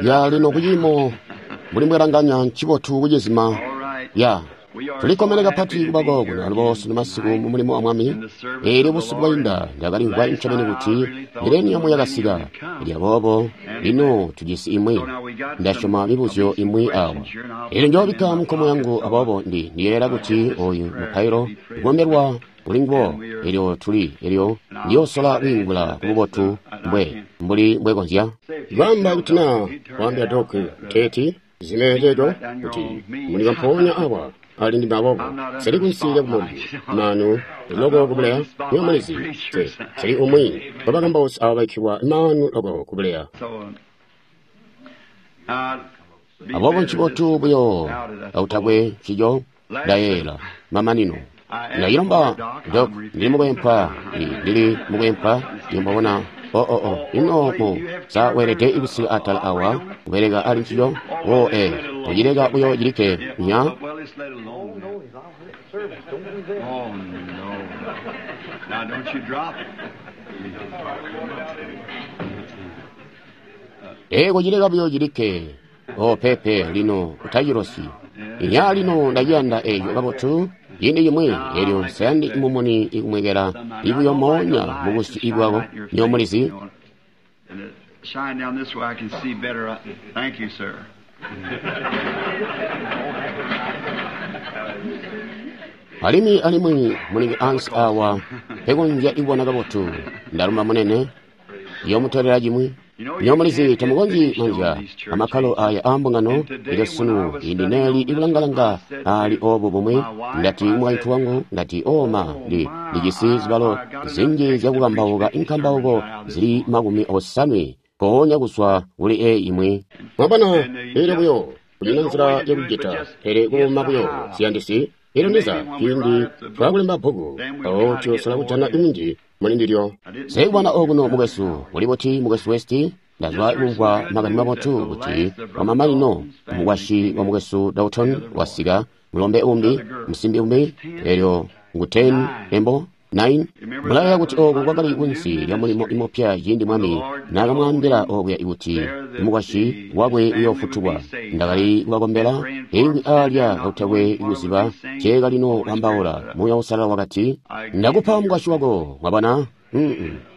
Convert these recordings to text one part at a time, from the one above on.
Ya lino kuciimo mbuli mbwelanganya ncibotu kucizima. Ya tulikkomene kapati kuba kokuno alubo sunu masiku mu mulimo wa Mwami. Eelyo busiku bwainda ndakalimvwa ncobeni kuti mileniamu yakasika. Elyo aboobo lino tujisi imwi, ndasyoma mibuzyo imwi awa. Eelyo njoobikka munkomo yangu, aboobo ndiyeeyela kuti oyu mupailo ukombelwa kuli nguwo. Elyo tuli elyo ndiyoosola kwiingula kububotu mbwe mbuli mbwekonzya. Kwaamba kuti naa waambila Doc kuteeti zime ceeco kuti munika mpoonya awa ali ndime aboobo nseli kunsi lya kumubili maanu loko kubuleya niyo mulizi nseli umwi wa bakambausi aba babikkilwa maanu loko kubuleya. Aboobo ncibotu buyo akutakwe ncico ndayeeyela mamanino. Ndacilomba Doc, ndili mukwempwa, ndili mukwempwa, iyo mwabona. Oh, oh, oh. Ino mu sa weelede kusika atala awa kubeleka ali ncico? Oh, eh, kucileka buyo cilikke nya. Oh, no. Now, don't you drop it. Eh, kucileka buyo cilikke. Oh, pepe, lino utacilosyi. Inya lino ndaciyanda eco kabotu. Ciindi cimwi elyo nseyandi mumuni ikumwekela ibuyo moonya mubusyu ibwako nyo mulizi. And it shine down this way, I can see better. Thank you, sir. Alimwi alimwi mulingi ansi awa pekonzya ibona kabotu. Ndalumba munene yomutolela cimwi. Nyo mulizi tamukonzyi manzya amakkalo aya aambungano. Elyo sunu indi neeli ikulangalanga ali obo bumwi. Ndati mukaintu wangu, ndati oma ndijisi zibalo zinji zyakukambauka inkambauko zili 80 koonya kuzwa kuli eyi imwi. Mwabona, elyo buyo kunyina nzila yakucita pele kuuma buyo ziyandisi. Elyo ndiza ciindi twakulemba bbuku mpawo tuyosola kujana inji muli ndilyo. Nsekubona okuno mukwesu uli buti mukwesu West. Ndazwa kumvwa makani mabotu kuti wamamanino mukwasyi wa mukwesu Dalton wasika, mulombe umbi, musimbi umbi, elyo ngu 10 embo 9. Mulayeeya kuti oku kwakali kunsi lya mulimo imupya ciindi Mwami naakamwaambila okuya kuti mukwasyi wakwe uyoofutulwa. Ndakali kubakombela iingwi aalya kakutakwe kuziba nceekalino kwaambaula. Muuya Uusalala wakati, ndakupa mukwasyi wako. Mwabona?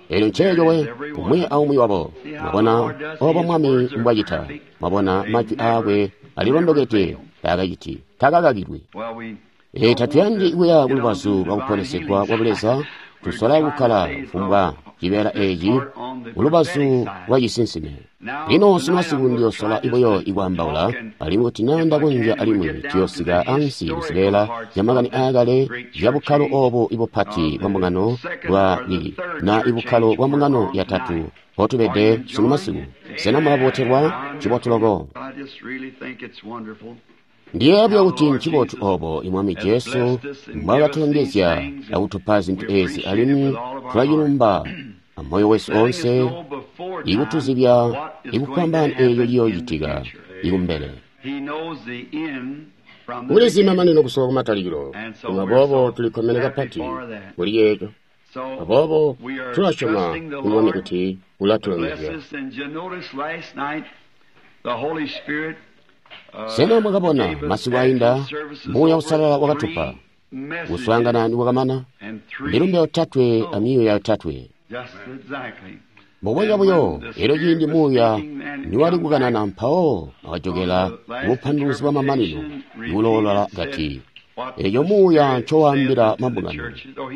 Elyo nceeco we, umwi aumwi wabo. Mwabona obo Mwami mbwacita. Mwabona majwi aakwe alilondokede, taakaciti, taakakakilwi. Tatuyandi kuya kulubazu lwa kuponesegwa kwa Buleza. Tusola kukkala kufumbwa cibeela eci kulubazu lwa cisinsime. Lino sunu ndiyosola buyo ikwaambaula, alimwi kuti naa ndakonzya alimwi tuyoosika ansi kuzibeela zya makani aakale zya bukkalo obu ibupati bwa mbungano bwa na ibukkalo bwa mbungano yatatu mpotubede sunu masiku. Sena mulabotelwa? Ncibotu loko. I just really think it's wonderful. Ndiyeeya buyo kuti ncibotu obo Mwami Jesu mbwaakatulongezya akutupa zintu ezi, alimwi tulacilumba amoyo wesu onse ikutuzibya ikufwambaana eeco ciyoocitika ikumbele. He knows the end from the Ulizi beginning. mamanino kusowa kumatalikilo, aboobo tulikkomene kapati kuli yeeco. So Aboobo we are tulasyoma trusting the Mwami Lord kuti to bless ulatulongezya. us. And you notice last night the Holy Spirit Sena mwakabona gave us masiku ainda after services Muuya over Uusalala wakatupa three messages kuswaangana niwakamana and three milumbe yotatwe amyuuya yotatwe. just exactly. Mbubwenya buyo, elyo ciindi Muuya niwali kukanana mpawo akajokela kubupanduluzi bwa mamanino ikuloola kati, eeco Muuya ncowaambila mabungano.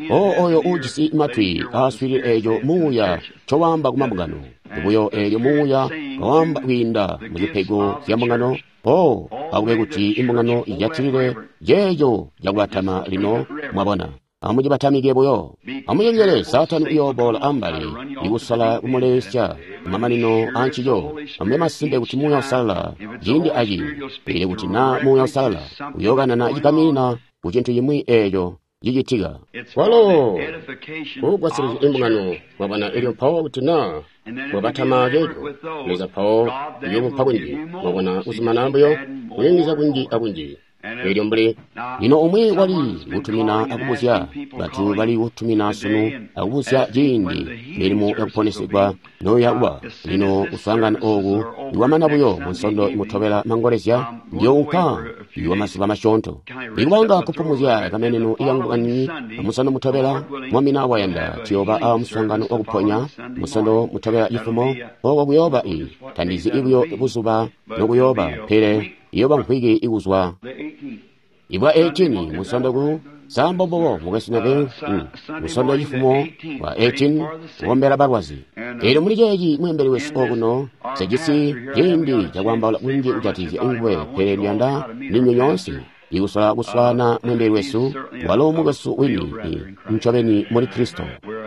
O oyo uujisi matwi aaswiilile eeco Muuya ncowaamba ku mabungano. Buyo eelyo Muuya kawaamba kwiinda mu zipego zya mbungano. O akube kuti imbungano ijatilile ceeco cakubatama lino, mwabona. Amucibatamike buyo. Amucenjele, Saatani uyooboola ambali ikusola kumulesya kumamanino aancico. Amube masimpe kuti Muuya Uusalala ciindi aciindi, pele kuti naa Muuya Uusalala uyookanana cigaminina ku cintu cimwi eeco cicitika. It's Walo for the edification kugwasilizya of the imbungano church. mwabona elyo mpawo kuti naa And then if mwabatama you be ceeco reverent with those, Leza mpawo God then uyoomupa will kunji give you more. mwabona See, kuzumanana buyo add more kuyungizya and kunji more. akunji. Elyo mbuli lino umwi wali kutumina akubuzya, bantu bali kutumina sunu akubuzya ciindi milimo yakuponesegwa noya kuba. Lino kuswaangana ooku iwamana buyo munsondo imutobela mangolezya, ndiyounka iwa mazuba masyoonto. Ikubanga kupumuzya kameneno ikangu kaniini, musondo mutobela Mwami na wayanda tuyooba a muswaangano wakuponya musondo mutobela cifumo, oko kuyooba tandizi buyo buzuba nokuyooba, pele iyooba mvwiki ikuzwa ibwa 18 musondo ku sambombobo mukwesu Neville, musondo cifumo wa 18 kukombela balwazi. Elyo muli ceeci mweembeli wesu okuno sejisi ciindi cakwaambaula kunji kujatikizya nguwe, pele ndiyanda ndinywe nyoonse ikusola kuswaana mweembeli wesu, walo mukwesu wini ncobeni muli Kristo.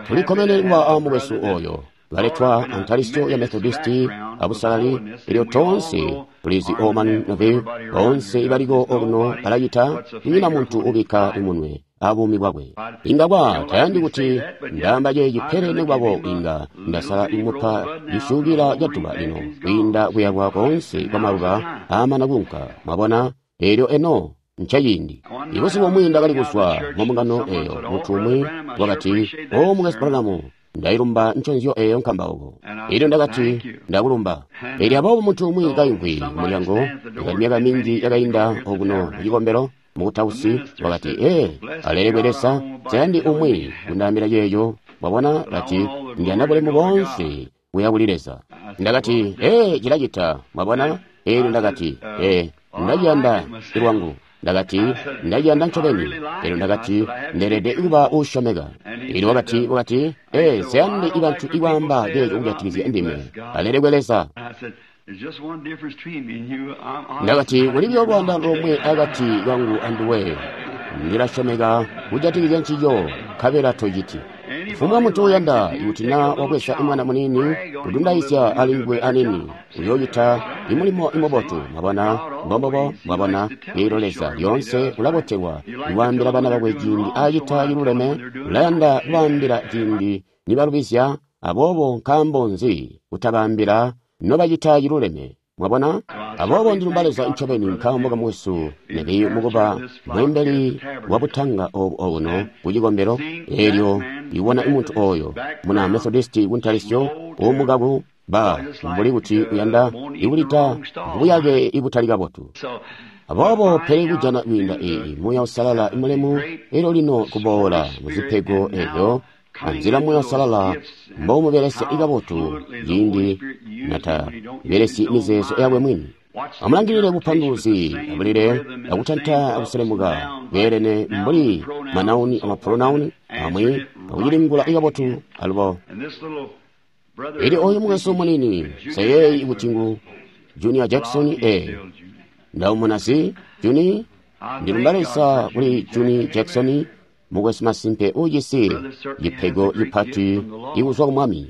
Tulikkomene kuba a mukwesu oyo baletwa antalisyo ya Methodisti abusalali. Elyo toonse tulizi Orman Neville, boonse ibaliko okuno balacita, kunyina muntu ubikka imunwe abuumi bwakwe. Inga kwa tayandi kuti ndaamba ceeci, pele nekubabo inga ndasala imupa cisyuukila ca duba lino kwiinda kuyakwa koonse kwa maluba aamana kuunka. Mwabona? Elyo eno ncaciindi. Ibuzuba bumwi ndakali kuzwa mu mbungano eyo, muntu umwi wakati, "O mukwesu Branham, ndailumba nconzyo eyo nkambauko." Elyo ndakati, "Ndakulumba." Elyo aboobo muntu umwi kaimvwi kumulyango, yakali myaka minji yakainda okuno mucikombelo, mukutausi, wakati, "Ee, alelekwe Leza, nsayandi umwi kundaambila ceeco." Mwabona, kati, "Ndiyanda bulemu boonse kuya kuli Leza." Ndakati, "Ee, cilacita." Mwabona? Elyo ndakati, "Ee, ndaciyanda lwangu." Ndakati, "Ndaciyanda ncobeni." Elyo ndakati, "Ndeelede kuba uusyomeka." Elyo wakati, "Ee, nsayandi ibantu ikwaamba ceeco kujatikizya ndime. Alelekwe Leza." Ndakati, "Kuli buyo lwaandano lomwe akati kangu anduwe. Ndilasyomeka kujatikizya ncico, nkabela tociti." Kufumbwa muntu uyanda, ikuti na wabweza imwana muniini kudundaizya alinguwe anini, uyoocita imulimo imubotu. Mwabona? Mbombobo. Mwabona? Elyo Leza lyoonse ulabotelwa ikwaambila bana bakwe ciindi acita ciluleme, ulayanda kubaambila ciindi nibalubizya. Aboobo nkaambo nzi kutabaambila nobacita ciluleme? Mwabona? Aboobo ndilumba Leza ncobeni nkaambo kamukwesu Neville mukuba mweembeli wa butanga obu okuno ku cikombelo. Elyo ibona muntu oyo muna Methodisti kuntalisyo uumukaku ba mbuli kuti uyanda ikulita buyake ibutali kabotu. Aboobo pele kujana kwiinda iyi Muuya Uusalala imulemu, elyo lino kuboola muzipego elyo anzila Muuya Uusalala mboumubelesya ikabotu ciindi nata belesyi mizeezo yakwe mwini. Amulangilile bupanduluzi abulile akutanta akuselemuka bweelene mbuli manauni amapronauni amwi akucilingula ikabotu alubo. Elyo oyu mukwesu munini seyeeyi kuti ngu Junior Jackson, ndaumuna si Juni. Ndilumba Leza kuli Juni Jackson, mukwesu masimpe uujisi cipego cipati ikuzwa ku Mwami.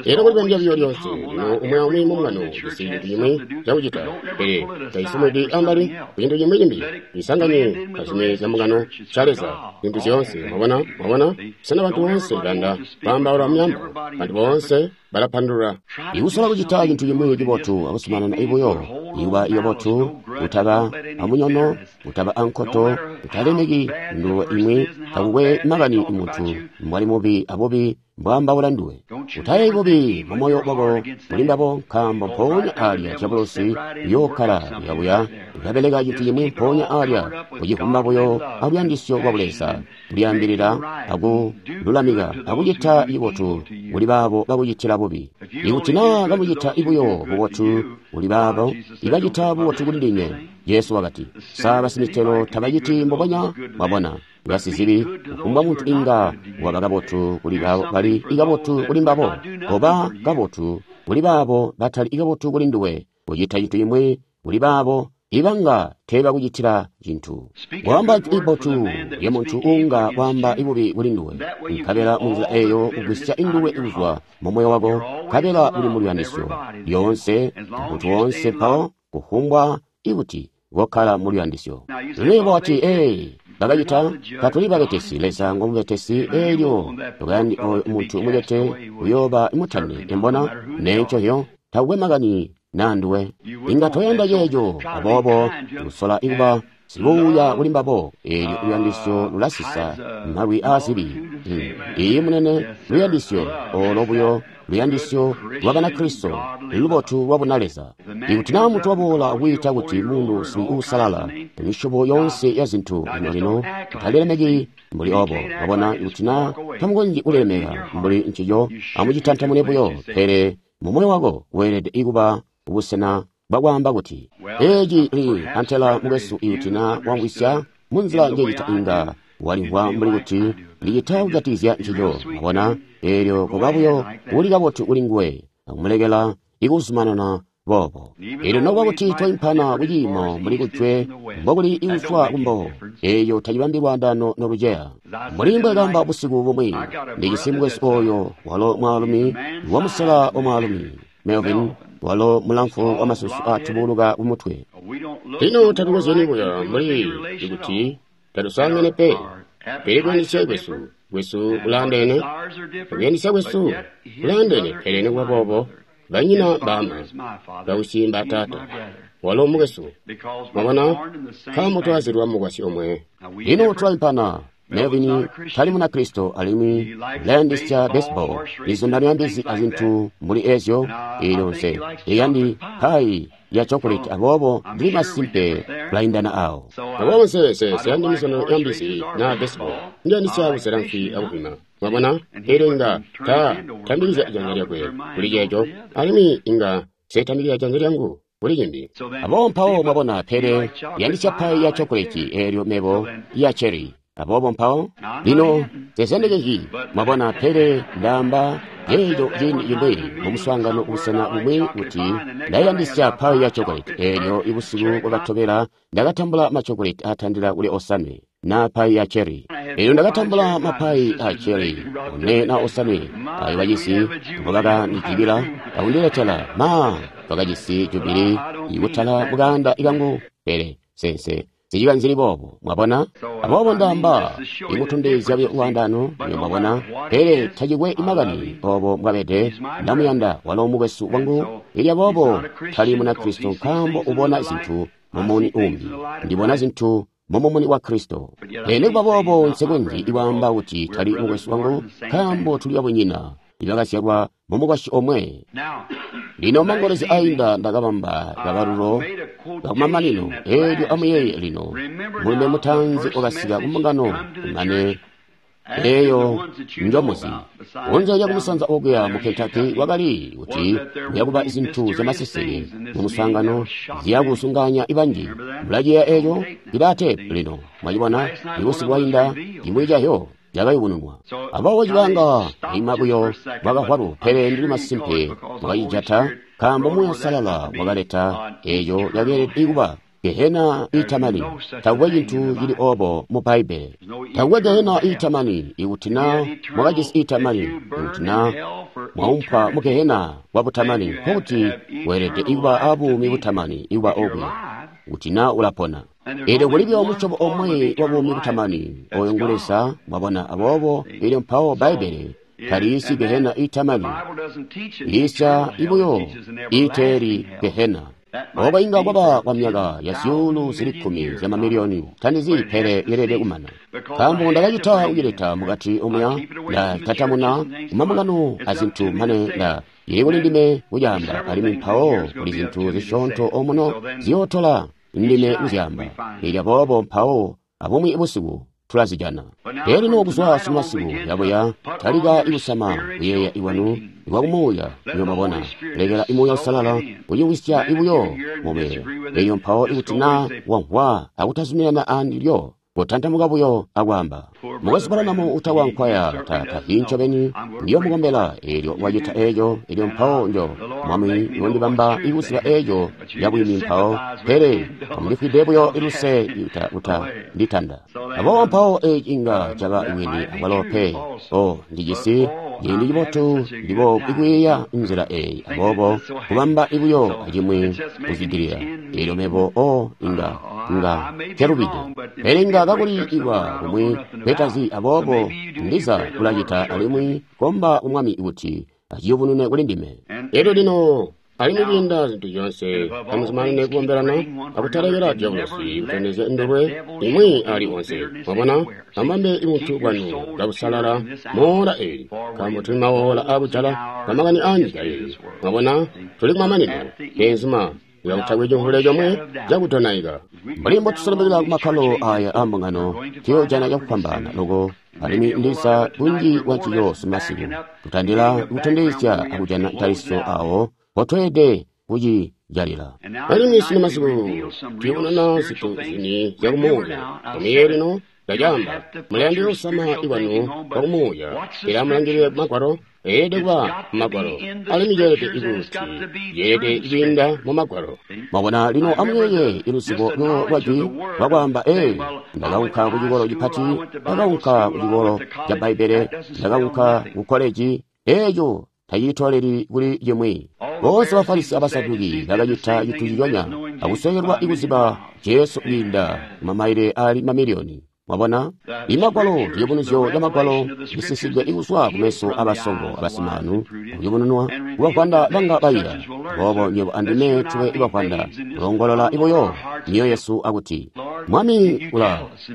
Elyo kulibambya buyo lyonse lino umwi aumwi mumbungano ujisi cintu cimwi cakucita, pele taisumwidi ambali ku cintu cimwi cimbi. Isanganye azimwi zya mbungano ca Leza, zintu zyoonse. Mwabona? Mwabona? Sena bantu boonse bayanda kwaambaula myaambo? Bantu boonse balapandulula. Ikusola kucita cintu cimwi cibotu akuzumanana buyo ikuba ikabotu, kutaba amunyono, kutaba ankoto, kutalemeki nduwe imwi, takukwe makani muntu mbwali mubi abubi mbwaambaula nduwe. Utayeeyi bubi mumoyo wako muli mbabo, nkaambo mpoonya alya diabolosi uyookkala kuyabuya ukabeleka cintu cimwi mpoonya alya, kucivumba buyo aluyandisyo lwa Buleza, kulyaambilila akululamika akucita cibotu kuli baabo bakucitila bubi. Ikuti naa kamucita buyo bubotu kuli baabo ibacita bubotu kuli ndinywe, Jesu wakati, sa basimitelo tabaciti mbubonya? Mwabona, basizibi, kufumbwa muntu inga waba kabotu kuli baabo bali ikabotu kuli mbabo, koba kabotu kuli baabo batali ikabotu kuli nduwe, kucita cintu cimwi kuli baabo ibanga teebakucitila cintu. Waamba ibotu lya muntu uunga waamba ibubi kuli nduwe, nkabela munzila eyo ugwisya induwe kuzwa mumoyo wako, nkabela uli muluyandisyo lyoonse muntu woonse mpawo kufumbwa ikuti kokkala muluyandisyo. Lino wati, "Ee, bakacita, tatuli babetesi, Leza ngomubetesi." Elyo tukayandi oyo muntu mucete uyooba mutani embona nencozyo, takukwe makani naa nduwe. Inga toyanda ceeco, aboobo kusola ikuba Sibuuya kuli mbabo. Eelyo luyandisyo lulasisa malwi aazibi. Iiyi, munene, luyandisyo olo buyo luyandisyo lwa Banakristo lubotu lwa bunaleza. Ikuti naa muntu waboola kwiita kuti muntu uusalala, misyobo yoonse ya zintu lino-lino, mutalilemeki mbuli obo. Mwabona, ikuti naa tamukonzyi kulilemeka mbuli ncico, amucitantamune buyo. Pele mu moyo wako weelede kuba busena bwakwaamba kuti, eeci li antela mukwesu, ikuti naa wamvwisya munzila njecita inga walimvwa mbuli kuti licita kujatikizya ncico. Mwabona, eelyo kuba buyo uli kabotu kuli nguwe akumulekela ikuzumanana boobo. Eelyo nokuba kuti twaimpana kuciimo mbuli kujwe mbokuli ikuzwa kumbo, eeyo tacibambi lwaandaano noluceya. Mbuli mbwekaamba busiku bumwi, ndijisi mukwesu ooyo walo mwaalumi wamusela wa mwaalumi Melvin, walo mulamfu wamasusu aatubuluka kumutwe. Lino tatukozyeni buya mbuli kuti tatusangene pe, pele kuyandisya kwesu kulaandeene, kuyandisya kwesu kulaandeene, pele nikuba boobo banyina baama, bausyi mbaataata, walo mukwesu. Mwabona, nkaambo twazilwa mukwasyi omwe. Lino tulaimpana. Melvin tali Munakristo alimwi ulayandisya baseball, mizundano ya mbizi azintu mbuli ezyo. Eelyo nse iyandi pai ya chocolate, aboobo ndili masimpe kulaindana awo. Aboobo nseyandi mizundano ya mbizi na baseball, ndiyandisya kuzela mfi akuvwima. Mwabona, eelyo inga tambikizya janza lyakwe kuli ceeco, alimwi inga nsetambikizya janza lyangu kuli cimbi. Aboobo mpawo mwabona, pele yandisya pai ya chocolate, eelyo mebo ya cherry. Aboobo mpawo lino nsesendekezyi, mwabona, pele ndaamba yeeco ciindi cimwi mumuswaangano kubusena bumwi kuti ndayandisya pai ya chocolate. Eelyo ibusiku bwakatobela ndakatambula machocolate aatandila kuli 5 na pai ya cherry. Eelyo ndakatambula mapai a cherry 4 na 5 ayo bacisi mbobakandijibila akundiletela. Ma twakajisi jubili ikutala mukaanda kangu, pele sense sicikanzili boobo, mwabona. Aboobo ndaamba ikutondezya buyo lwaandaano, mwabona, pele tacikwe makani obo mbwabede, ndamuyanda walo mukwesu wangu. Elyo aboobo tali Munakristo nkaambo ubona zintu mumuni umbi, ndibona zintu mumumuni wa Kristo. Pele nikuba boobo nsekonzyi ikwaamba kuti tali mukwesu wangu nkaambo tuli babunyina ibakazyalwa mumukwasyi omwe. Lino mangolezi ainda ndakabamba kabalulo kakumamanino. Eelyo amuyeeye lino, mulumbe mutaanzi wakasika kumbungano kumane eeyo njomuzi. Kunze lyakumusanza okuya mu Kentucky wakali kuti kuyakuba zintu zyamaseseke mumuswaangano ziyakusunganya ibanji. Mulaciyeeya eeco cilaa teepu lino, mwacibona, ibusiku bwainda cimwi cahyo cakayubununwa. Aboobo cibanga ima buyo bwakahwalu, pele ndili masimpe mwakacijata nkaambo Muuya Uusalala wakaleta eeco yakeelede kuba gehena iitamani. Takukwe cintu cili obo mu Bbaibbele. Takukwe gehena iitamani. Ikuti naa mwakajisi iitamani, ikuti naa mwaumpwa mu gehena kwa butamani, nkokuti weelede kuba abuumi butamani ikuba okuya, kuti naa ulapona. Eelyo kulibyo musyobo omwe wa buumi butamani, oyo ngu Leza, mwabona. Aboobo eelyo mpawo Bbaibbele taliisyi gehena iitamani, liisya ibuyo iiteeli gehena. Obo inga kwaba kwa myaka ya zyuulu zili 10 zyamamiliyoni, tandizi, pele yeelede kumana. Nkaambo ndakacita kucileta mukati omuya, ndatatamuna kumambungano azintu mane nda ili kuli ndime kucaamba, alimwi mpawo kuli zintu zisyoonto omuno ziyootola ndime kuzyamba. Elyo aboobo mpawo abumwi busiku tulazijana. Pele lino kuzwa sumasiku yabuya talika ikusama kuyeeya iwanu iwakumuuya, niyo mwabona, lekela Muuya Uusalala kuciwisya ibuyo mube. Elyo mpawo ikuti naa wamvwa akutazuminana andilyo, kotantamuka buyo akwaamba, mukwesu Branham utawankwaya tatahi ncobeni, ndiyo mukombela. Eelyo wacita eeco, elyo mpawo njo Mwami yondibamba ikuziba eeco yabwini mpawo, pele amundifwide buyo luse uta nditanda. Aboobo mpawo eeci inga caba bwini akwalo pe. O ndijisi ciindi cibotu ndibo ikwiiya nzila eeyi, aboobo kubamba ibuyo acimwi kuzwidilila. Eelyo mebo o inga nkelubide, pele inga kakuli ikwa kumwi kwetazi, aboobo ndiza kulacita alimwi komba ku Mwami kuti aciyubunune kuli ndime. Elyo lino Alimwi kwiinda zintu zyoonse, amuzumanane kukombelana akutalekela dyabulosi kutondezya indulwe imwi ali onse. Mwabona, amubambe buntu bwanu kabusalala moola eli, nkaambo tuli mawoola aakujala kamakani aanyika eyi. Mwabona, tuli kumamanino, beenzuma. Kakutakwe cimvule comwe cakudonaika. Mbuli mbotusolobekela kumakkalo aya aambungano, tuyoojana cakufwambaana loko, alimwi ndiza bunji bwancico simasiku, kutandila kutondezya akujana ntalisyo awo mpotweelede kucijalila. Alimwi sino masiku tuyobonana zintu zini zyakumuuya. Amuyeeye lino, ndacaamba, mulayandika kusama ikwanu kwakumuuya, pele amulangilile Magwalo. Eelede kuba mumagwalo, alimwi ceelede kuti ceelede kwiinda mumagwalo. Mwabona lino, amuyeeye iluzibo buyo lwa jwi lwakwaamba, ee, ndakaunka ku cikolo cipati, ndakaunka ku cikolo ca Bbaibbele, ndakaunka ku koleji. Eeco taciitoleli kuli cimwi. Boonse Bafarisi abasaduki bakacita cintu ciconya, akusweekelwa kuziba Jesu kwiinda mamaile ali mamiliyoni. Mwabona, imagwalo ciyubunuzyo ca magwalo lisisidwe kuzwa kumeso abasongo abasimaanu, kuyubununwa kubavwanda banga baila. Boobo nywebo andime tube ibavwanda, kulongolola buyo myoyo yesu akuti, Mwami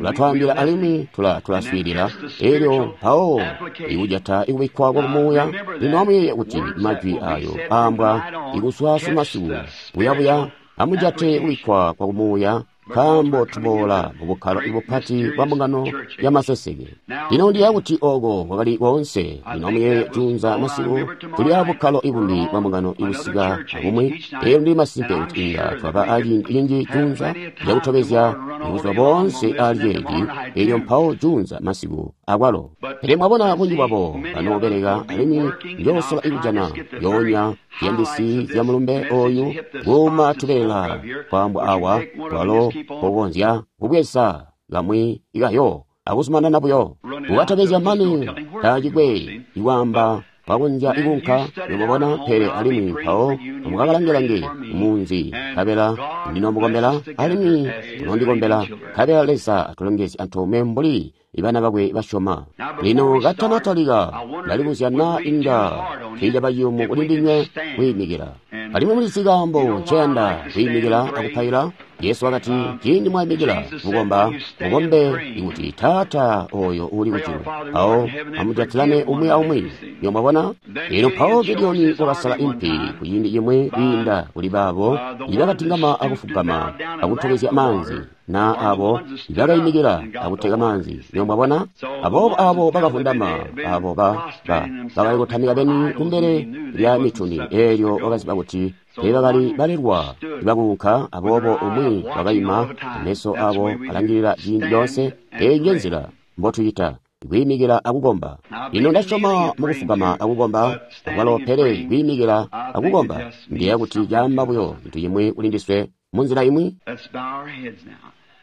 ulatwaambila alimwi tulaswiilila. Elyo mpawo ikujata ikubikkwa kwa kumuuya. Lino amuyeeye kuti majwi ayo aambwa ikuzwa sumasiku buyabuya, amujate kubikkwa kwa kumuuya, nkaambo tuboola mubukkalo bupati bwa mbungano ya maseseke. Lino ndiya kuti oko kwakali koonse. Lino amuyeeye juunza masiku tuli abukkalo ibumbi bwa mbungano ibusika abumwi. Elyo ndili masimpe kuti inga twaba aciindi cinji juunza cakutobezya buzuba boonse ali ceeci, elyo mpawo juunza masiku akwalo. Pele mwabona bunji bwabo banoobeleka, alimwi njoosola ikujana yoonya ziyandisi zya mulumbe oyu kuuma tubeela kwaambwa awa, twalo pokonzya kubweza kamwi ikayo akuzumanana buyo kukatobezya mane taacikwe ikwaamba kwakonzya ikunka. Nimubona, pele alimwi mpawo mukakalangelange munzi, nkabela ndinomukombela alimwi munondikombela, nkabela Leza atulongezye antoomwe mbuli ibana bakwe basyoma. Lino katanatalika, ndalibuzya naa inga tiicaba ciyumu kuli ndinywe kwiimikila. Alimwi mulizi kaambo nceyanda kwiimikila akupaila? Jesu wakati, ciindi mwaimikila kukomba, mukombe ikuti Taata oyo uuli kujulu. Mpawo amujatilane umwi aumwi. Nyo mwabona? Lino mpawo Gideoni wakasala impi kuciindi cimwi kwiinda kuli baabo ibakatingama akufugama akutobezya maanzi, na abo ibakaimikila akuteka maanzi. Nyo mwabona? Aboobo abo bakavundama, abo bakali kutamika beni kumbele lya mituni, eelyo wakaziba kuti teebakali balelwa ibakuunka. Aboobo umwi wakaima, meso abo alangilila ciindi coonse. Eyi nje nzila mbotucita, kwiimikila akukomba. Lino ndasyoma mukufugama akukomba akwalo, pele kwiimikila akukomba ndiya kuti caamba buyo cintu cimwi kuli ndiswe munzila imwi.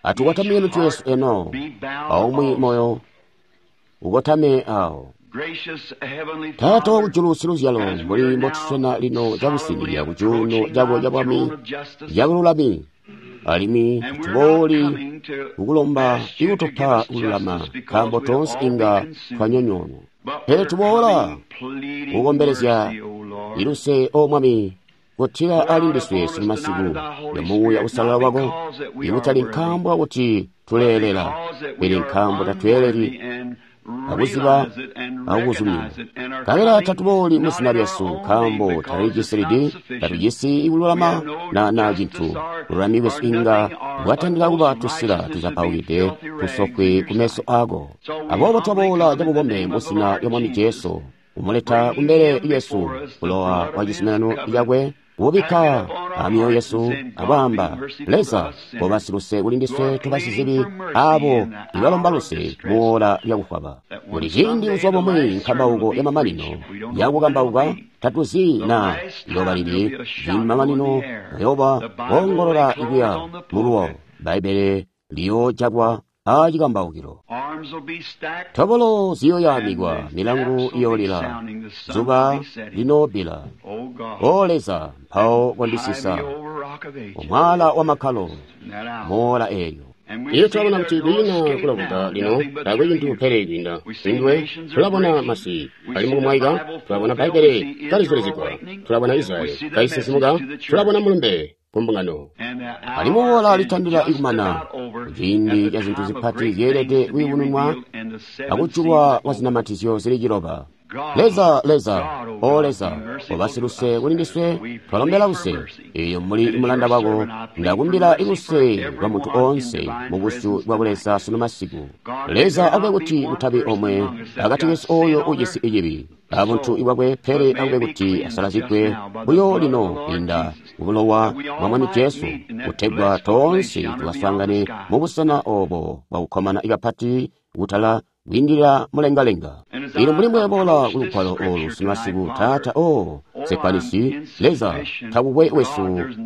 Atukotamike mitwe yesu eno, aumwi moyo ukotame awo. Taata wakujulu siluzyalo, mbuli mbotuswena lino cakusinizya kucuuno cako cabwami cabululami, alimwi tubooli kukulomba ikutupa kululama, nkaambo toonse inga twanyonyoonwa. Pele tuboola kukombelezya iluse, O Mwami, kutila ali ndiswe simasiku ya Muuya Usalala wako, ikutali nkaambo kakuti tuleelela, pele nkaambo tatweeleli akuziba akukuzumina. Nkabela tatubooli muzina lyesu, nkaambo tatulijisilidi, tatujisi kululama na cintu. Bululami bwesu inga bwatandila kuba tusila tuzapaukide tusokwe kumeso ako. Aboobo twaboola cabubombe muzina lya Mwami Jesu, kumuleta kumbele lyesu bulowa bwa cizuminano cakwe, kubikka amyoyo yesu akwaamba, Leza, koba siluse kuli ndiswe tubasizibi abo ibalomba luse muola lyakufwaba. Buli ciindi buzuba bumwi nkambauko ya mamanino yakukambauka, tatuzi na yoba lili, ciindi mamanino ayoba woongolola ikuya muluwo. Bbaibbele liyoojakwa acikambaukilo. Tobolo ziyoyaamikwa, milangu iyoolila, zuba linoobila. O Leza, mpawo kondisisa omwala wa makkalo moola eelyo. Iyo tulabona kuti kwiina kuloboka lino, taakwe cintu pele kwiinda kuli Tulabona masi ali mukumwaika, tulabona Bbaibbele kalizulizigwa, tulabona Israyeli kaisisimuka, tulabona mulumbe ku mbungano. Alimwi oora litandila ikumana, kuciindi ca zintu zipati zyeelede kuyubununwa akujulwa kwa zinamatizyo zili ciloba. Leza, Leza, O Leza, oba siluse kuli ndiswe, twalombela luse. Iyo mbuli mulanda wako, ndakumbila luse lwa muntu oonse mu busyu bwa Buleza sunu masiku. Leza akube kuti kutabi omwe akati kesu oyo ujisi icibi abuntu bwakwe, pele akube kuti asalazigwe buyo lino kwiinda mu bulowa bwa Mwami Jesu, kutegwa toonse tukaswaangane mu busena obo bwakukkomana kapati kutala kwiindilila mulengalenga. Ino mbuli mbweboola kulugwalo olu sunu masiku, Taata, o nsekwanisi, Leza takukwe wesu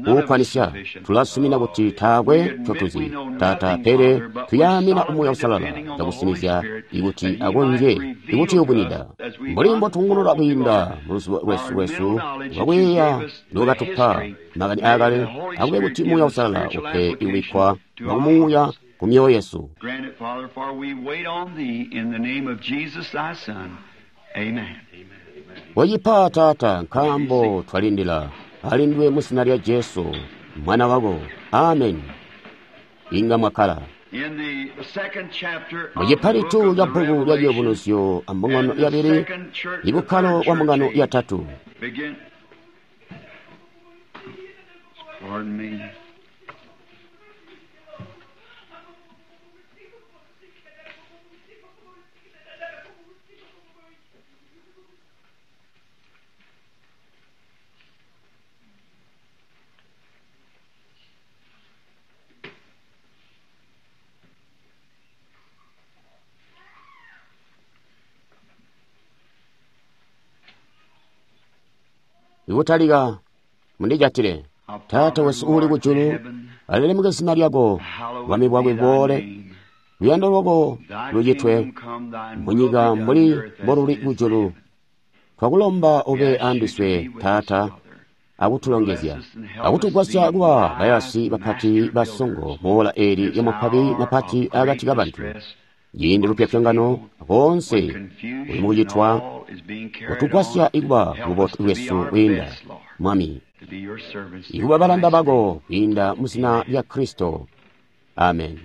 uukwanisya. Tulasumina kuti taakwe ncotuzi, Taata, pele tuyaamina Muuya Uusalala cakusinizya ikuti akonzye ikutuyubunwida. Mbuli mbotungulula kwiinda muluzibo lwesu lwesu lwakuyeeya ndokatupa makani aakale, akube kuti Muuya Uusalala upe ikubikkwa kwa kumuuya ku myoyo yesu. Grant it, Father, for we wait on thee in the name of Jesus thy Son. Amen. Wacipa, Taata, nkaambo twalindila alindwe mu zina lya Jesu mwana wako. Amen. Inga mwakkala. In the second chapter Mu of the cipalitu book of ca the bbuku lya Revelation, Ciyubunuzyo a mbungano and the yabili, second church, the ibukkalo third bwa mbungano church yatatu. begin. Pardon me. Ikutalika mundijatile. Taata wesu uuli kujulu, alilemeke zina lyako, bwami bwakwe buboole, luyando lwako lucitwe munyika mbuli mboluli kujulu. Twakulomba ube andiswe, Taata, akutulongezya, akutugwasya kuba bayasi bapati basongo muola eeli lyamapwabi mapati akati kabantu. Ciindi lupyopyongano koonse kuli mukucitwa, kutugwasya ikuba bubotu bwesu kwiinda, Mwami, ikuba balanda bako kwiinda mu zina lya Kristo. Amen.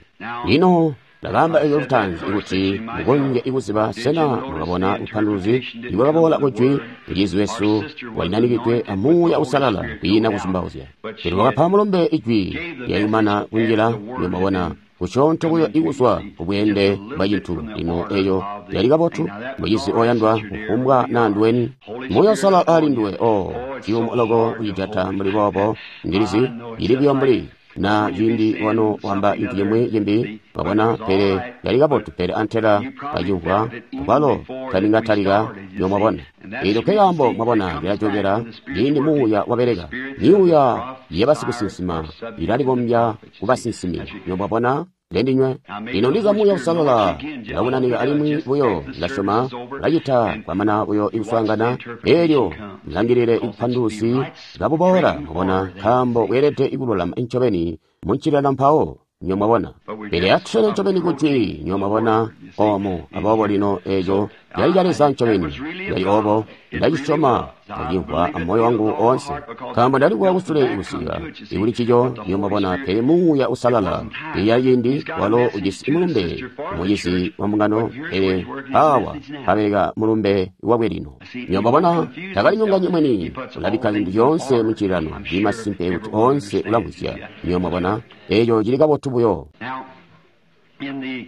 Lino ndakaamba eco lutaanzi kuti mukonzye ikuziba sena mwakabona bupanduluzi ibwakaboola kujwi mucizi wesu walinanikidwe a Muuya Uusalala kwiina kuzumbauzya. Pele wakapa mulumbe ijwi lyayumana kunjila mwabona kusyoonto buyo ikuzwa kubweende bwa cintu. Lino eyo yali kabotu, mucizi oyandwa, kufumbwa naa nduweni. Muuya Uusalala ali nduwe. O ciyumu loko kucijata mbuli boobo, ndilizi ili buyo mbuli na ciindi wano wamba cintu cimwi cimbi, wabona, pele yali kabotu, pele antela kacimvwa kwalo talingatalika yo mwabona. Eelyo nkekaambo mwabona lilajokera ciindi Muuya wabeleka. Myuuya yabasikusinsima ilalibombya kubasinsimi yo mwabona. Lendinywe lino ndiza Muuya Uusalala ulakunanika alimwi buyo ndasyoma lacita kwamana buyo ikuswaangana eelyo mulangilile ibupanduluzi kabuboola mwabona, nkaambo bweelede ikululama ncobeni muncilana mpawo nyo mwabona. Pele atuswene ncobeni kujwi nyo mwabona omu. Aboobo lino eeco cali ca Leza ncobeni, yali obo ndacisyoma, ndacimvwa amoyo wangu oonse, nkaambo ndalikuwa kusule kusika ikuli ncico nyo mwabona. Pele Muuya Uusalala iya ciindi walo ujisi mulumbe mucizi wa mbungano, pele awa abeleka mulumbe wakwe lino. Nyo mwabona, takalinyonganyi mweni, ulabikka zintu zyoonse muncililano, ndi masimpe kuti oonse ulamvwisya. Nyo mwabona, eeco cili kabotu buyo. Now, in the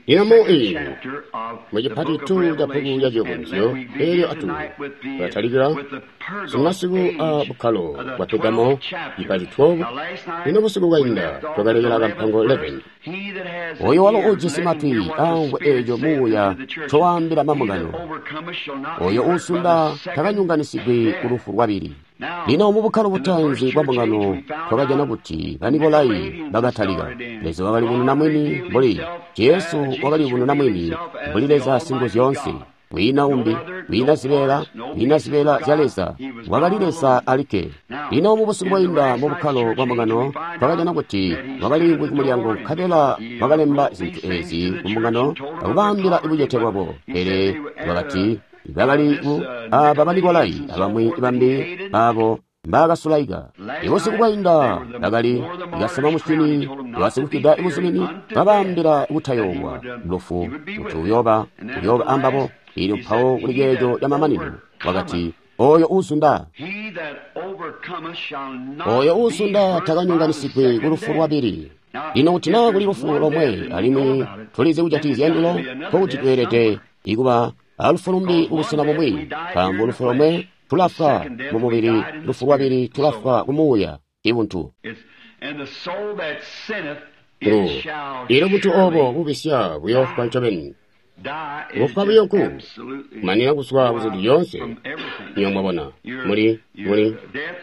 Lino mu second iyi, chapter of mu the book of cipatitu ca bbuku Revelation, lya and Ciyubunuzyo, let we begin eelyo atu tonight with the tulatalika with the Pergamos sumasiku a age, bukkalo the bwa Pergamo, 12th chapter. cipati 12. Now, last night Lino busiku we bwainda left off at the twakalekela kampango 11th 11. verse. He that has an Oyo walo ear, ujisi let him matwi hear what the amvwe Spirit eeco saith unto Muuya the churches. ncowaambila He that mambungano. overcometh shall not be Oyo hurt by uusunda the second takanyunganisigwi death. ku lufu lwabili. Now, Lino mu bukkalo in the first butaanzi bwa church age, mbungano we found twakajana out kuti the Banikolai Nicolaitans had bakatalika. started in. Leza wakalibununa God mwini revealed mbuli himself, Jesu Jesus wakalibununa revealed mwini himself as mbuli the Leza Almighty Singuzyoonse. God. Kwiina No umbi, other, kwiina no zibeela, parts, no kwiina pieces zibeela of zya God. Leza. He was Wakali God Leza alone. alikke. Now, Lino mubusiku bwainda mu bukkalo bwa mbungano, twakajana kuti wakaliimvwi ku mulyango nkabela wakalemba zintu ezi ku mbungano akubaambila bucete bwabo. Pele wakati bakali ku aba Banikolai abamwi bambi abo mbaakasulaika. Ibusiku bwainda bakali kasama musyini basikufwida buzumini babaambila kutayoowa lufu kuti uyooba ambabo. Elyo mpawo kuli ceeco camamanino wakati, oyo uuzunda, oyo uuzunda takanyonganisigwi ku lufu lwabili. Lino kuti naa kuli lufu lomwe alimwi tulizi kujatikizya ndulo, nkokuti tweelede ikuba alufu lumbi kubusena bumwi, nkaambo lufu lomwe tulafwa mu mubili, lufu lwabili tulafwa ku muuya, ibuntu. Ilo buntu obo bubisya buyoofwa ncobeni. Kufwa buyo nku kumanina kuzwa kuzintu zyoonse. Nyo mwabona, muli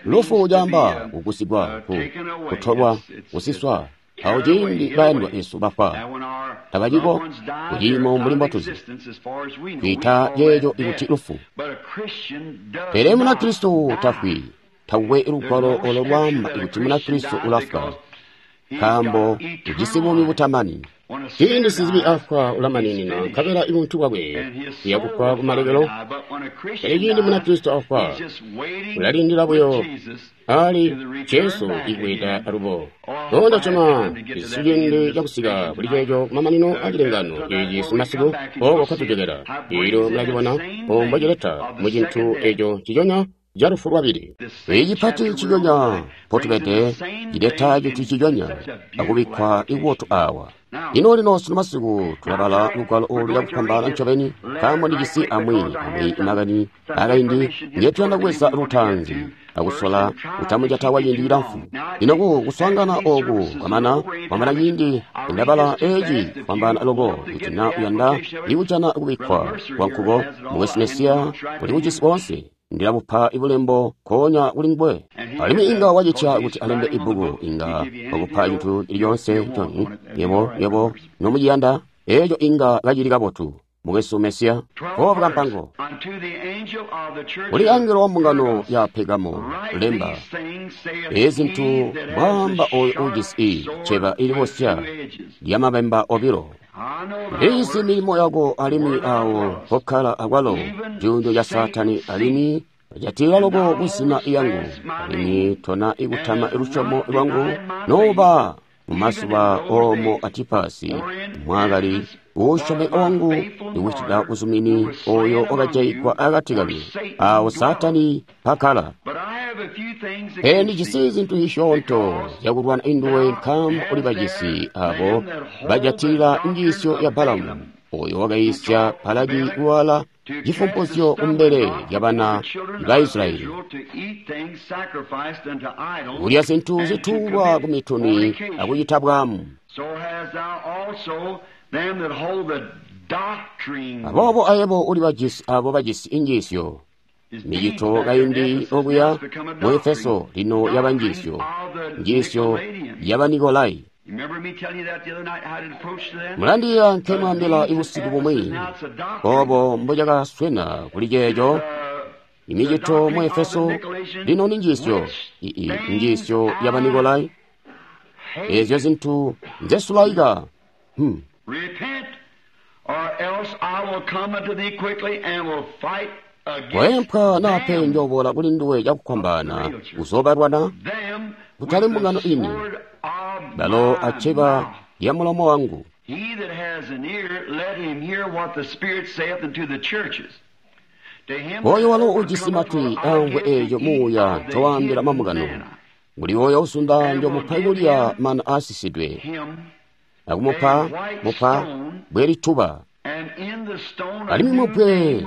lufu caamba kugusigwa, kutolwa, kusiswa. Awo ciindi bayandwa esu bafwa tabaciko kuciimo mbuli mbotuzi, twiita ceeco ikuti lufu. Pele Munakristo tafwi. Takukwe lugwalo olo lwaamba kuti Munakristo ulafwa, nkaambo ujisi buumi butamani. Ciindi sizibi afwa ulamaninina, nkabela ibuntu bwakwe buyakufwa kumalekelo. Pele ciindi Munakristo afwa ulalindila buyo ali Jesu ikweeta alubo. Onda coma isi ciindi cakusika kuli ceeco kumamanino acilengano eci simasiku oko kwatujokela. Elyo mulacibona ombo cileta mu cintu eco ciconya ca lufu lwabili. Icipati ciconya mpotubede cileta cintu ciconya akubikkwa ikubotu awa. Lino lino sunu masiku tulabala lugwalo olu cakufwambaana ncobeni, nkaambo ndijisi amwi makani akaindi ngetuyanda kubweza lutaanzi akusola kutamujata kwa ciindi cilamfu. Lino ku kuswaangana oku kwamana kwamana ciindi ndabala eci kufwambaana loko, kuti na uyanda ikujana kubikkwa kwa nkuko mukwesu Mesiya uli kujisi koonse, ndilabupa ibulembo nkoonya kuli nguwe. Alimwi inga wacitya kuti alembe ibbuku, inga wakupa cintu cili coonse coni yebo nomuciyanda, eco inga kacili kabotu. Mukwesu Mesiya, kobu kampango. Kuli angelo wa mbungano ya Pegamo, lemba ezi zintu mbwaamba oyo ujisi cceba ilibosya lyamabemba obilo. Ndizi milimo yako alimwi awo mpokkala akwalo cuuno ca Saatani, alimwi jatila loko kuzina yangu, alimwi tona ikutama lusyomo lwangu noba mumazuba omo Antipasi mwakali uusyomeka wangu ikucita uzumini oyo wakajayigwa akati kanu, awo Saatani mpakkala. Pele ndijisi zintu zisyoonto zyakulwana induwe, nkaambo uli bajisi abo bajatilila njiisyo ya Balamu, oyo wakayiisya Balaki kuwala cifumpuzyo kumbele lyabana ba Israyeli, kulya zintu zituulwa ku mituni akucita bwaamu. Aboobo ayebo uli bajisi abo bajisi injiisyo. Micito kaindi okuya mu Efeso lino yaba njiisyo, njiisyo yaba Nikolai. Mulandiya nkemwaambila ibusiku bumwi obo mbocakaswena kuli ceeco. Imicito mu Efeso lino ni njiisyo, njiisyo yaba Nikolai. Ezyo zintu nzesulaika. Weempwa nape njooboola kuli nduwe cakufwambaana kuzoobalwana, kutali mbungano ini, balo acceba lya mulomo wangu. Oyo walo ujisi matwi amvwe eeco muuya ncowaambila mambungano. Kuli oyo usunda njomupa ikulya mana aasisidwe, akumupa mupa bwe lituba, alimwi mubwe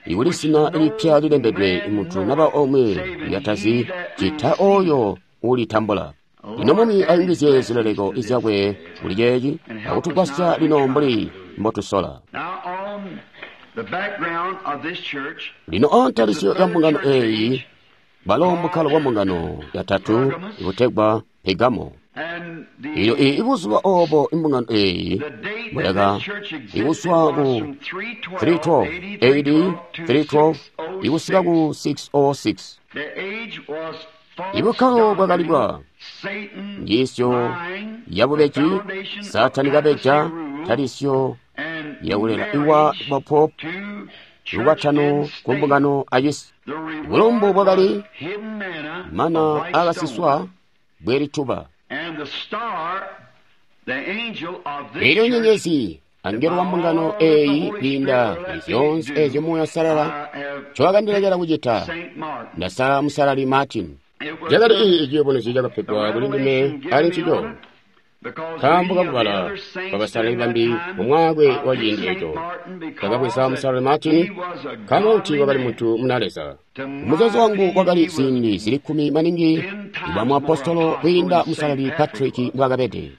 ikuli zina lipya lilembedwe muntu naba omwe lyatazi cita oyo ulitambula. Lino Mwami ayungizye zileleko zyakwe kuli ceeci akutugwasya lino mbuli mbotusola. Lino antalisyo ya mbungano eeyi balo mbukkalo bwa mbungano yatatu ikutegwa Pegamo. Elyo ibuzuba obo imbungano eeyi bwayaka ikuswa ku 312 AD 312 ikusika ku 606. Ibukkalo bwakali bwa njiisyo yabubeji, Saatani kabeja, talisyo yakulela iwa bapopu, lukwatano ku mbungano acisi. Bulumbu bwakali mana akasiswa bwe lituba. Elyo nyenyezi, angelo wa mbungano eyi kwiinda kuli zyoonse ezyo Muuya Uusalala ncowakandilekela kucita, ndasala Musalali Martin. Cakali ii ciyubunuzyo cakapegwa kuli ndime ali ncico, nkaambo kakubala kwa basalali bambi mu mwaakwe wa ciindi eco. Ndakabweza Musalali Martin nkaambo kuti wakali muntu muna Leza. Muzeezo wangu wakali ziindi zili 10 maningi bwa muapostolo kwiinda Musalali Patrick mbwaakabede.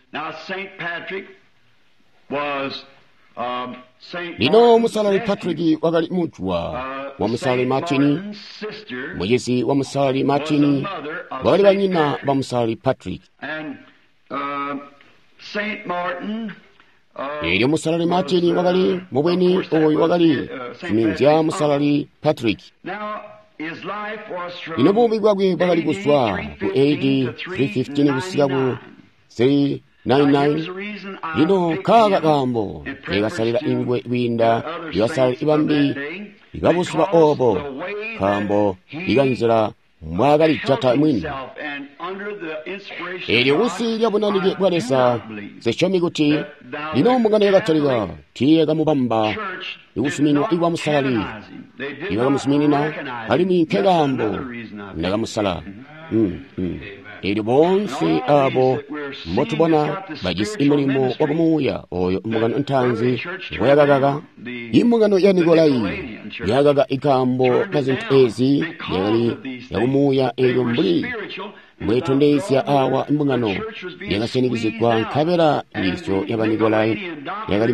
Lino Musalali Patrick wakali mujwa wa Musalali Martin, mucizi wa Musalali Martin wakali banyina ba Musalali Patrick. Elyo Musalali Martin wakali mubweni oyu wakali siminzya Musalali Patrick. Lino buumi bwakwe bwakali kuzwa ku AD 315 kusika ku 399. Lino nkaaka kaambo nkeekasalila ingwe kwiinda ibasalali bambi ibabuzuba obo, nkaambo ikanzila mbwaakalijata mwini. Elyo kunsi lya bunanike bwa Leza, nsisyomi kuti lino mbungano ya Katolika tiiyakamubamba ikuzuminwa ikwa Musalali, ibakamuzuminina, alimwi nkekaambo ndakamusala. Elyo boonse abo mbotubona bajisi mulimo wa kumuuya oyo mbungano ntaanzi ngoyakakaka. Imbungano ya Nikolai yakaka ikaambo ka zintu ezi yakali yakumuuya, elyo mbuli mbwetondezya awa mbungano yakasyanikizigwa, nkabela njiisyo ya Banikolai yakali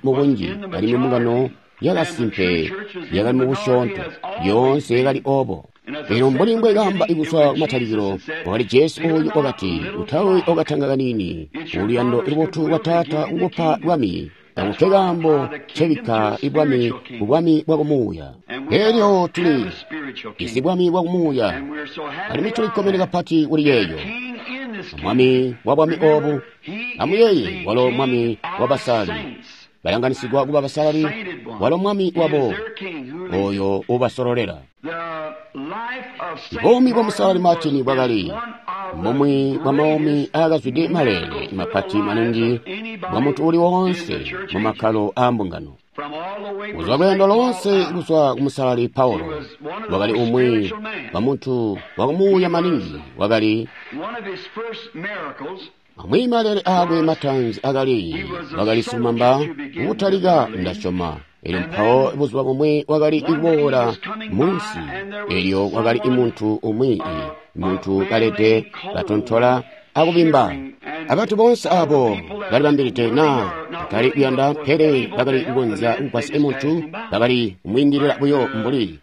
mu bunji, alimwi mbungano yakasimpe yakali mu busyoonto, yoonse yakali obo. Elyo mbuli mbwekaamba ikuzwa kumatalikilo, wakali Jesu oyu wakati, utawi okatanga kanini, uluyando lubotu lwa Taata kukupa bwami, takupe kaambo ncebikka ibwami ku bwami bwa kumuuya. Elyo tuli jisi bwami bwa kumuuya, alimwi tulikkomene kapati kuli yeeyo. Mwami wa bwami obu, amuyeeye, walo mwami wa basali, balanganisigwa kuba basalali, walo mwami wabo oyo ubasololela. Buumi bwa Musalali Martin bwakali mumwi bwa maumi aakazwide maleele mapati maningi bwa muntu uli woonse mu makkalo aa mbungano. Kuzwa lweendo loonse kuzwa ku Musalali Paulo, wakali umwi wa muntu wakumuuya maningi, wakali amwi maleele aakwe mataanzi akali wakali silumamba kutalika ndasyoma. Elyo mpawo buzuba bumwi wakali kuboola munsi, elyo wakali muntu umwi, muntu kalede katontola akubimba. Abantu boonse abo balibambilide naa bakali kuyanda, pele bakali kukonzya kugwasya muntu, bakali kumwiindilila buyo mbuli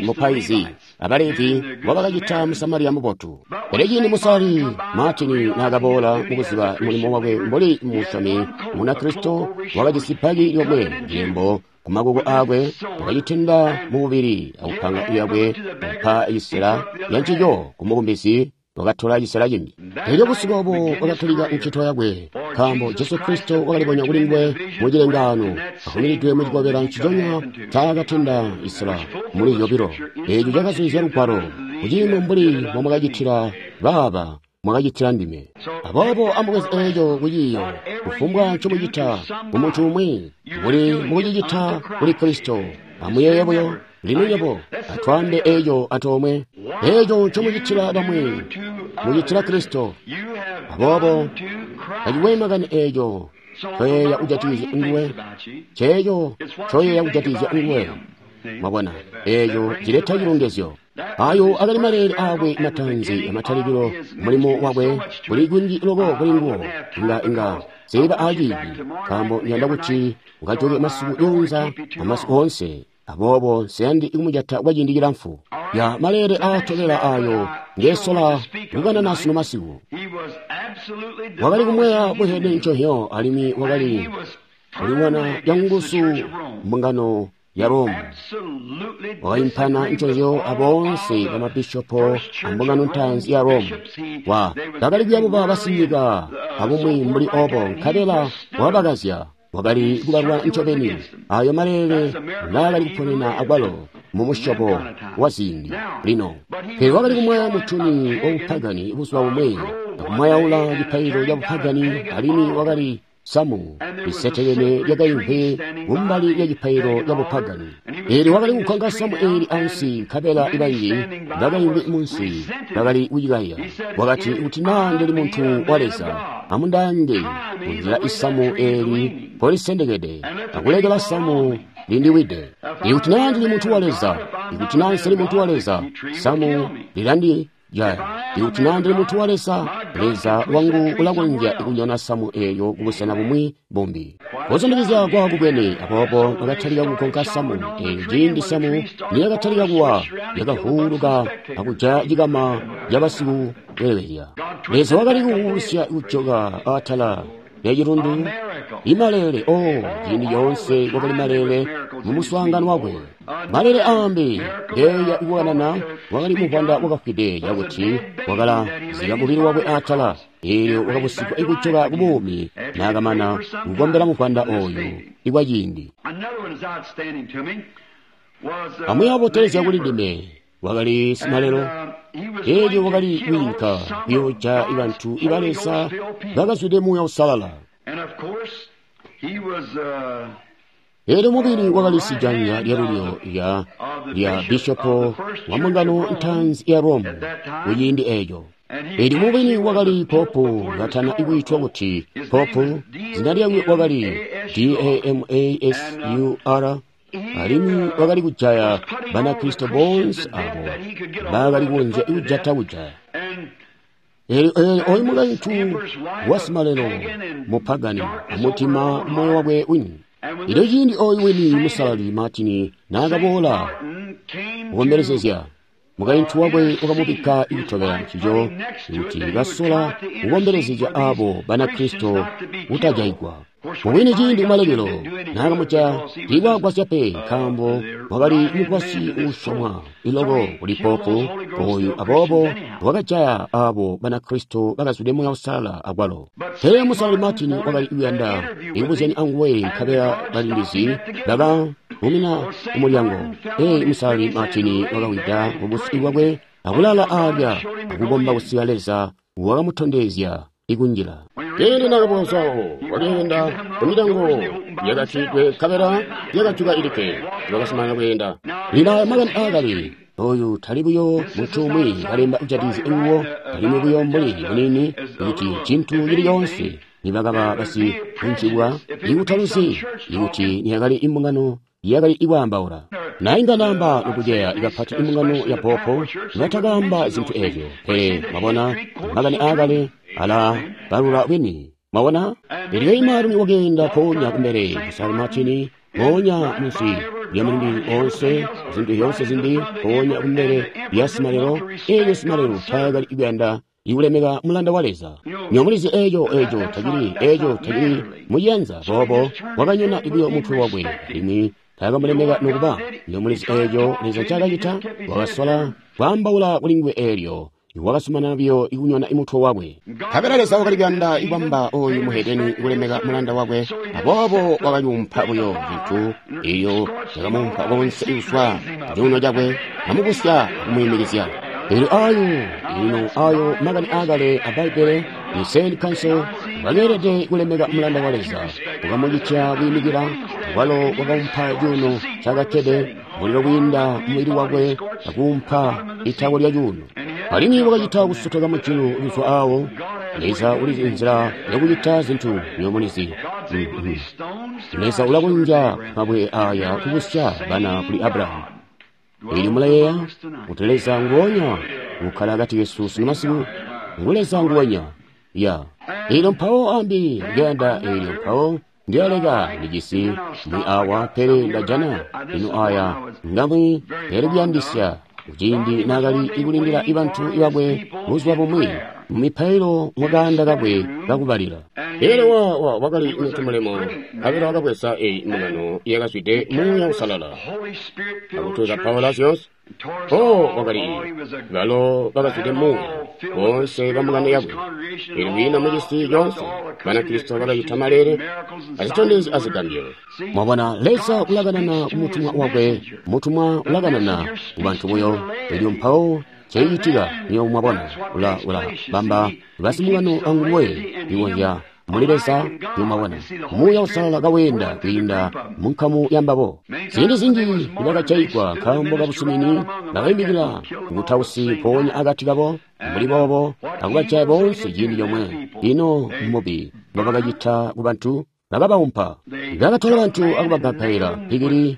mupaizi abalevi mbobakacita Musamariya mubotu. Pele ciindi Musalali Martin naakaboola mukuziba mulimo wakwe mbuli musyomi Munakristo, wakajisi bbaki lyomwe lembo kumakuko aakwe, wakacitenda mububili akupanga lyakwe kupa cisela yancico kumukumbizi, wakatola cisela cimbi. Elyo busiku obo wakatulika ncito yakwe, nkaambo Jesu Kristo wakalibonya kuli nguwe mu cilengaano, avumiridwe mu cikobela nciconya ncaakatenda cisela muli zyobilo. Eeco cakazulizya lugwalo, kuciimo mbuli mbomwakacitila baaba, mwakacitila ndime. Aboobo amubweze eeco kuciiyo, kufumbwa ncomucita kumuntu umwi, muli mukucicita kuli Kristo. Amuyeeye buyo, lino nywebo atwaambe eeco antoomwe. Eeco ncomucitila bamwi, mucitila Kristo. Aboobo tacikwe makani eeco ncoyeeya kujatikizya nguwe, ceeco ncoyeeya kujatikizya nguwe. Mwabona, eeco cileta cilongezyo. Ayo akali maleele aakwe mataanzi amatalikilo mulimo wakwe kuli kunji loko kuli nguwo, inga seiba aaciindi, nkaambo ndiyanda kuti ukajoke masiku yoonza amasiku oonse. Aboobo nsiyandi kumujata kwa ciindi cilamfu. Ya maleele aatobela ayo ngesola kukanana sunu masiku. Wakali kumweya buhede nconhyo, alimwi wakali kulimwana yanguzu mbungano ya Roma. Wakaimpana nconzyo aboonse bamabishopo ambungano ntaanzi ya Roma. Bakali kuyabuba basinyika abumwi mbuli obo, nkabela wabakazya. Wakali kubalwa ncobeni ayo maleele ngaakali kuponena akwalo mu musyobo wa ziindi lino. Pele wakali kumwaya mutuni wa bupagani buzuba bumwi, akumwayaula cipaililo ca bupagani, alimwi wakali samu lisetekene lyakaimvwi kumbali lya cipaililo ca bupagani. Eelyo wakali kugonka samu eeli ansi, nkabela ibanji bakaimvwi munsi bakali kucikaya. Wakati, kuti naa ndili muntu wa Leza, amundaange kunzila isamu eeli mpolisendekede, akulekela samu lindiwide. Ikuti naa ndili muntu wa Leza, ikuti naa nsili muntu wa Leza, samu lilandijaya. Ikuti naa ndili muntu wa Leza, Leza wangu ulakonzya kunyona samu eeyo kubusena bumwi bumbi. Kuzundikizya kwakubwene, aboobo bakatalika kugonka samu eelyo. Ciindi samu niyakatalika kuwa, lyakavuuluka akujaya cikama cabasikuwelewelya. Leza wakali kuwuusya kujoka atala lya cilundu. Imaleele, oh, ciindi coonse kwakali maleele mu muswaangano wakwe. Maleele aambi ngeya kukanana, wakali muvwanda wakafwide cakuti wakalazika mubili wakwe atala, eelyo wakabusigwa ikujoka ku buumi naakamana kukombela muvwanda oyu ikwa ciindi. Amwi abotelezya kuli ndime wakali simalelo, eelyo wakali kwiinka kuyoojaya bantu iba Leza bakazwide Muuya Uusalala. Eelyo mubili wakali sijanya lyalulyo lya bishopo wa mbungano ntaanzi ya Roma kuciindi eeco. Eelyo mubili wakali popu katana ikwiitwa kuti popu, zina lyakwe wakali Damasur, alimwi wakali kujaya Banakristo boonse abo bakali kukonzya kujata kujaya. Eelyo oyu mukaintu wasimalelo mupagani amutima moyo wakwe wini. Elyo ciindi oyu wini musalali Martin naakaboola kukombelezezya, mukaintu wakwe wakamubikka ikutobela ncico kuti kasola kukombelezezya abo Banakristo kutajayigwa. Mubwini ciindi kumalekelo naakamujaya tiikwagwasya pe, nkaambo wakali mugwasyi uusyomwa iloko kuli popu oyu, aboobo wakajaya abo Banakristo bakazwide Muuya Uusalala akwalo. Pele musalali Martin wakali kuyanda ikubuzyanya anguwe, nkabela balindizi bakamumina kumulyango. Pele musalali Martin wakawida mubusi bwakwe akulala alya akukomba kusika Leza wakamutondezya ikunjila. Ciindi naakaboozawo wakeenda kumilyango yakatidwe, nkabela yakajuka ilikke, wakazumanana kweenda. Lino aya makani aakale, oyu tali buyo muntu umwi kalemba kujatikizya nguwo, alimwi buyo mbuli munini kuti cintu cili coonse nibakaba basikunjibwa ikutaluzi ikuti niyakali imbungano yakali ikwaambaula. Nainga namba nokuceya ikapati imbungano ya popo nibatakaamba zintu eezyo. Pele mwabona makani aakale ala balula bwini. Mwabona? Elyo imaalumi wakeenda mpoonya kumbele musalali Martin, mpoonya munsi lya mulindi onse, zintu zyoonse zimbi, mpoonya kumbele lya simalelo. Eelyo simalelo taakali kuyanda ikulemeka mulanda wa Leza. Nyomulizi eeco tacili, eeco tacili muciyanza. Boobo wakanyona buyo mutwe wakwe, alimwi taakamulemeka nokuba. Nyomulizi eeco Leza ncaakacita, wakasola kwaambaula kuli nguwe eelyo wakazumanana buyo ikunyona imutwe wakwe. Nkabela Leza wakali kuyanda ikwamba oyu muhedeni kulemeka mulanda wakwe, aboobo wakayumpa buyo cintu eyo cakamuumpa konse kuzwa cuuno cakwe, amubusya akumwiimikizya. Elyo ayo ino ayo makani aakale a Bbaibbele, Nicene Council bakeelede kulemeka mulanda wa Leza, wakamucitya kwiimikila, walo wakaumpa cuuno cakakkede mulilo kwiinda mubili wakwe akuumpa itako lya cuuno. Alimwi wakacita kusotoka mujulu kuzwa awo. Leza ulizi nzila yakucita zintu nyomulizi. Leza ulakonzya mabwe aya kubusya bana kuli Abrahamu. Elyo mulayeeya kuti Leza nguonya ukkala akati kesu sunu masiku, ngu Leza nguwenya. Ya. Elyo mpawo ambi ndiyanda, elyo mpawo ndiyaleka ndijisi mwi awa, pele ndajana ino aya ngamwi yali kuyandisya kuciindi naakali ikulindila ibantu bakwe buzuba bumwi mu mipailo mukaanda kakwe kakubalila. Elyo wakali muntu mulemu, nkabela wakabweza eyi mbungano yakazwide Muuya Uusalala, akutuzapaula zyoonse. Oh, wakali balo bakazwide Muuya boonse ba mbungano yakwe. Elyo kwiina mu cisi coonse Banakristo bakacita maleele azitondezyo azigambyo. Mwabona, Leza ulakanana ku mutumwa wakwe, mutumwa ulakanana ku bantu buyo. Elyo mpawo cicitika, nywebo mwabona, ula bamba basimbungano anguwe ikonzya muli Leza. Nywebo mwabona, Muuya Uusalala kaweenda kwiinda mu nkamu ya mbabo. Ziindi zinji nibakajaigwa nkaambo kabusumini, bakaimikila butausi mpoonya akati kabo mbuli boobo, akubajaya boonse ciindi comwe. Ino mbubi mbobakacita ku bantu, bakabaumpa. Bakatola bantu akubagapaila mpikili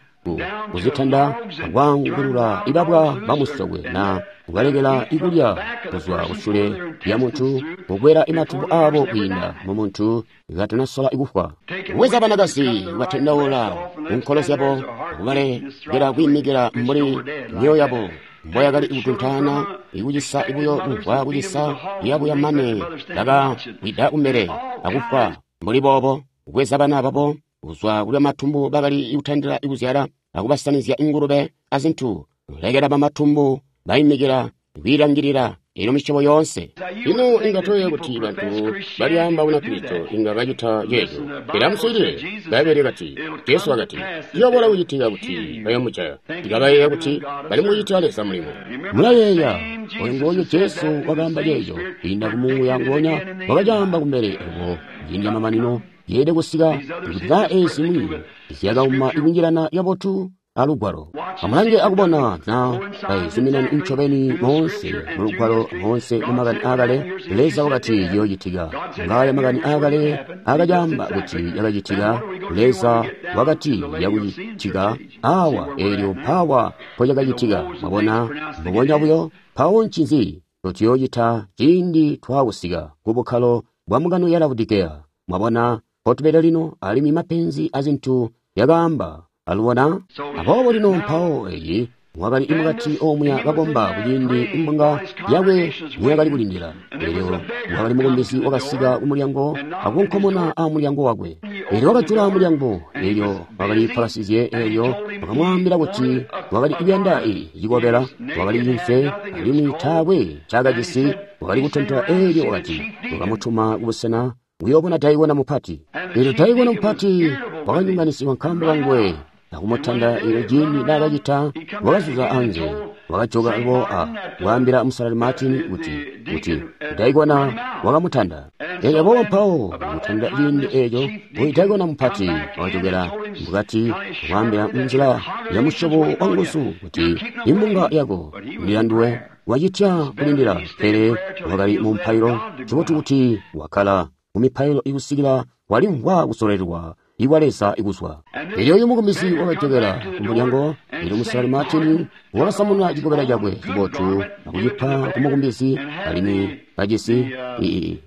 kuzitanda akwaangulula ibabwa bamusokwe na kubalekela ikulya kuzwa kusule lya muntu, kukwela imatumbo abo kwiinda mu muntu katanasola kufwa. Kubweza banakazi kubatendaula kunkolo zyabo, kubalekela kwiimikila mbuli myoyo yabo mboyakali kutuntaana, ikucisa buyo kumvwa kucisa yabuya mane bakawida kumbele akufwa mbuli boobo. Kubweza bana babo kuzwa kulya matumbu bakali kutandila kuzyala akubasanizya ingulube azintu, lekela bamatumbu baimikila kwiilangilila ino misyobo yoonse. Ino inga toyeeya kuti bantu balyaamba Bunakristo inga bacita ceeco? Pele amuswiilile, Bbaibbele kati, Jesu wakati, ciyoobola kucitika kuti bayomujaya. Ikabayeeya kuti bali mukucitila Leza mulimo. Mulayeeya oyo nguonya Jesu wakaamba ceeco kwiinda ku Muuya nguonya wakacaamba kumbele obo ciindi camamanino yeelede kusika kuti ka eezi zimwi zyakauma ikunjilana kabotu alugwalo. Amulange akubona na bazuminana ncobeni moonse mulugwalo moonse mu makani aakale. Leza wakati ciyoocitika. Ngaaya makani aakale akacaamba kuti yakacitika. Leza wakati yakucitika awa, eelyo mpawa mpocakacitika. Mwabona, mbubonya buyo. Mpawo ncinzi ncotuyoocita ciindi twaakusika ku bukkalo bwa mbungano ya Laodikeya? Mwabona mpotubede lino, alimwi mapenzi azintu yakaamba alubona. Aboobo lino mpawo eyi wakali mukati omuya kakomba kuciindi imbunga yakwe niyakali kulindila. Elyo wakali mukumbezi wakasika kumulyango akunkomona amulyango wakwe. Elyo wakajula mulyango, elyo wakali palasizye. Elyo wakamwaambila kuti wakali kuyanda cikobela, wakali cimfe, alimwi taakwe ncaakajisi, wakali kutontola. Elyo wakati wakamutuma kubusena kuyoobona daikona mupati. Elyo daikona mupati wakanyonganisigwa nkaambo kanguwe akumutanda. Elyo ciindi naakacita, wakazuza anze, wakajoka alubo a kwaambila Musalali Martin kuti daikona wakamutanda. Elyo aboobo mpawo kumutanda ciindi eeco, oyu daikona mupati wakajokela mukati kwaambila munzila ya musyobo wa nguzu kuti imbunga yako ndilanduwe wacitya kulindila. Pele wakali mu mpailo, cibotu kuti wakkala mu mipailo ikusikila walimvwa kusololelwa ikwa Leza ikuzwa. Elyo uyu mukumbisi wakajokela kumulyango. Elyo Musalali Martin wakasamuna cikobela cakwe cibotu akucipa ku mukumbisi, alimwi kajisi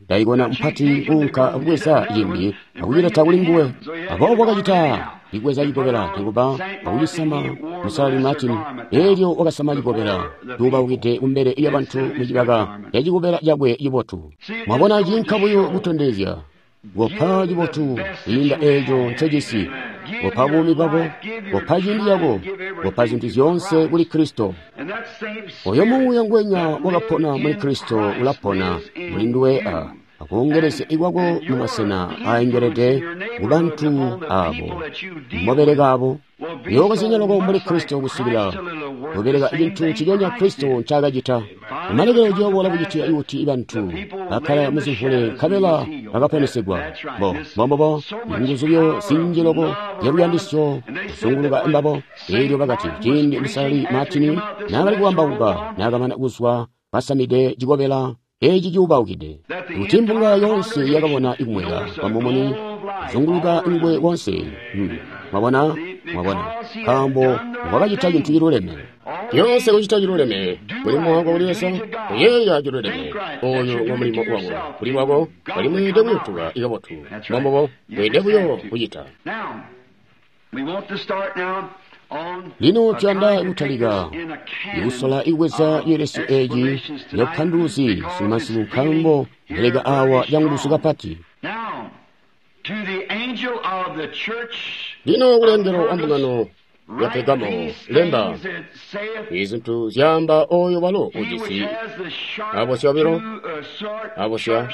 daikona mupati kuunka akubweza cimbi akucileta kuli nguwe. Aboobo wakacita ikubweza cikobela nikuba akucisama Musalali Martin. Elyo wakasama cikobela cuubaukide kumbele lyabantu mucibaka ca cikobela cakwe cibotu. Mwabona, ciinka buyo kutondezya kopa cibotu kwiinda eeco ncojisi, kopa buumi bwako, kopa ciindi cako, kopa zintu zyoonse kuli Kristo. Oyo Muuya ngwenya wakapona muli Kristo ulapona muli nduwe akoongelezya ikwako mu masena aaengelede ku bantu abo mobeleka abo. Yookozyanya loko mbuli Kristo kusikila kubeleka cintu nciconya Kristo ncaakacita. Kumalekelo ciyooboola kucitika kuti bantu bakkala muzimvule nkabela bakaponesegwa. Mbombobo nguzu buyo zinji loko zyaluyandisyo kuzunguluka mbabo. Elyo bakati ciindi Musalali Martin naakali kuwambauka naakamana kuzwa kasamide cikobela eci cuubaukide, kuti mbunga yoonse yakabona ikumweka kwamumuni kuzunguluka nguwe wonse. Mwabona, mwabona, nkaambo wakacita cintu ciluleme. Yoonse kucita ciluleme mulimo wako kuli Leza, kuyeeya ciluleme. Oyo ngo mulimo wako kuli lwako, alimwi weelede kuyutuka ikabotu. Mbombobo weelede buyo kucita. Lino tuyanda kutalika ikusola ikubweza cielesyo eci cabupanduluzi sunumasiku, nkaambo mbeleka awa canguzu kapati. Lino kulengelo wa mbungano ya Pergamo lemba izintu zyaamba oyo walo ujisi abosya obilo abosya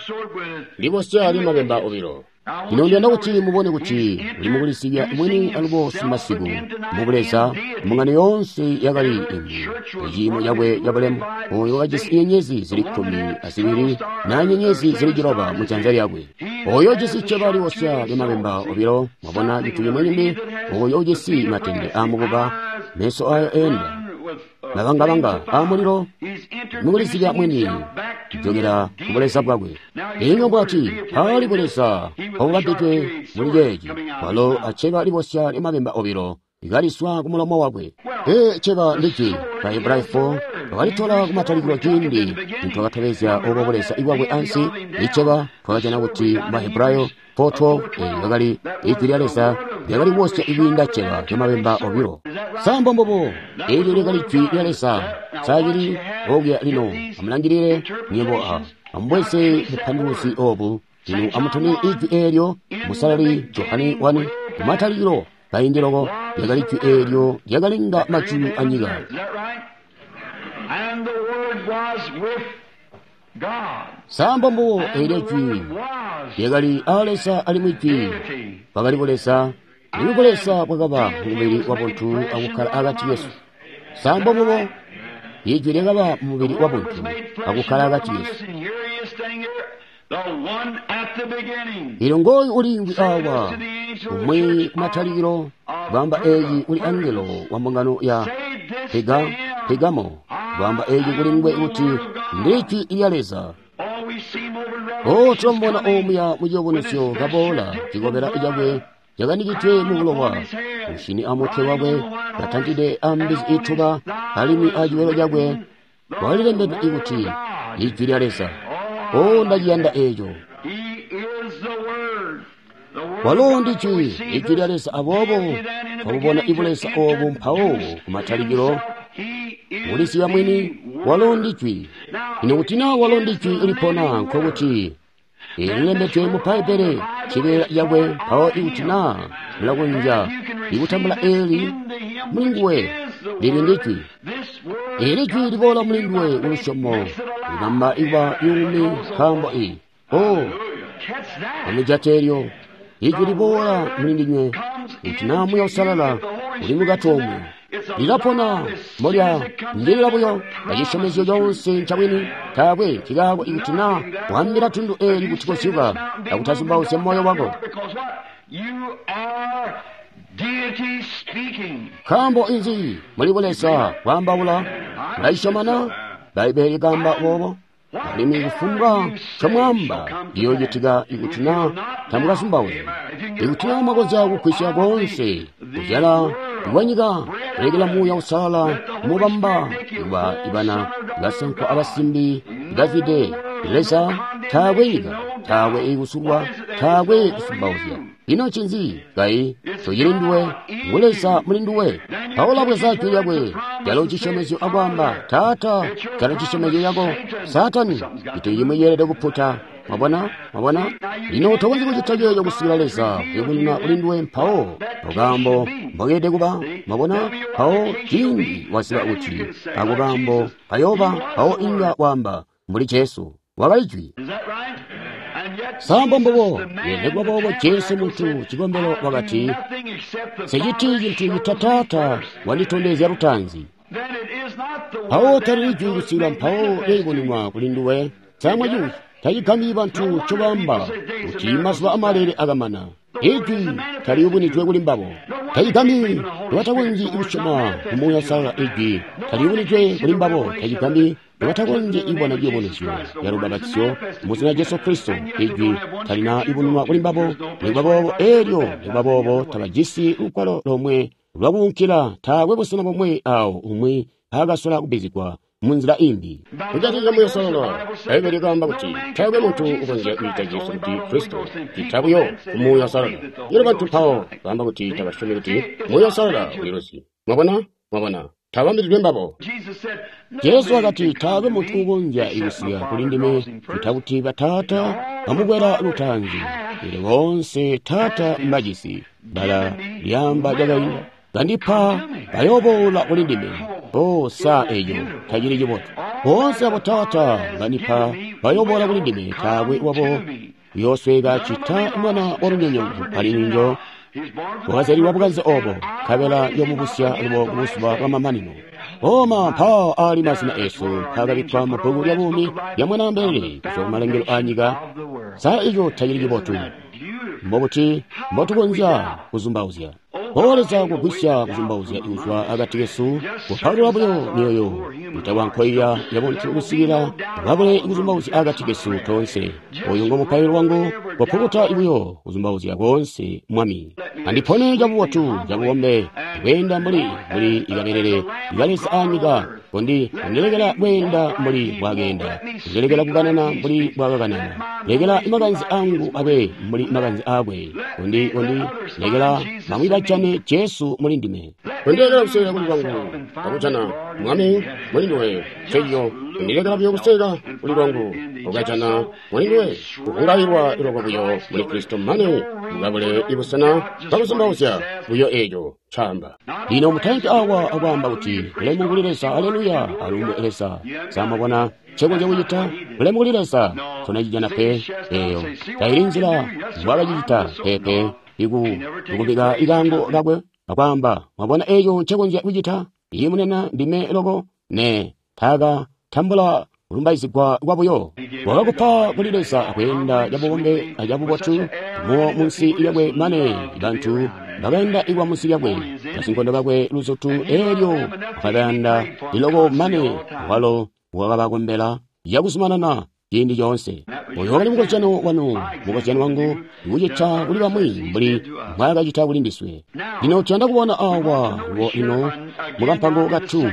libosya limabemba obilo. Lino ndiyanda kuti mubone kuti uli mukulisibya mwini alubo simasiku mubuleza mbungano yoonse yakali imbi muciimo cakwe cabulemu oyo wakajisi nyenyezi zili 12 na nyenyezi zili 9 mu janza lyakwe. Oyo ujisi cceba liwosya lyamabemba obilo, mwabona cintu cimwi cimbi, oyo ujisi matende aamukuba, meso ayo enda mabangabanga aamulilo, mukulisibya mwini kujokera kubuleza bwakwe. Inga bwati pali buleza obubambidwe muli ceeci, walo acceba libosya lyamabemba obilo likaliswa ku mulomo wakwe. Cceba ndijwi ba Hebrayo 4 bakalitola kumatalikilo ciindi nitwakatobezya obo buleza bwakwe ansi. Iceba twakajana kuti ba Hebrayo 4:12 lyakali ijwi lya Leza lyakali kubosya ikwiinda cceba lyamabemba obilo. Sambo mbobo eelyo lyakali jwi lya Leza saacili okuya lino. Amulangilile nywebo a amubweze bupanduluzi obu. Lino amutone ijwi eelyo musalali Johane 1 kumatalikilo kaindi loko lyakali jwi eelyo lyakalenga majulu anyika. Sambo mbubo eelyo jwi lyakali a Leza alimwi jwi bwakali buleza, alimwi buleza bwakaba mumubili wabuntu akukkala akati kesu. Sambo mbubo ijwi lyakaba mumubili wabuntu akukkala akati kesu. Lino ngooyu uliimvwi awa umwi kumatalikilo bwamba eyi uli angelo wa mbungano ya Pergamo, bwamba eyi kuli nguwe kuti ndijwi lya Leza. O tulamubona omuya muciyubunisyo kaboola cikobela cakwe cakanikidwe mu bulowa, mushini amutwe wakwe katantide ambizi ituba, alimwi aciwelo cakwe walilembedwe ikuti ijwi lya Leza. O ndaciyanda eeco. Walo ndi jwi, ijwi lya Leza. Aboobo twabubona ibuleza obu mpawo kumatalikilo mulisiya mwini walo ndi jwi. Ino kuti naa walo ndi jwi lipona, nkokuti ililembedwe mu Bbaibbele cibeela cakwe. Mpawo ikuti naa mulakonzya ikutambula eeli mulinguwe, lili ndi jwi. Eeli jwi liboola mulinguwe kulusyomo libamba ikuba yuumi nkaambo i o amujate eelyo ijwi liboola mulindinywe kuti naa Muuya Uusalala uli mukati omwe lilapona mbolya ndilila buyo acisyomezyo coonse ncabwini. Taakwe cikaako ikuti naa wambila tundu eeli kuti kozyuka akutazumbauzya moyo wako, nkaambo inzi muli buleza bwaambaula. Mulacisyomana Bbaibbele likaamba boobo, alimwi kufumbwa ncomwaamba liyoocitika ikuti naa tamukazumbauzyi. Ikuti naa mwakonzya kugwisya koonse kuzyala kwanyika, kulekela Muuya Uusalala mubamba kuba ibana basankwa abasimbi bazwide Leza, taakwe nyika, taakwe kusulwa, taakwe kusumbauzya. Ino ncinzi kayi tocili nduwe, ngu Leza muli nduwe. Paulo abweza jwi lyakwe calo cisyomezyo akwaamba, Taata, calo cisyomezyo cako. Saatani, cintu cimwi ceelede kuputa. Mwabona? Mwabona? Lino tokonzyi kucita ceeco kusikila Leza kuyubununa kuli nduwe mpawo akaambo mbokeelede kuba. Mwabona? Mpawo ciindi waziba kuti ako kaambo kayooba, mpawo inga waamba mbuli Jesu. Wakali jwi. Sambo mbubo nekuba boobo Jesu muntu cikombelo wakati, Nseciti cintu cita Taata wanditondezya lutaanzi. Mpawo talili jwi kusikila mpawo lyayubununwa kuli nduwe. Samwa cuuci tacigambyi bantu ncobaamba kuti mazuba amalele akamana. Ijwi taliyubunidwe kuli mbabo. Tacigambyi nobatakonzyi kusyoma mu Muuya Uusalala. Ijwi taliyubunidwe kuli mbabo. Tacigambyi nobatakonzyi kubona ciyubunuzyo ya lubapatizyo mu zina Jesu Kristo. Ijwi talina yubununwa kuli mbabo. Nikuba boobo eelyo nikuba boobo tabajisi lugwalo lomwe lwakuunkila. Taakwe busena bomwe awo umwi mpaakasola kubbizigwa munzila imbi. Kujatikizya Muuya Uusalala, Bbaibbele likaamba kuti taakwe muntu ukonzya kwiita Jesu kuti Kristo cita buyo ku Muuya Uusalala. Elyo bantu mpawo baamba kuti tabasyomi kuti Muuya Uusalala uliluzi. Mwabona? Mwabona? Tabambilidwe mbabo. Jesu wakati taakwe muntu ukonzya kusika kuli ndime cita kuti Bataata bamukwela lutaanzi. Elyo boonse Taata mbajisi, bbala lyaamba lyakainda, kandipa, bayooboola kuli ndime. Oh, sa eco tacili cibotu. Boonse abo Taata bandipa bayooboola kuli ndime, taakwe wabo uyoosweeka cita mwana wa lunyonyooko, alimwi njo wakazyalilwa bukanze obo, nkabela njoomubusya lubo ku buzuba bwamamanino. Oma mpaawa aali mazina esu mpaakabikkwa mu bbuku lya buumi lya Mwanaambelele kuzwa ku malengelo aa nyika. Sa eco tacili cibotu? Mbobuti mbotukonzya kuzumbauzya? O Leza, kugwisya kuzumbauzya kuzwa akati kesu, kupalula buyo myoyo itakwankoiya yabuntu kusikila babule kuzumbauzya akati kesu toonse. Oyu ngo mupailo wangu, kopukuta buyo kuzumbauzya koonse, Mwami. Andipone cabubotu, cabubombe, kweenda mbuli ikabelele ikaleza anyika, kondi kundilekela kweenda mbuli bwakeenda, kundilekela kukanana mbuli bwakakanana, lekela makanze angu abe mbuli makanze aakwe, kondi lekela bamwi bajane Jesu muli ndime. Kundilekela kuseka kuli kwangu, akujana Mwami muli nduwe, ncencico. Kundilekela buyo kuseka kuli lwangu, ukajana muli nduwe, kuvungailwa iloko buyo muli Kristo mane mukabule ibusena bwakuzumbauzya buyo eco caamba. Lino mutainki awa akwaamba kuti bulemu kuli Leza, aleluya, alumbwe Leza. Sa mwabona ncekonzya kucita? Bulemu kuli Leza, tonacijana pe. Eyo taili nzila mbwakacicita pepe. Ikubika ikaango kakwe akwaamba, mwabona eco ncekonzya kucita? Iye munene ndime loko, ne taka tambula kulumbaizigwa kwabuyo. Wakakupa kuli Leza akweenda cabubombe acabubotu muwo munsi lyakwe mane bantu bakaenda ikwa munsi lyakwe basinkondo bakwe luzutu, elyo wakabayanda liloko mane walo wakabakombela yakuzumanana ciindi coonse. Oyo wakali mukozyano wanu, mukozyano wangu, kucita kuli bamwi mbuli mbwaakacita kuli ndiswe. Lino tuyanda kubona awa lubo lino mukampango ka 2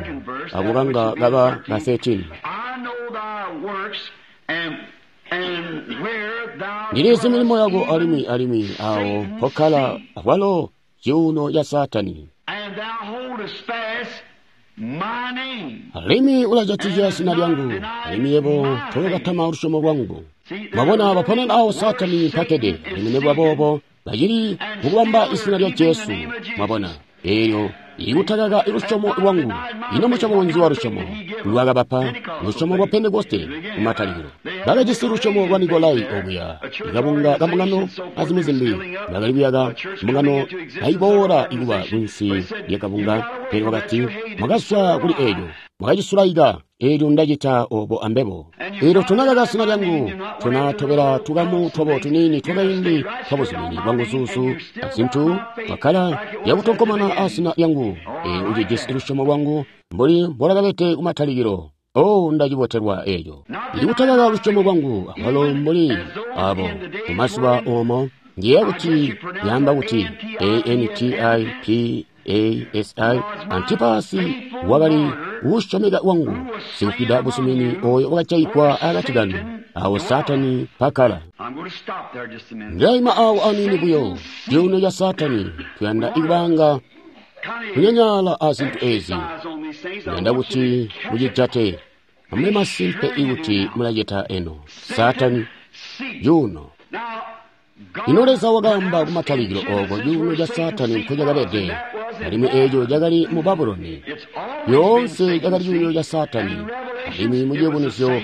ako kanga kaba ka 13. Ndilizi milimo yako alimwi alimwi awo mpokkala akwalo cuuno ca Saatani. Alimwi ulajatikizya zina lyangu, alimwi yebo tookatama lusyomo lwangu. Mwabona baponena awo Saatani mpakkede, alimwi nikuba boobo bacili mukubamba izina lya Jesu. Mwabona, eelyo ikutakaka lusyomo lwangu. Ino musyobo nzi wa lusyomo lwakabapa? Lusyomo lwa Pentekoste kumatalikilo. Bakajisi lusyomo lwa Nikolai okuya, ikabunga kambungano azimwi zimbi. Bakali kuyaka mbungano kaiboola ikuba kunsi lya kabunga, pele wakati, mwakazwa kuli eelyo, mwakacisulaika. Eelyo ndacita obo ambebo. Eelyo tonakaka zina lyangu, tonatobela tukamu twabo tuniini twakaindi twabuzumini bwanguzuzu azintu, twakkala yakutonkomana azina lyangu. Eelyo ucijisi lusyomo lwangu mbuli mbolakabede kumatalikilo. Oh, ndacibotelwa eeco. Ndikutakaka lusyomo lwangu akwalo mbuli abo mumazuba omo. Ngiyeeya kuti yaamba kuti A-N-T-I-P-A-S-I Antipasi wakali uusyomeka wangu, sikufwida buzumini oyo wakajaigwa akati kanu, awo Saatani mpakkala. Ndilaima awo aniini buyo, cuuno ca Saatani, tuyanda ikubanga kunyanyaala azintu ezi. Ndiyanda kuti mucijate, amube masimpe ikuti mulacita eno. Saatani, cuuno. Ino Leza wakaamba kumatalikilo ooko cuuno ca Saatani nkocakabede, alimwi eeco cakali mu Babuloni. Lyoonse cakali cuuno ca Saatani, alimwi mu Ciyubunuzyo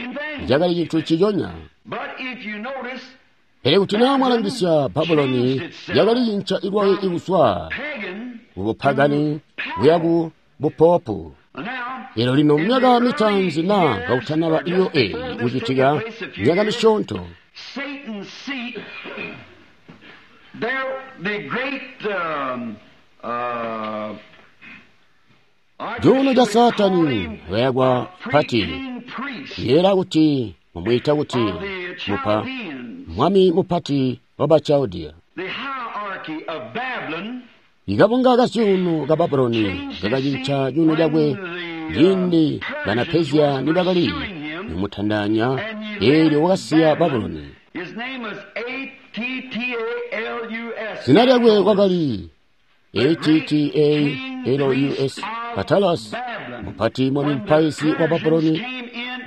cakali cintu ciconya. Pele kuti naa mwalangisya, Babuloni yakali cinca ilwayo ikuzwa kubupagani kuya ku bupopu. Elyo lino myaka mitaanzi naa kakutanaba iyo eyi kucitika, myaka misyoonto, cuuno ca Saatani wayakwa pati, yeela kuti mumwiita kuti mupa mwami mupati wa Bachaldea. Ikabunga ka cuuno ka Babuloni kakacinca cuuno cakwe ciindi bana Persia nibakali kumutandanya, eelyo wakasiya Babuloni. Zina lyakwe wakali A-T-T-A-L-U-S, Attalus, mupati mwami mupaizi wa Babuloni.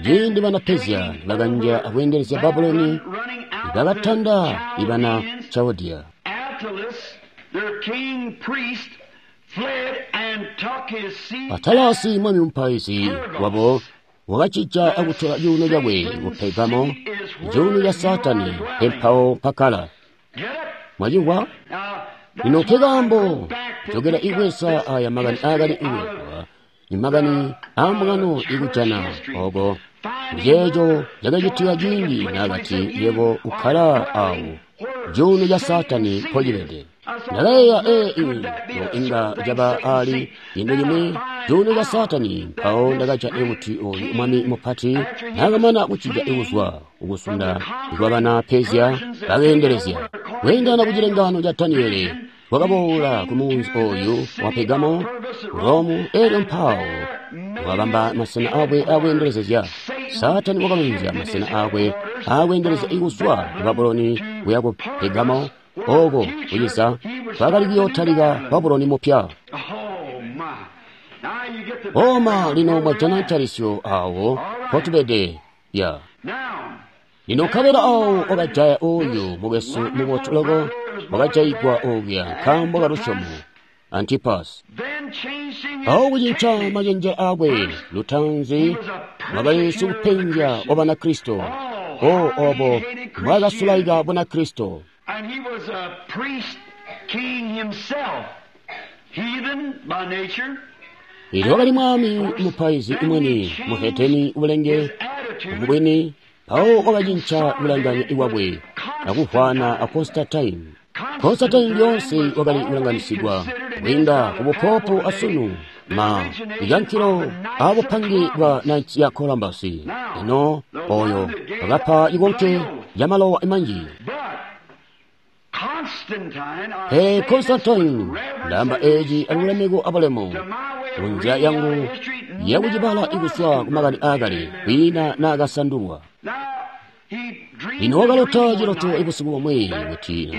Ciindi bana Persia nibakanja akweendelezya Babuloni, bakatanda ibana Chaldea. Atalasi mwami mupaizi wabo wakacija akutola cuuno cakwe ku Pergamo, cuuno ca Saatani empawo mpakkala. Mwacimvwa? Lino nkekaambo jokela ikwesa aya makani aakali ikulembwa imakani aambungano ikujana oko nceeco cakacitika ciindi naakati yebo ukkala awo cuuno ca Saatani mpocibede. Ndakayeeya ino inga caba ali cintu cimwi cuuno ca Saatani. Mpawo ndakajana kuti oyu mwami mupati naakamana kucija kuzwa kukusunda kwabana Persia bakeendelezya kweendana ku cilengaano ca Daniele wakaboola ku munzi oyu wa Pergamo, Romu, elyo mpawo wakabamba masena akwe akweendelezezya. Saatani wakalonzya masena akwe akweendelezya ikuzwa ku Babuloni kuya ku Pergamo, oko kuciza kwakali kuyootalika Babuloni mupya. Oma lino mwajana ntalisyo awo mpotubede ya. Lino nkabela awo wakajaya oyu mukwesu mubotu loko wakajayigwa okuya nkaambo kalusyomo Antipas. Awo kucinca macenje akwe lutanzi wakali sikupenzya wa Banakristo. O obo mbwaakasulaika Bunakristo. And he was a priest king himself, heathen by nature. Elyo wakali mwami mupaizi imweni muheteni ubulenge mubwini, mpawo wakacinca kulanganya iwakwe akuvwana a Constantine. Constantine lyoonse wakali kulanganisigwa kwiinda ku bupopo asunu ma ikankhilo abupange bwa Knights ya Columbus. Ino oyo wakapa ikonke ya malowa manji. Pe Constantine ndamba eeci alulemeko abulemu kunzila yangu yakucibala ikuswa kumakani aakale kwiina naakasandulwa. Lino wakalota ciloto ibusiku bumwe kuti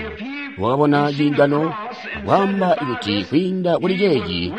wakabona ciingano akwaamba kuti kwiinda kuli ceeci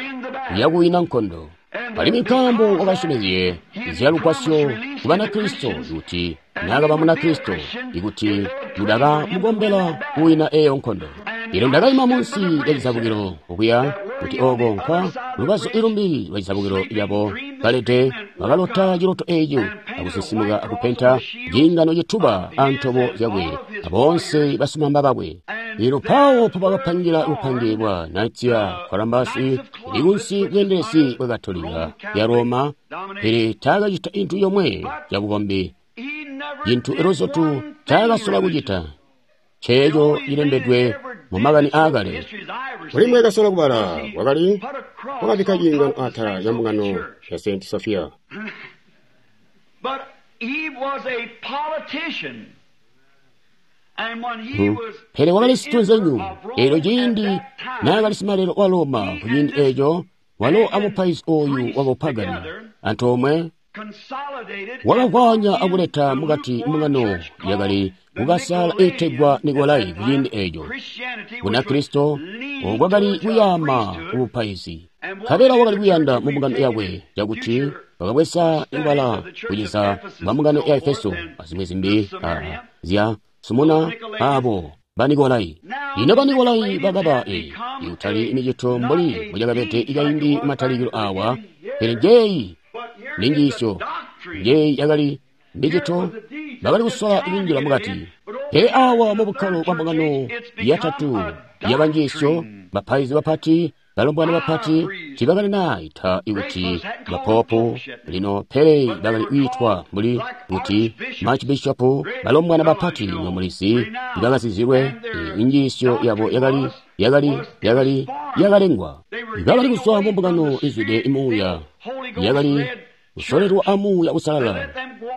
uyakuwina nkondo. Alimwi nkaambo wakasyomezye zyalugwasyo ku Banakristo kuti naakaba Munakristo ikuti nibakamukombela kuwina eeyo nkondo. Elyo ndakaima munsi lya cizabukilo okuya kuti oko nkwa lubazu ilumbi lwa cizabukilo lyabo balede bakalota ciloto eeco akusisimuka akupenta ciingano cituba antobo zyakwe aboonse basimamba bakwe. Elyo mpawo mpobakapangira bupange bwa Knights ya Columbus ili kunsi bweendelezi bwa Katolika ya Roma, pele taakacita intu yomwe yabukombi, cintu elozotu taakasola kucita ceeco cilembedwe mu makani aakale. Kuli mwekasola kubala wakali wakabikka ciingano atala ya mbungano ya St. Sophia. But he was a politician. And when he was Pele wakali situnzenyu elyo ciindi naakali simalelo wa Roma ku ciindi eeco walo amupaizi oyu wabupagani antoomwe consolidated wakavwanya akuleta mukati mbungano yakali kukasala iitegwa Nikolai ku ciindi eeco. Bunakristo bwakali kuyaama kubupaizi nkabela wakali kuyanda mu mbungano yakwe cakuti bakabweza ibala kuciza bwa mbungano ya Efeso azimwi zimbi zya Sumuna abo Banikolai. Lino Banikolai bakaba ikutali micito mbuli mbocakabede ikaindi matalikilo awa, pele njeeyi ninjiisyo njeeyi yakali micito bakali kusola kunjila mukati. Pele awa mu bukkalo bwa mbungano yatatu yabanjiisyo, bapaizi bapati, balombwana bapati tiibakali naayita ikuti bapopu lino, pele bakali kwiitwa mbuli kuti archbishop, balombwana bapati nomulizi ibakazizilwe. Injiisyo yabo yakali yakali yakalengwa. Bakali kuzwa mu mbungano izwide muuya, yakali kusolelwa amuuya usalala.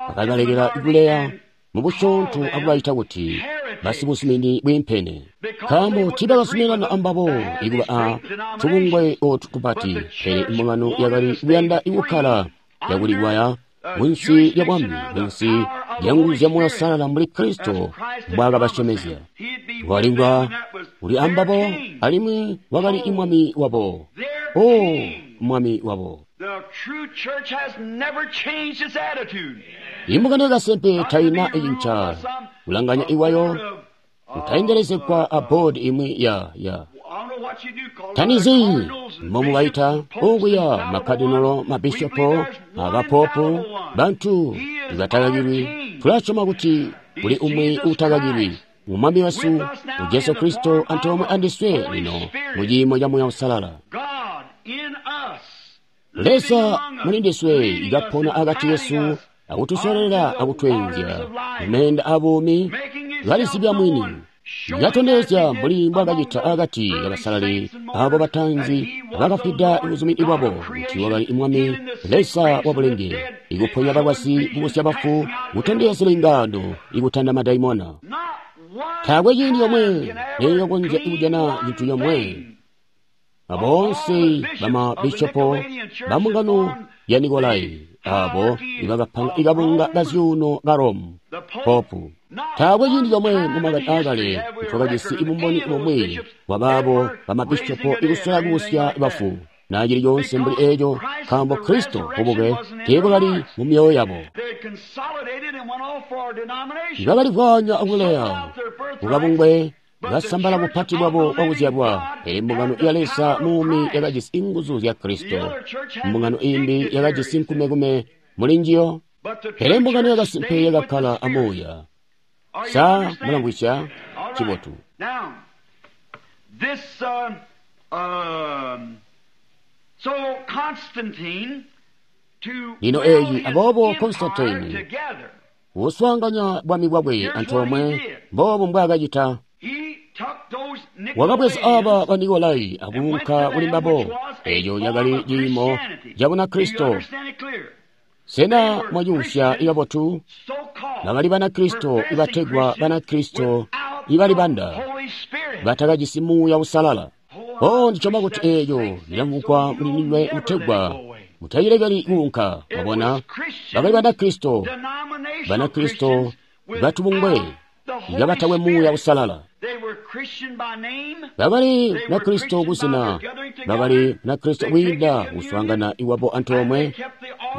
Bakabalekela kuleya mubusyoonto akubayita kuti basibuzumini bwiimpene, nkaambo tiibakazuminana ambabo ikuba a tubungwe otu tupati. Pele imbungano yakali kuyanda ikukkala yakulikwaya munsi lya bwami, munsi lya nguzu zya Muuya Uusalala mbuli Kristo mbwaakabasyomezya. Walimvwa uli ambabo alimwi wakali imwami wabo. O mwami wabo. The true church has never changed its attitude. Imbungano yakasimpe taina icinca kulanganya iwayo Utaendelezegwa a board imwi ya tanizi momubaita okuya makadinolo, mabishopo, abapopu, bantu ibatakakilwi. Tulasyoma kuti kuli umwi utakakilwi, Umwami wesu Jesu Kristo, antoomwe andiswe lino mu ciimo ca Muuya Uusalala. Leza muli ndiswe ikapona akati kesu, akutusololera akutweenzya mumeenda abuumi, kalizibya mwini, katondezya mbuli mbwakacita akati kabasalali abo batanzi bakafwida ubuzumini bwabo, kuti wakali Mwami Leza wa bulenge, ikuponya balwazi, kubusya bafu, kutondezya zilengano, ikutanda madaimona. Taakwe ciindi yomwe neyokonzya kujana cintu yomwe. Aboonse bamabishopo bambungano ya Nikolai abo ibakapanga ikabunga kazyuuno ka Rome popu, taakwe ciindi comwe mumakani aakale ntwakajisi ibumboni bumwi bwabaabo bamabishopo ikusola kubusya bafu na cili coonse mbuli eeco, nkaambo Kristo bubuke teebwakali mu myoyo yabo. Bakalivwanya akuleya kukabungwe, basambala bupati bwabo bwakuzyalwa. Pele mbungano ya Leza muumi yakajisi inguzu zya Kristo. Mbungano imbi yakajisi nkumekume muli njiyo, pele mbungano yakasimpe yakakkala amuuya. Sa mulamvwisya? Cibotu. Lino eeyi, aboobo Constantine uswaanganya bwami bwakwe antoomwe, mboobu mbwaakacita. Wakabweza aba ba Nikolai akuunka kuli mbabo. Eeco cakali ciimo ca Bunakristo. Sena mwacuusya kabotu? Bakali Banakristo ibategwa Banakristo ibalibanda, batakajisi Muuya Uusalala. Oh, ndisyoma kuti eeco lilamvugwa muli ndinywe kutegwa mutacilekeli kuunka. Mwabona, bakali Banakristo, Banakristo batubungwe ngabatakwe Muuya Uusalala. Bakali Banakristo kuzina, bakali Banakristo kwiinda kuswaangana iwabo antoomwe,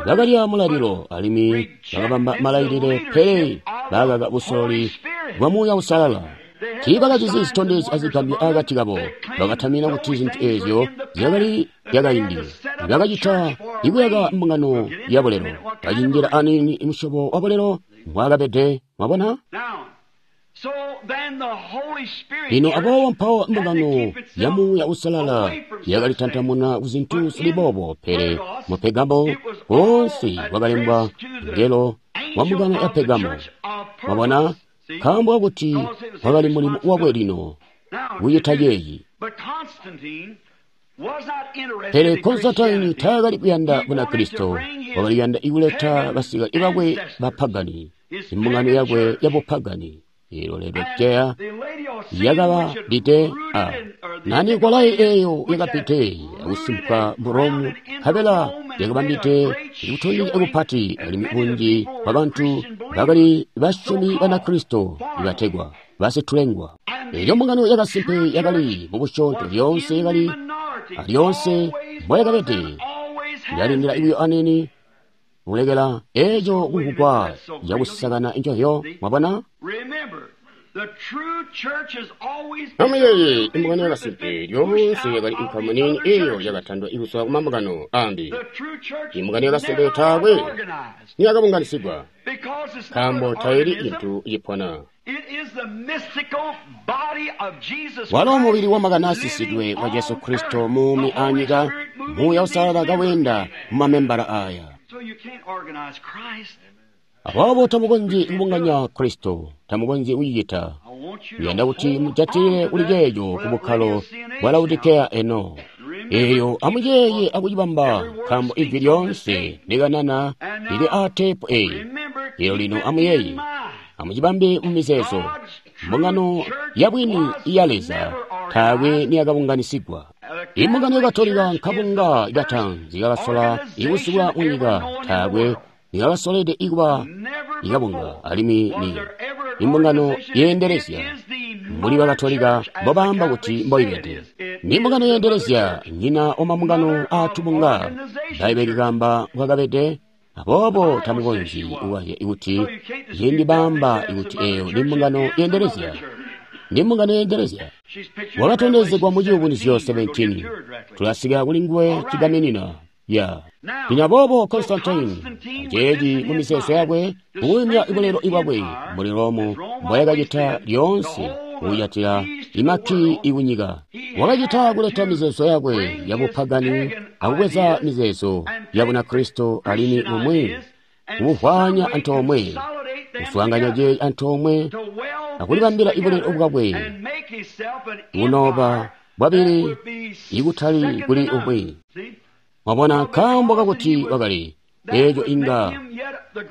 bakalya mulalilo alimwi bakabamba malailile, pele bakaka busololi bwa Muuya Uusalala. Tiibakajisi zitondezyo azigambyo akati kabo. Bakatamina kuti zintu eezyo zyakali zyakaindi. Bakacita ikuyaka mbungano ya bulelo, bacinjila aniini musyobo wa bulelo mbwaakabede. Mwabona? Lino aboobo mpawo mbungano ya Muuya Uusalala yakalitantamuna kuzintu zili boobo, pele mu Pegamo woonse wakalembwa ngelo wa mbungano ya Pegamo. Mwabona? Nkaambo kakuti wakali mulimo wakwe lino kucita ceeci. Pele Konstantini taakali kuyanda Bunakristo, wakali kuyanda ikuleta basikale bakwe bapagani, imbungano yakwe yabupagani. Ilo Laodicea yakabapite a na Nikolai eeyo yakapite akusimpa mu Rome, nkabela yakabambite ikutondezya kupati, alimwi bunji bwa bantu bakali basyomi Banakristo ibategwa basitulengwa. Elyo mbungano yakasimpe yakali mubusyoonto lyoonse, yakali alyoonse mboyakabede, yalindila buyo aniini kulekela eeco kumvugwa cakusakana ncovyo. Mwabona? Amuyeeye, imbungano yakasimpe lyoonse yakali inkamu niini eeyo yakatandwa ikuzwa kumambungano aambi. Imbungano yakasimpe taakwe niyakabunganisigwa, nkaambo taili cintu cipona. Walo mubili wamakani aasisidwe wa Jesu Kristo muumi anyika, Muuya Uusalala kaweenda mumamembala aaya. Aboobo tamukonzyi kubunganya Kristo, tamukonzyi kucicita. Uyanda kuti mujatilile kuli ceeco ku bukkalo bwa Laodikeya eno. Eeyo amuyeeye akucibamba, nkaambo ijwi lyoonse likanana lili aa teepu eeyi. Eelyo lino amuyeeye, amucibambe mu mizeezo. Mbungano ya bwini iya Leza taakwe niyakabunganisigwa. Imbungano ya Katolika nkabunga katanzi kakasola ikusubula munyika, taakwe niyakasolede ikuba ikabunga, alimwi ni imbungano yeendelezya mbuli Bakatolika mbobaamba kuti mboibede. Ni mbungano yeendelezya, nyina wamambungano aatubunga. Bbaibbele likaamba mbwakabede. Aboobo tamukonzyi kukazya kuti ciindi baamba kuti eeyo ni mbungano yeendelezya. Ndi mbungano yeendelezya. Wakatondezegwa mu Ciyubunuzyo 17. Tulasika kuli nguwe cigaminina. Ya. Lino aboobo Constantine aceeci mu mizeezo yakwe kuyumya bulelo bwakwe mbuli Rome mboyakacita lyoonse kujatila imakki ikunyika. Wakacita kuleta mizeezo yakwe yabupagani akubweza mizeezo ya Bunakristo alimwi bumwi kubuvwanya antoomwe, kuswaanganya ceeci antoomwe akulibambila ibulelo bwakwe bunoba bwabili ikutali kuli umwi. Mwabona, nkaambo kakuti wakali eeco inga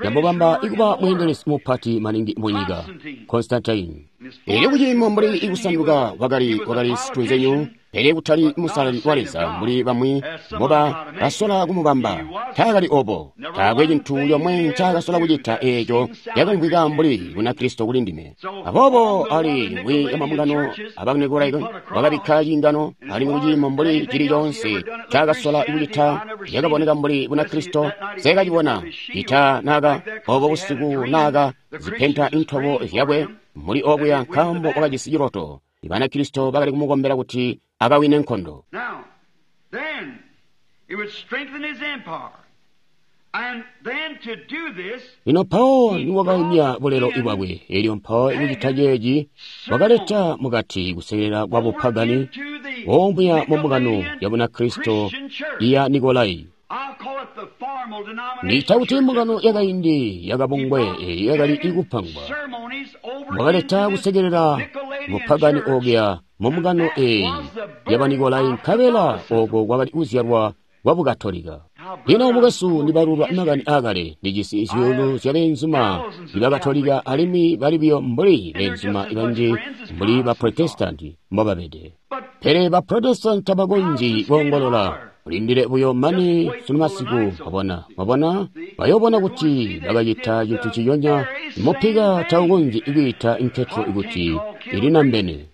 yamubamba ikuba mweendelezi mupati maningi munyika, Constantine. Elyo kuciimo mbuli ikusanduka wakali situnzenyu, pele kutali musalali wa Leza mbuli bamwi mboba basola kumubamba. Taakali obo. Taakwe cintu comwe ncaakasola kucita eeco cakamvwika mbuli Bunakristo kuli ndime. Aboobo ali mwi amabungano aba Nikolayi wakabikka ciingano, alimwi kuciimo mbuli cili coonse ncaakasola kucita cakaboneka mbuli Bunakristo, nseekacibona cita naaka obo busiku naaka zipenta intobo zyakwe muli okuya nkaambo wakajisi ciloto. Banakristo bakali kumukombela kuti akawine nkondo. Lino mpawo niwakayumya bulelo bwakwe, elyo mpawo ikucita ceeci wakaleta mukati kusekelela kwa bupagani omuya mu mbungano ya Bunakristo iya Nikolayi. Ndiita kuti mbungano yakaindi yakabungwe eyi yakali ikupangwa. Wakaleta kusekelela bupagani okuya mu mbungano eyi ya Banikolayi, nkabela oko kwakali kuzyalwa kwa Bukatolika. Lino mukwesu, ndibalulwa makani aakale, ndijisi zyuulu zya beenzuma Bakatolika alimwi bali buyo mbuli beenzuma banji mbuli ba Protestanti mbobabede. Pele ba Protestanti tabakonzyi koongolola. Mulindile buyo mane sunu masiku, mwabona, mwabona, bayobona kuti bakacita cintu ciyonya. Mupika taukonzyi kwiita nketwe kuti ilinambene.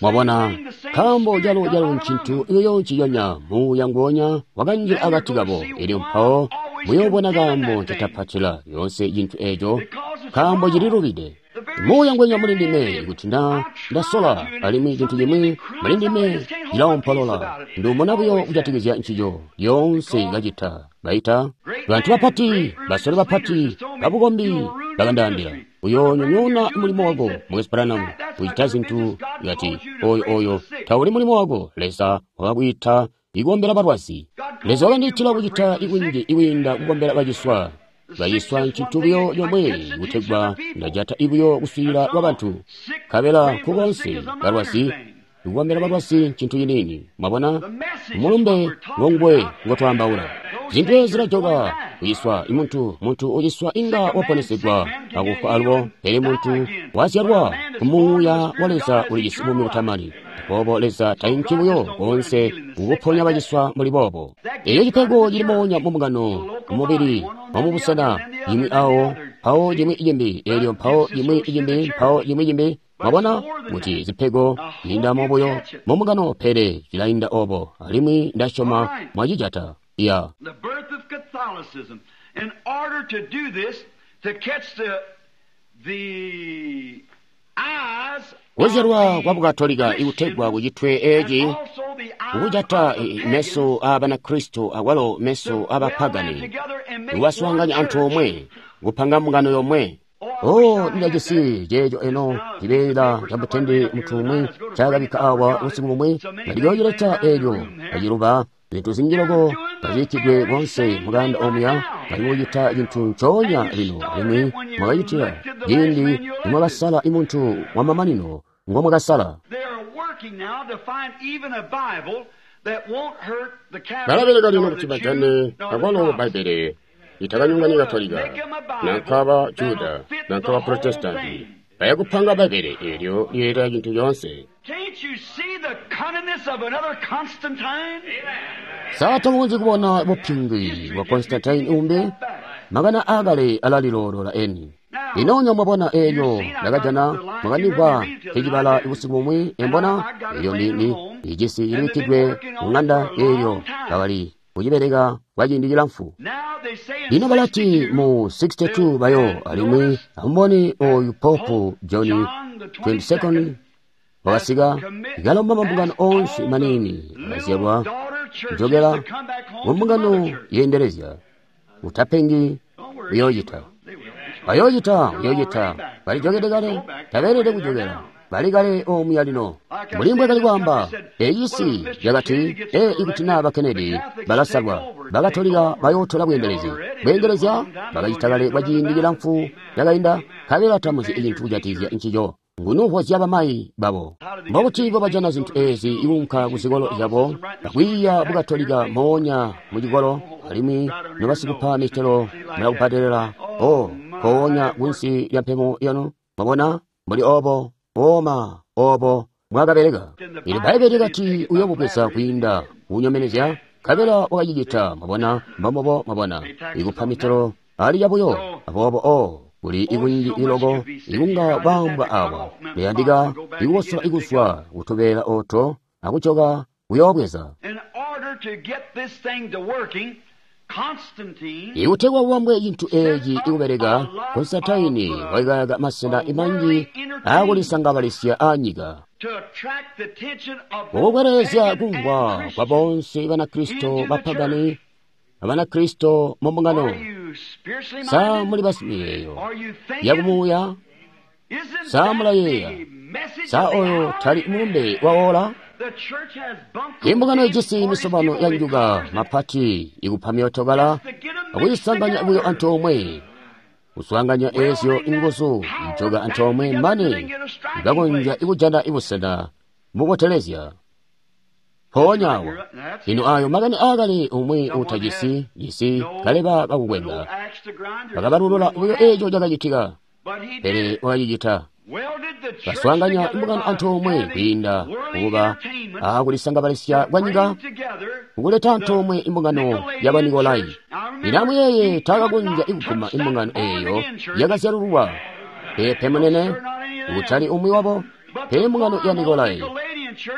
Mwabona, nkaambo calo ncintu iyo nciyonya muuya nguonya wakanjila akati kabo. Elyo mpawo muyobona kaambo ncatapatila yoonse cintu eeco, nkaambo cililubide. Muuya ngwenya muli ndime kuti na ndasola, alimwi cintu cimwi muli ndime cilaumpolola. Ndumona buyo kujatikizya ncico lyoonse kacita. Baita bantu bapati, basole bapati babukombi bakandaambila, uyoonyonyoona mulimo wako, Mukwesu Branham, kucita zintu kati oyo tauli mulimo wako. Leza wakakwiita ikukombela balwazi. Leza wakandiitila kucita ikunji ikwiinda kukombela baciswa. Baciswa ncintu buyo comwe kutegwa ndajata ibuyo kuswiilila kwa bantu. Nkabela nkukoonse balwazi, kukombela balwazi ncintu ciniini. Mwabona, mulumbe ngonguwe ngotwaambaula. Zintu ezi zilajoka kuciswa. Muntu uciswa inga waponesegwa akufwa alubo, pele muntu wazyalwa kumuuya wa Leza ulijisi buumi butamani. Boobo Leza tainki buyo koonse kukuponya baciswa mbuli boobo. Eyo cipego cili moonya mu mbungano, mumubili, wamubusena, imwi awo, mpawo cimwi cimbi, elyo mpawo cimwi cimbi, mpawo cimwi cimbi. Mwabona kuti zipego ziinda buyo mu mbungano, pele zilainda obo, alimwi ndasyoma mwacijata. Ya. The birth of Catholicism. In order to do this, to catch the eyes Kuzyalwa kwa Bukatolika ikutegwa kucitwe eeci kukujata meso aa Banakristo akwalo meso aa bapagani, kubaswaanganya antoomwe kupanga mbungano yomwe. Oh, ndilajisi ceeco eno cibeela ca mutende mutu umwi ncaakabikka awa busiku bumwi, ndaliyocileta eelyo aciluba. Zintu zinji loko kazibikkidwe konse mukanda omuya, bali kucita cintu ncoonya lino, alimwi mwakacitila ciindi nimwakasala imuntu wamamanino ngomwakasala. Balabeleka lino kuti bajane akwalo Bbaibbele litakanyonganye Katolika, nanka ba Juda, nanka ba Protestanti. Bayakupanga Bbaibbele eelyo liyeeta cintu coonse. Can't you see the cunningness of another Constantine? Sa tamukonzyi kubona bupingwi bwa Constantine umbi? Makana aakale alaliloolola eni. Lino mwabona eelyo ndakajana mwakandimvwa nkecibala busiku bumwi, embona eelyo ndi ijisi ilibikkidwe mu ŋanda eelyo bakali kucibeleka kwa ciindi cilamfu. Lino balati mu 62 bayo alimwi amubone oyu Pope John 22 wakasika ikalomba mambungano onse manini akazyalwa kujokela mu mbungano yeendelezya. Utapengi, uyoocita. Bayoocita, uyoocita. Balijokede kale, tabeelede kujokela. Bali kale omuya lino. Mbuli mbwe kali kwaamba, ecisi cakati, ee ikuti naa ba Kennedy balasalwa, Bakatolika bayootola bweendelezi. Bweendelezya bakacita kale kwa ciindi cilamfu cakainda, nkabela tamuzi cintu kujatikizya ncico. Ngunuhwa bamayi babo. Mbobuti bobajana zintu eezi ikunka ku zikolo zyabo, akwiiya Bukatolika moonya mu cikolo, alimwi nobasikupa mitelo mulakubbadelela, o nkoonya kunsi lya mpemo yanu. Mwabona, mbuli obo, oma obo mwakabeleka. Ili Bbaibbele lyakati uyoobubweza kwiinda kunyomenezya, nkabela wakacicita. Mwabona, mbombobo, mwabona, ikupa mitelo ali yabuyo. Aboobo o kuli ikunji iloko ikunga baambwa awa liyandika ikukosola ikuzwa kutubeela oto akujoka kuyoobweza. Ikutegwa kubambwe cintu eeci ikubeleka, Konstantini wakayaka masena manji aakulisangabalisya aanyika kukwelelezya kumvwa kwa bonse Banakristo bapagani Abanakristo mu mbungano. Sa muli basimiyeeyo yakumuuya? Sa mulayeeya? Sa oyo tali mulumbe wa ola? Imbungano ijisi misobano ya njuka mapati ikupa myootokala akuyisanganya buyo antoomwe, kuswaanganya eezyo inguzu njoka antoomwe mane ikakonzya ikujana ibusena bubotelezya. Mpoonya awo, lino ayo makani aakale umwi uutajisi jisi kaleba kakukwenda bakabalulula buyo eeco cakacitika, pele wakacicita. Baswaanganya imbungano antoomwe kwiinda kukuba aakulisangabalisya kwa nyika, kukuleta antoomwe imbungano ya Banikolai. Lino amuyeeye, taakakonzya ikuguma imbungano eeyo yakazyalululwa. Peepe munene, kutali umwi wabo, pele imbungano ya Nikolai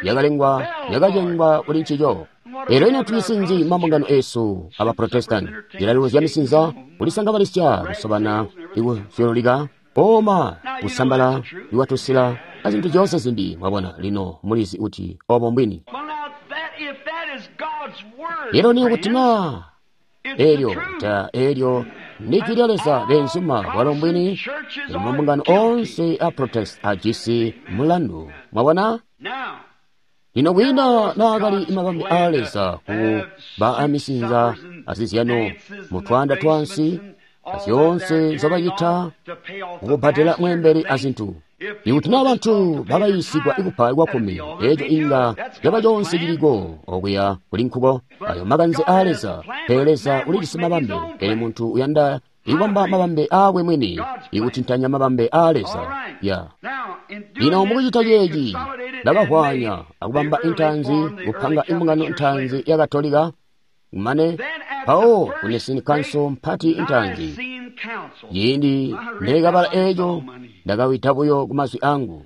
yakalengwa yakacengwa kuli ncico. Lero ino tulisinzi mambungano esu aba Protestant zilalilo misinza kulisangabalisya kusobana ikusyololika oma kusambala iwatusila azintu zyoonse zimbi. Mwabona, lino mulizi kuti obo mbwini. Lero ni kuti na elyo ta elyo ndi lya Leza benzuma bwalo mbwini. Lino mambungano onse a Protest ajisi mulandu. Mwabona, lino kwiina naakali mabambe a Leza ku ba amisinza azizyano mutwanda twansi azyoonse nzobacita kukubbadela mweembeli azintu. Ikuti naa bantu bakayiisigwa ikupa kwakkumi, eeco inga caba conse ciliko okuya kuli nkuko. Ayo makanze a Leza, pele Leza ulijisi mabambe, pele muntu uyanda ikubamba mabambe aakwe mwini, ikutintanya mabambe a Leza. Ya lino mukucita ceeci bakahwanya akubamba intanzi kupanga imbungano ntanzi ya Katolika, kumane mpawo ku Nicene Council mpati intanzi. Ciindi neekabala eeco ndakawita buyo ku mazwi angu.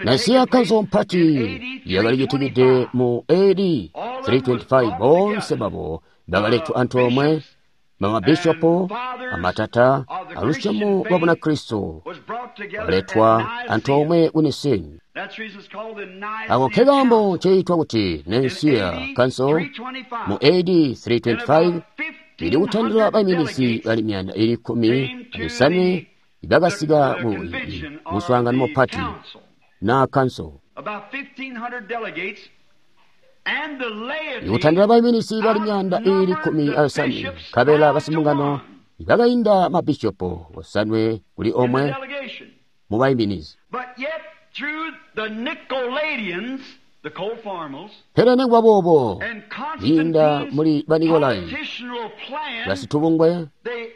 Nicaea Council mpati yakalicitikide mu AD 325. Boonse babo bakaletwa antoomwe, bamabishopo, amatata alusyomo lwa Bunakristo baletwa antoomwe ku Nicene. Ako ke kaambo nceitwa kuti Nicaea Council mu AD 325 ili kutandila baiminizi bali 115 bakasika ku muswaangano mupati na council. Ikutandila baiminizi bali 115 nkabela basimbungano bakainda mabishopo 9 kuli 1 mu baiminizi. Pele nikuba boobo, kwiinda muli Banikolai basitubungwe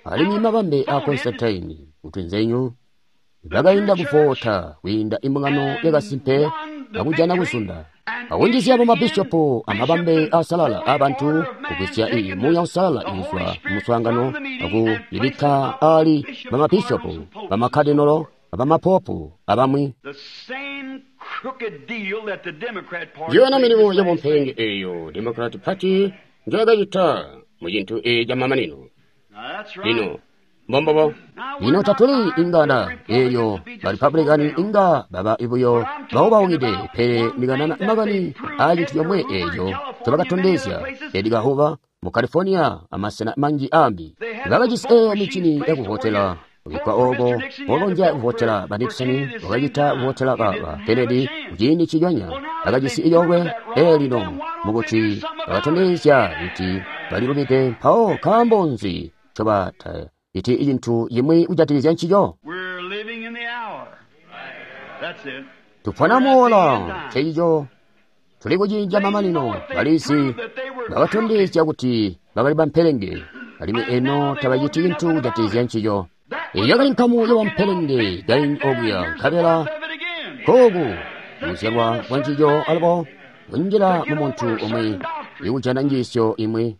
alimwi mabambe a Konstantini kutwinzenyu bakainda kuvota kwiinda imbungano yakasimpe akujana kuzunda akunjizya bamabishopo amabambe asalala abantu kugwisya iyi muuya usalala ikuzwa mumuswaangano akuyibikka ali bamabishopo bamakadinolo abamapopu abamwi. Njiyona milimo yabumpelenge eyo Democrat Party njoyakacita mu cintu eeci camamanino. Lino mbombobo. Lino tatuli inganda eelyo ba Republican inga baba buyo baubaukide, pele ndikanana makani aa cintu comwe eeco ncobakatondezya Edgar Hoover mu California amasena manji aambi. Bakajisi eeyo mincini yakuvotela kubikkwa ooko bokonzya kuvotela ba Nixon, bakacita kuvotela ba Kennedy kuciindi nciconya. Bakajisi coolwe eelino mukuti bakatondezya kuti balilubide, mpawo nkaambo nzi ncobataciti cintu cimwi kujatikizya ncico? Tupona muola, ncecico tuli kuciindi camamanino. Balizi bakatondezya kuti bakali bampelenge, alimwi eno tabaciti cintu kujatikizya ncico. Eyo yakali nkamu yabampelenge kaindi okuya, nkabela kooku kuzyalwa kwa ncico alubo kunjila mu muntu umwi ikujana njiisyo imwi.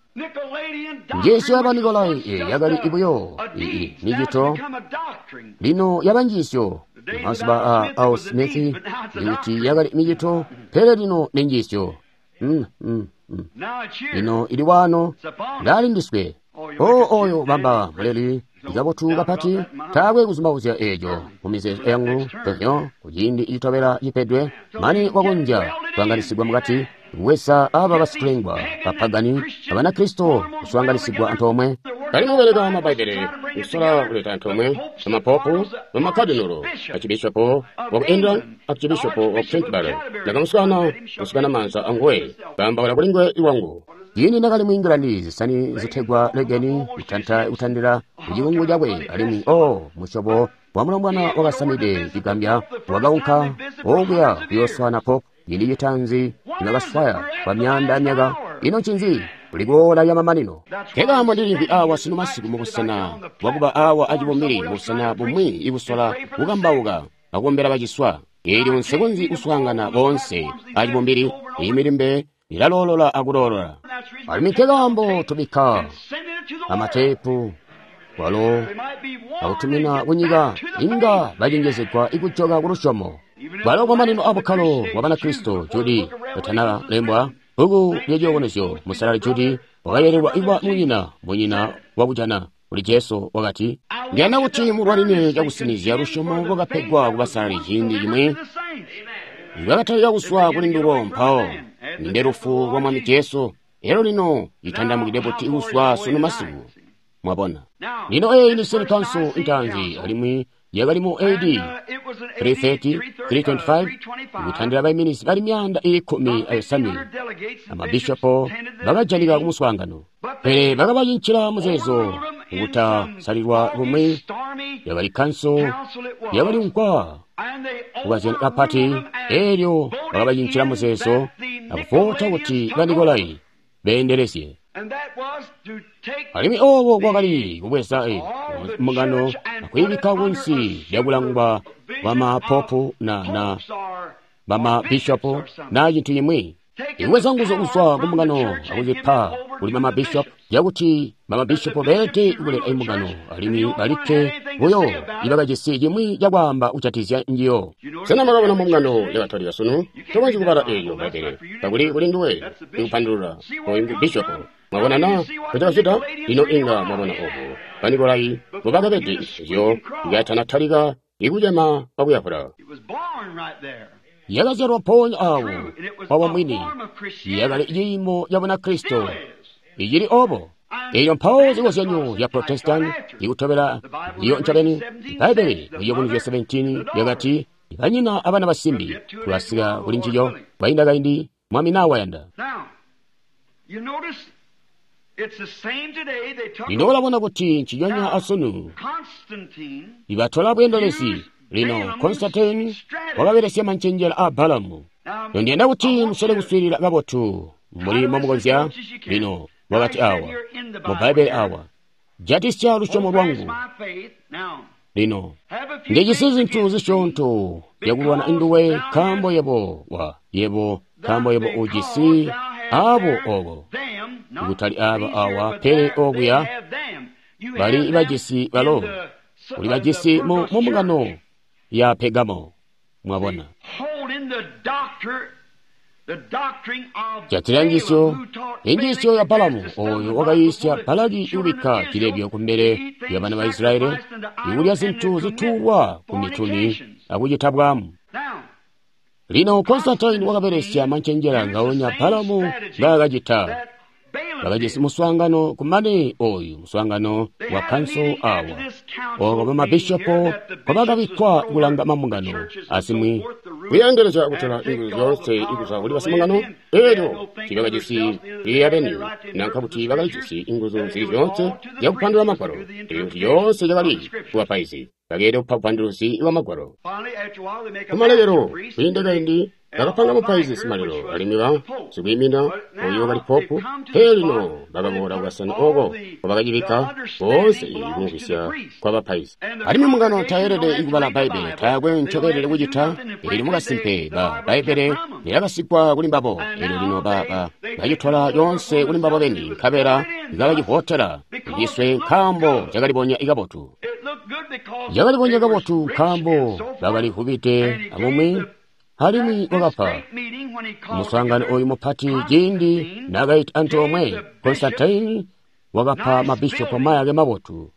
Njiisyo yaba Nikolai yakali buyo micito, lino yaba njiisyo. Mazuba a Al Smith ikuti yakali micito, pele lino ni njiisyo. Lino ili wano ndalindiswe. O oyo bamba muleli ikabotu kapati, taakwe kuzumbauzya eeco mu mizeezo yangu pevyo kuciindi citobela cipedwe mane wakonzya kuanganisigwa mukati kubweza aba basikulengwa bapagani abanakristo kuswaanganisigwa antoomwe. Bali mubeleka Mabbaibele kusola kuleta antoomwe bamapopu, bamakadinolo, arcibishopo waku England, arcibishopo waku Canterbury. Ndakamuswaana kusukana maanza anguwe, kaambaula kuli nguwe iwangu. Ciindi ndakali mu England, zisani zitegwa legeni kutanta kutandila kucikungu cakwe, alimwi o musyobo wa mulombwana wakasamide cigambya wakaunka okuya kuyooswaana popu. Ciindi citaanzi nibakaswaya kwa myaanda yamyaka. Ino ncinzi? Kuli kuola lyamamanino. Nkekaambo ndilimvwi awa sunu masiku mubusena bwakuba awa acibumbili, mubusena bumwi ikusola kukambauka akukombela baciswa. Eelyo nsikonzyi kuswaangana boonse acibumbili. Iyi milimbe ilaloolola akuloolola. Alimwi nkekaambo tubikka amateepu kwalo akutumina kunyika, inga bacenjezegwa ikujoka kulusyomo. Kwalo kumamanino abukkalo bwa Banakristo, Judi katanalembwa bbuku lya Ciyubunuzyo, Musalali Judi wakayelelwa kuba munyina wakujana kuli Jesu wakati, ndiyanda kuti mulwanine cakusinizya lusyomo lwakapegwa kubasalali ciindi cimwi lwakatalika kuswa kuli ndulo, mpawo nde lufu lwa Mwami Jesu. Elyo lino litandamukide buti kuswa sunu masiku. Mwabona, lino eyi ni city council intaanzi, alimwi yakali mu AD 330 325, ikutandila baiminizi bali 115 amabishopo bakajanika kumuswaangano, pele bakabacincila muzeezo kutasalilwa bumwi. Yakali kanso yakali nkwa kukazyana kapati, eelyo bakabacincila muzeezo akuvota kuti ba Nikolai beendelezye. Alimwi obo kwakali kubweza mbungano akuyibikka kunsi lyakulangwa bamapopu na bamabishopu na cintu cimwi. Ikubweza nguzu kuzwa kumbungano akuzipa kuli bamabishopu, yakuti bamabishopu beelede kulela imbungano alimwi balikke buyo ibakajisi cimwi cakwaamba kujatikizya njiyo. Sena mwakabona mbungano ya Katolika sunu? Tokonzyi kubala eeyo Bbaibbele kakuli kuli nduwe ikupandulula oyu ngu bishopu. Mwabona na kucakacita? Lino inga mwabona obo Banikolai mbobakabede ezyo ikatanatalika ikucema kwakuyavula. Yakazyalwa mpoonya awo wabo mwini, yakali ciimo ca Bunakristo icili obo. Elyo mpawo zikozyanyo zya Protestant ikutobela iyo ncobeni. Bbaibbele mu Ciyubunuzyo 17 lyakati banyina abana basimbi. Tulasika kuli ncico kwainda kaindi, Mwami nawayanda. Lino ulabona kuti nciconya asunu ibatola bweendelezi. Lino Constantine wakabelesya mancenjela a Balamu. Ndiyanda kuti musole kuswiilila kabotu mbuli mbomukonzya. Lino wakati awa mu Bbaibbele awa, jatisya lusyomo lwangu. Lino ndijisi zintu zisyoonto zyakulwana nduwe, nkaambo yebo yebo nkaambo yebo ujisi abo obo, kutali aba awa, pele okuya bali bajisi balo, uli bajisi mu mbungano ya Pegamo. Mwabona, Jatila njiisyo, injiisyo ya Balamu oyo wakayiisya Balaki kubikka cilebyo kumbele lya bana ba Israyeli, ikulya zintu zituulwa ku mituni akucita bwaamu. Lino Constantine wakabelesya mancenjela ngaonya Balamu ngaakacita. Bakajisi muswaangano kumane oyu muswaangano wa kanso awa oko bamabishopo kwabakabikkwa kulanga mambungano azimwi kuyeendelezya kutola inguzu zyoonse ikuzwa kuli basimungano. Elyo tiibakajisi liyabeni nanka kuti bakalijisi inguzu zili zyoonse zyakupandula magwalo. Elyo kuti yoonse yakali kubapaizi bakeelede kupa bupanduluzi bwa magwalo. Kumalekelo kwiinda kaindi bakapanga mupaizi simalelo alimwi ba sikwiimina oyo wakali popu. Pele lino bakaboola kukasana oko kwabakacibikka boonse kumvwisya kwa bapaizi. Alimwi mbungano tayelede kubala Bbaibbele, taakwe ncobeelede kucita. Elyo mukasimpe ba Bbaibbele lyakasigwa kuli mbabo. Elyo lino bacitola yoonse kuli mbabo beni, nkabela kabacivotela iciswe nkaambo cakalibonya kabotu. Cakalibonya kabotu nkaambo bakalivubide abumwi. Alimwi wakapa muswaangano oyu mupati ciindi naakaita antoomwe Constantine wakapa mabishopo mayake mabotu.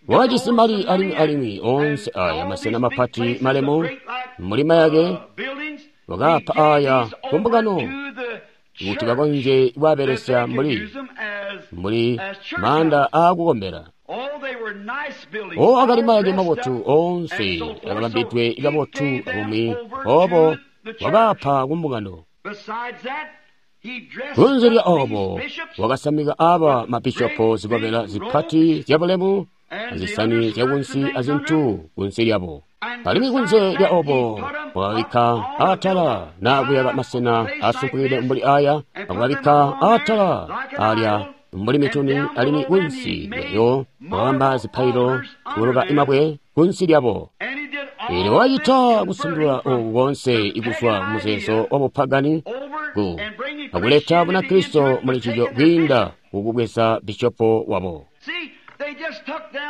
Wakajisi mali alimwi oonse aya masena mapati malemu muli mayake wakapa aya kumbungano kuti bakonzye kuabelesya mbuli maanda aakukombela. O akali mayake mabotu oonse akabambidwe kabotu abumwi obo wakapa kumbungano. Kunze lya obo wakasamika aba mabishopo zikobela zipati zyabulemu azisani zyakunsi azintu kunsi lyabo. Alimwi kunze lya obo wakabikka atala na kuyaka masena asumpukide mbuli aya, akubabikka atala alya mbuli mituni, alimwi kunsi lyayo wakabamba zipailo kuluka imabwe kunsi lyabo. Elyo wacita kusandula oku konse ikuzwa kumuzeezo wa bupagani ku akuleta Bunakristo muli ncico kwiinda kukubweza bishopo wabo.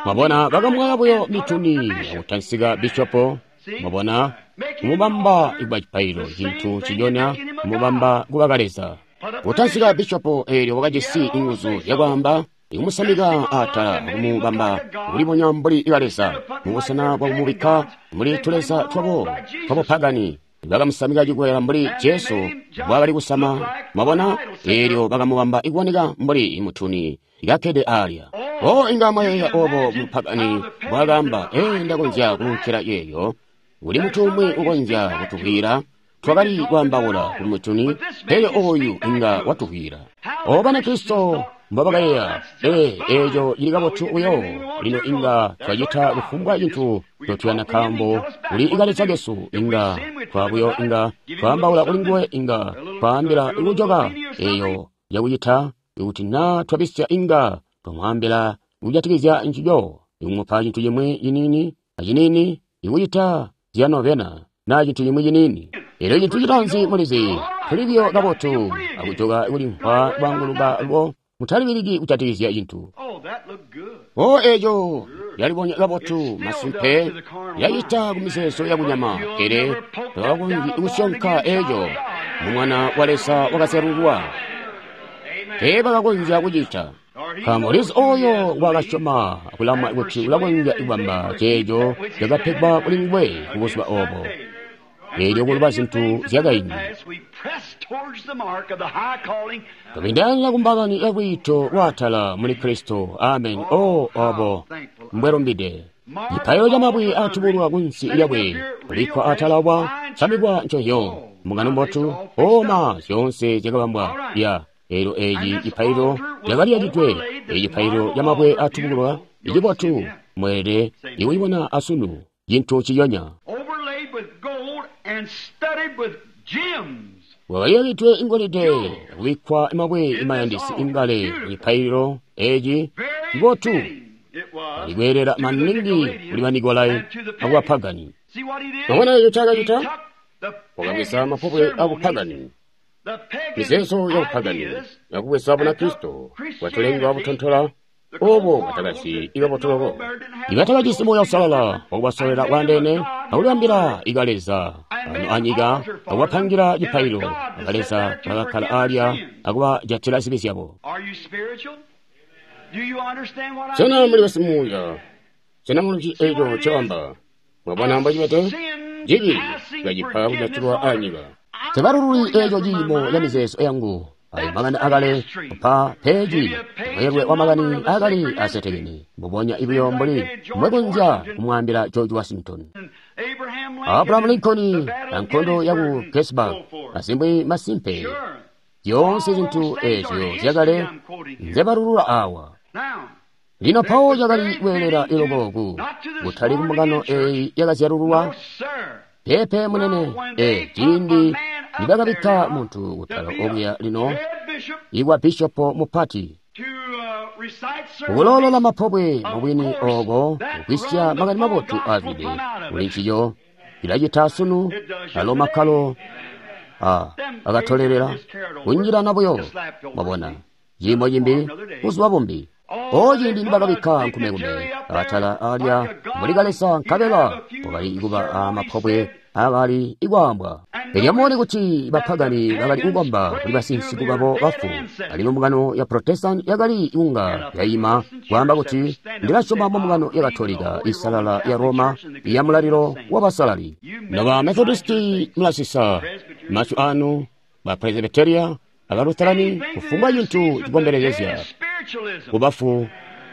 Mwabona, bakamwaya buyo mituni akutansika bishopo. Mwabona, kumubamba kuba cipailo, cintu cinyona kumubamba kuba kaleza. Kutansika bishopo eelyo wakajisi inguzu zyakwaamba ikumusamika atala akumubamba kulibonya mbuli kaleza mubusena bwakumubikka mbuli tuleza twabo twabupagani. Bakamusamika cikwela mbuli Jesu mbwaakali kusama. Mwabona, eelyo bakamubamba ikuoneka mbuli mutuni kakkede alya. O inga mwayeeya obo mupagani mbwaakaamba, ee, ndakonzya kununkila yeeyo. Kuli mutu umwi ukonzya kutuvwiila. Twakali kwaambaula ku mutuni, pele oyu inga watuvwiila. O Banakristo mbobakayeeya, ee, eeco cili kabotu buyo. Lino inga twacita kufumbwa cintu ncotuyanda nkaambo kuli kaleza kesu. Inga twabuyo inga twaambaula kuli nguwe, inga twaambila kujoka eeyo yakucita. Ikuti naa twabisya inga twamwaambila kujatikizya ncico, ikumupa cintu cimwi ciniini aciniini, ikucita zyanovena naa cintu cimwi ciniini. Elyo cintu citaanzi mulizi, tuli buyo kabotu akujoka kulimvwa kwaanguluka lwo, mutalibiliki kujatikizya cintu. O eeco yalibonya kabotu masimpe, yacita kumizeezo yakunyama, pele takakonzyi kusyonka eeco mu Mwana wa Leza wakazyalululwa. Teebakakonzya kucita. Nkaambo Leza oyo wakasyoma akulamwa kuti ulakonzya kubamba ceeco cakapegwa kuli nguwe kubuzuba obo. Eelyo kuluba zintu zyakaindi. Tubindaanila kumbakani ya lwiito lwaatala muli Kristo. Amen. O obo mbwelumbide. Cipailo camabwe atubulwa kunsi lyabwe kubikkwa atala wa samikwa nconzyo. Mbungano mbotu. Oma zyoonse zyakabambwa ya. Eelyo eeci cipailo lyakaliyakidwe. Eeci cipailo camabwe atubulwa icibotu mweelede ikucibona asunu cintu ciyonya. Wakaliyakidwe ingolide akubikkwa mabwe imayandisi ingale cipaililo eeci cibotu alikweelela maningi kuli Banikolai akubapagani. Mwabona eco ncaakacita? Wakabweza mapobwe abupagani, mizeezo yabupagani, akubweza Bunakristo bwatulengwa butontola obo bwatakasi ikabotoloko. Ibatakajisi Muuya Uusalala wakubasolwela kwaandeene akulibambila ikaleza Ano anyika akubapangila cipaililo, akaleza bakakkala alya akubajatila zibi zyabo. Sena muli basimuuya? Sena muli eco ncoamba? Mwabona mbocibede? Cibi cikacipa kujatilwa anyika. Tebalululi eco ciimo ca mizeezo yangu. Ayo makani akale kupa peji mweelwe wa makani akali asetekene mbubonya buyo mbuli mbwekonzya kumwaambila George Washington, Abraham Lincoln na nkondo yaku Gettysburg, azimbwi masimpe zyoonse zintu ezyo zyakale nzebalulula awa. Lino pawo cakali kweelela iloko kutali kumbungano eyi yakazyalululwa. Peepe munene, ciindi nibakabikka muntu kutala okuya lino ikwa bishopo mupati kukuloolola mapobwe mubwini oko kukwisya makani mabotu azwide kuli ncico cilacita sunu alo makkalo akatolelela kunjilana buyo. Mwabona ciimo cimbi buzuba bumbi. O ciindi nibakabikka nkumekume atala alya mbuli kalesa nkabela wakali kuba amapobwe akali ikwaambwa. Elyo mubone kuti bapagani bakali kukomba kuli basinsiku babo bafu, alimwi mbungano ya Protestant yakali kunga yayima kwaamba kuti ndilasyoma mu mbungano ya Katolika isalala ya Roma ya mulalilo wa basalali. Noba Methodisti mulasisa masyu anu, ba Presbyteria aba Lutherani, kufumbwa cintu cikombelezezya kubafu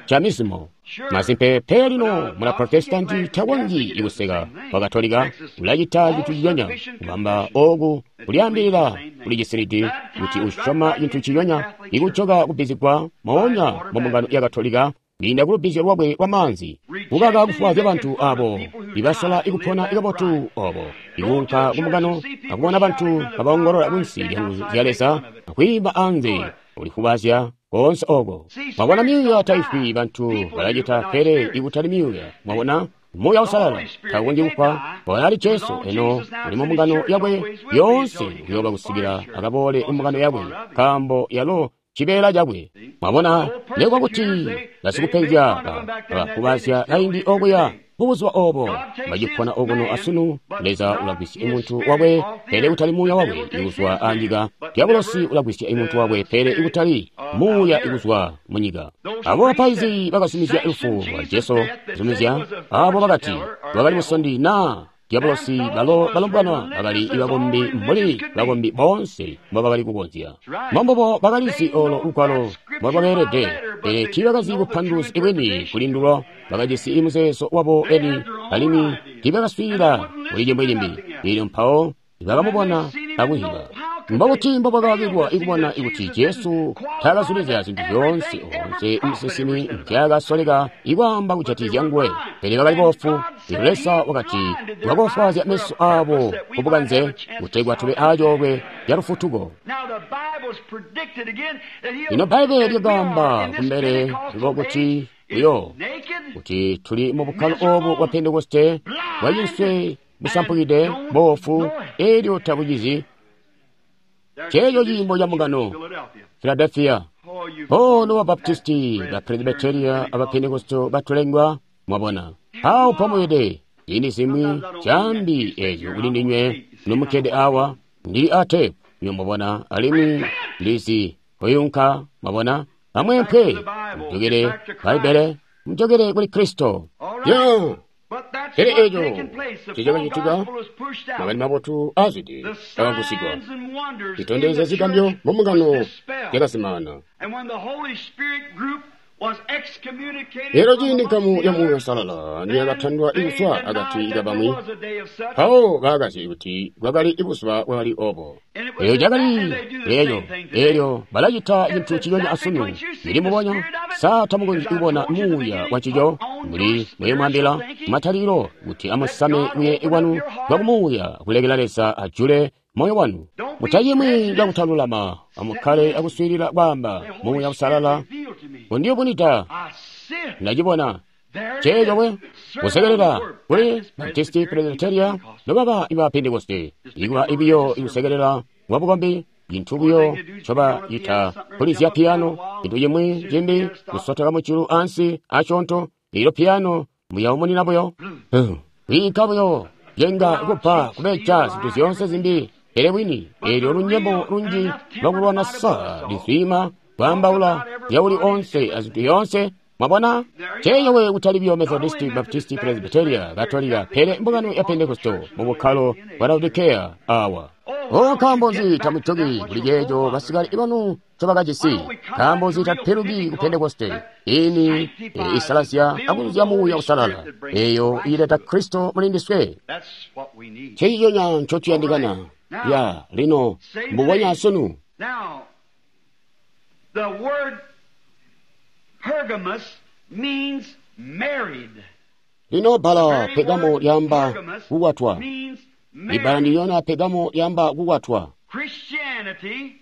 ca mizimo. Masimpe pe lino muna Protestanti takonzyi ikuseka wa Katolika ulacita cintu ciyonya kubamba oku kulyaambilila kuli cisilidi kuti usyoma cintu ciyonya ikujoka kubbizigwa moonya mu mbungano ya Katolika kwiinda kulubbizyo lwakwe lwa maanzi, kukaka kufwaazya bantu abo ibasola ikupona ikabotu obo, ikuunka kumbungano akubona bantu kabaongolola kunsi lya nguzu zya Leza akwiimba anze ulikubazya koonse oko. Mwabona myuuya taifwi, bantu balacita pele ikutali myuuya. Mwabona Muuya Uusalala takonzyi kufwa, ali Jesu eno uli mu mbungano yakwe yoonse kuyooba kusikila akaboole mu mbungano yakwe, nkaambo yalo cibeela cakwe. Mwabona nekuba kuti basikupenzya bakubazya kaindi okuya mubuzuba obo bacipona okuno asunu. Leza ulagwisya imuntu wakwe pele kutali muuya wakwe ikuzwa anyika. Diabolosi ulagwisya imuntu wakwe pele ikutali muuya ikuzwa munyika. Abo bapaizi bakazumizya lufu lwa Jesu, zumizya abo bakati lwakali musondi na Diabolosi, balo balombwana bakali bakombi mbuli bakombi boonse mbobakali kukonzya. Mbombubo bakalizi olo lugwalo mbolwakeelede, pele tiibakazi bupanduluzi bwini kuli ndulo. Bakajisi muzeezo wabo eni, alimwi tiibakaswiilila kuli cimwi cimbi. Elyo mpawo bakamubona akuziba. Mbobuti mbobakakilwa ikubona ikuti Jesu taakazulizya zintu zyoonse oonse musinsimi nzyaakasoleka ikwaamba kujatikizya nguwe, pele bakali boofu. Lino Leza wakati wakofwaazya meso aabo kubukanze kutegwa tube acoolwe ca lufutuko. Lino Bbaibbele lyakaamba kumbele lubo kuti buyo kuti tuli mu bukkalo obu bwa Pentekoste bwacinswe busampukide boofu, elyo tabucizi. Ceeco ciimo ca mbungano Philadelphia. Oh, noba Baptisti, ba Presbyteria, aba Pentekoste batulengwa, mwabona awo mpomuyede. Ziindi zimwi cambi ezyo kuli ndinywe nomukkede awa, ndili a tepu, mwabona, alimwi ndizi kuyunka, mwabona. Amweempwe, mujokere Bbaibbele, mujokere kuli Kristo. Yo! Pele eco cicakacitika, makani mabotu azwide akagusigwa, citondezya zigambyo mu mbungano zyakazimaana. Lero ciindi nkamu ya Muuya Uusalala niyakatandwa ikuzwa akati kabamwi, mpawo bakazyi kuti bwakali buzuba bwakali obo. Eyo cakali leeyo, elyo balacita cintu ciyonya asunu. Ndili mubonya, sa tamukonzyi kubona muuya wa ncico? Mbuli mbwemwambila matalikilo kuti amusame kuye kwanu kwa kumuuya kulekela Leza ajule moyo wanu. Mutacimwi cakutalulama, amukkale akuswiilila kwaamba Muuya Uusalala undiyubunida. Ndacibona ceeco we kusekelela kuli Baptisti, Presbyteria, nobaba iba Pentekoste, ikuba ibiyo ikusekelela kwa bukombi, cintu buyo ncobacita kulizya piyano, cintu cimwi cimbi kusotoka mujulu ansi asyoonto, ilo piyano muyaumunina buyo kwiinka buyo. Yenga kupa kubeja zintu zyoonse zimbi, pele bwini eelyo lunyemo lunji lwakulwana sa lizwima kwaambaula zyauli onse azintu yoonse. Mwabona? Ceeyo kutali biyo Methodisti, Baptisti, Presbyteria, Katolika, pele mbungano ya Pentecostal mu bukkalo bwa Laodikea awa. O, nkaambo nzi tamujoki kuli ceeco basikale banu ncobakajisi? Nkaambo nzi tapiluki ku Pentekoste ini isalazya akuzuzya Muuya Uusalala eyo ileta Kristo muli ndiswe? Nceciconya ncotuyandikana ya lino mbubonya sunu. Lino bbala Pegamo lyaamba kukwatwa. Ibbala ndilyona Pegamo lyaamba kukwatwa. Christianity,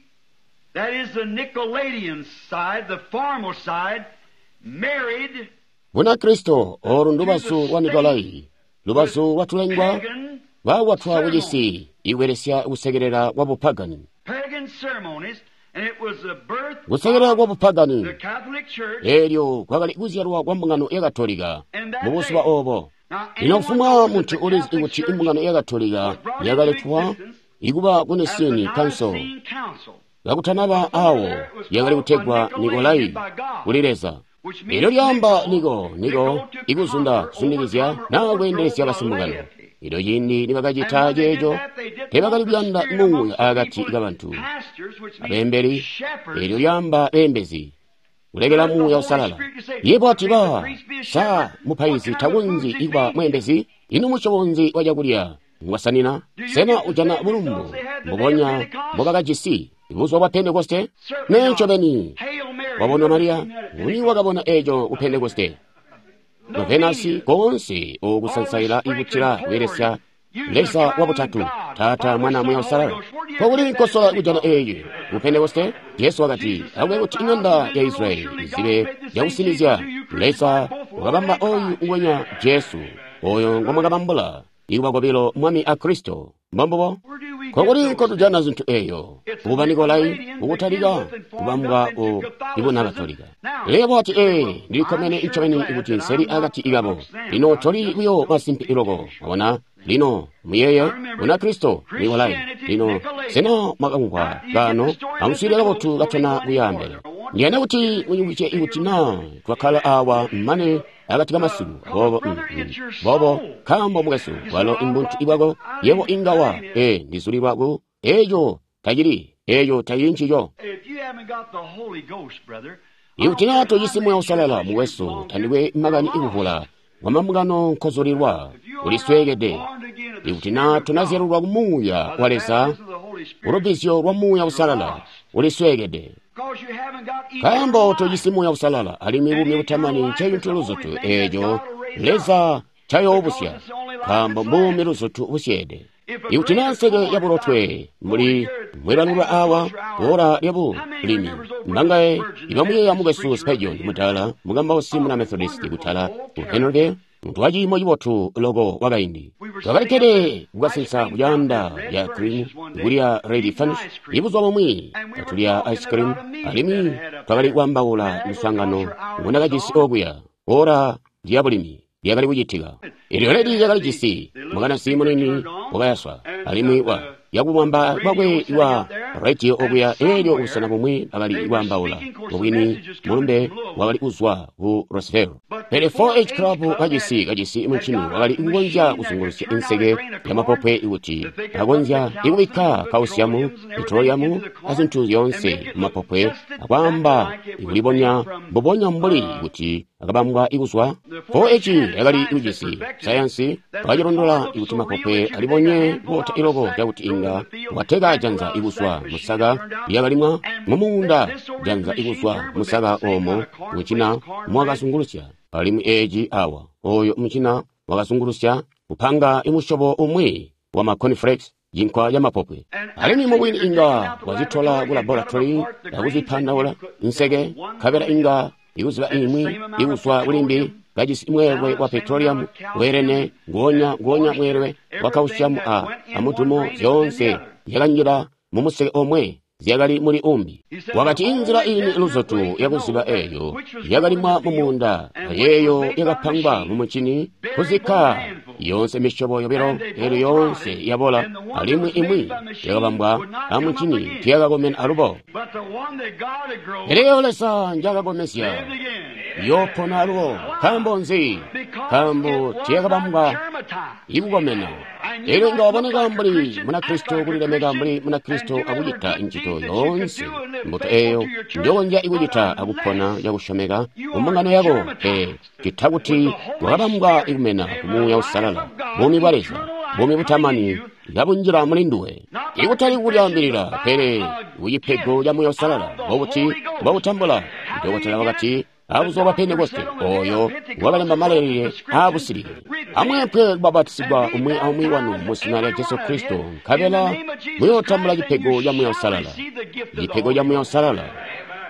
that is the Nicolaitan side, the formal side, married Bunakristo olu ndubazu lwa Nikolai, lubazu lwatulengwa bakwatwa kucisi ibelesya kusekelela kwa bupagani. pagan ceremonies, and it was the birth Kusekelela kwa bupagani of the Catholic Church. eelyo kwakali kuzyalwa kwa mbungano ya Katolika mu buzuba obo. Lino kufumbwa muntu ulizi kuti imbungano ya Katolika yakaletwa ikuba ku Nicene Council Nicene Council, kakutanaba awo yakali kutegwa Nikolai kuli Leza. Elyo lyaamba Niko, Niko ikuzunda kuzundikizya naa kweendelezya basimbungano. Elyo ciindi nibakacita ceeco, teebakali kuyanda muuya akati kabantu. Abeembeli, elyo lyaamba beembezi, kulekela Muuya Uusalala. Yebo ati ba, sa mupaizi takonzyi ikuba mweembezi? Ino musyobo nzi wa cakulya ngwasanina? Sena ujana bulumbu mbubonya mbobakajisi buzuba bwa Pentekoste? Nee ncobeni. Hail Mary. Wabona Mariya, nguni wakabona eeco ku Pentekoste? Venasi koonse okusansaila ikutila kubelesya Leza wa butatu, Taata, Mwana, Muuya Uusalala. Nkokuli nkosola kujana eeyi ku Pentekoste? Jesu wakati, akube kuti iŋanda ya Israyeli izibe cakusinizya Leza wakabamba oyu ngwenya Jesu, oyo ngomwakabambula ikuba kobilo Mwami a Kristo. Mbombubo? Nkokuli nkotujana zintu eeyo? Kuba Nikolai ukutalika kubambwa ku ibuna Katolika. Lebo ati ee, ndilikkomene ncobeni kuti nseli akati kabo. Lino toli buyo masimpe iloko, mwabona? Lino muyeeye Bunakristo Nikolai. Lino sena mwakamvwa kaano? Amuswiilile kabotu katana kuyaambele. Ndiyanda kuti munyungwice ikuti naa twakkala awa mane akati kamasiku boobo boobo nkaambo mukwesu walo imbuntu ibwako yebo inga wa ee ndizulilwa ku eeco tacili eeco tacili ncico. If you haven't got the Holy Ghost, brother, Ikuti naa tojisi Muuya Uusalala mukwesu, tandikwe makani ikuvula kwamambungano nkozulilwa, ulisweekede. Ikuti naa tonazyalulwa ku Muuya wa Leza, ulubbizyo lwa Muuya Uusalala, ulisweekede. because you haven't got Nkaambo tojisi Muuya Uusalala alimwi buumi butamani ncecintu luzutu eeco Leza ncayoobusya, nkaambo mbuumi luzutu busyeede. Ikuti naa nseke yabulotwe mbuli mwebalulwa awa ora lyabulimi mbangaye ibamuyeeya mukwesu Spurgeon mutala mukambausi muna Methodist kutala ku Henryville, muntu wa ciimo cibotu loko wakaindi. Twakalikkede kukasensa kucaanda lya cream kulya red finish ibuzuba bumwi katulya ice cream alimwi twakali kwaambaula muswaangano ngundakajisi okuya ora lyabulimi lyakali kucitika. Elyo ledi lyakalijisi mukanasi munini wakayaswa alimwi wa yakubamba kwakwe wa radio okuya elyo kubusena bumwi bakali kwaambaula mubwini mulumbe wakali kuzwa ku Roseville. Pele 4-H Club kajisi muncini wakali kukonzya kuzungulusya inseke yamapopwe ikuti akonzya ikubikka kausiamu, petroliamu azintu zyoonse mumapopwe akwaamba ikulibonya mbubonya mbuli kuti akabambwa ikuzwa. 4-H yakali kujisi sayansi wakacilondola ikuti mapopwe alibonye kubota iloko cakuti inga wateka janza ikuzwa musaka lyakalimwa mumuunda janza ikuzwa musaka oomo mucina mwakazungulusya alimwi eeci awa oyo mucina wakazungulusya kupanga imusyobo umwi wa ma cornflakes cinkwa ca mapopwe alimwi mubwini inga wazitola ku laboratory akuzipandaula nseke nkabela inga ikuziba imwi ikuzwa kulimbi kajisi mweelwe wa petroleum weelene nguonya nguonya mweelwe wa calcium a amudumo zyoonse zyakanjila mumuseke omwe zyakali muli umbi. Wakati inzila ini luzutu yakuziba eeyo yakalimwa mumuunda ayeeyo yakapangwa mumucini kuzikka Yoonse misyobo yobilo elyo yoonse yabola, alimwi imwi yakabambwa amuncini tiyakakomena alubo. Pele eyo Leza njakakomezya yoopona alubo. Nkaambo nzi? Nkaambo tiyakabambwa ikukomena. Elyo inga waboneka mbuli Munakristo, kulilemeka mbuli Munakristo, akucita incito yoonse mbuto eyo njokonzya ikucita akupona cakusyomeka kumbungano yako, pele cita kuti wakabambwa ikumena ku Muuya Uusalala, buumi bwa Leza, buumi butamani kabunjila muli nduwe. Ikutali kulyaambilila, pele kucipego ca Muuya Uusalala. Mbobuti mbokutambula? Dokotela wakati abuzuba bwa Pentekoste, oyo wakalemba malailile aabusilike. Amweempwe kubapatisigwa umwi aumwi wanu mu zina lya Jesu Kristo, nkabela muyootambula cipego ca Muuya Uusalala. Cipego ca Muuya Uusalala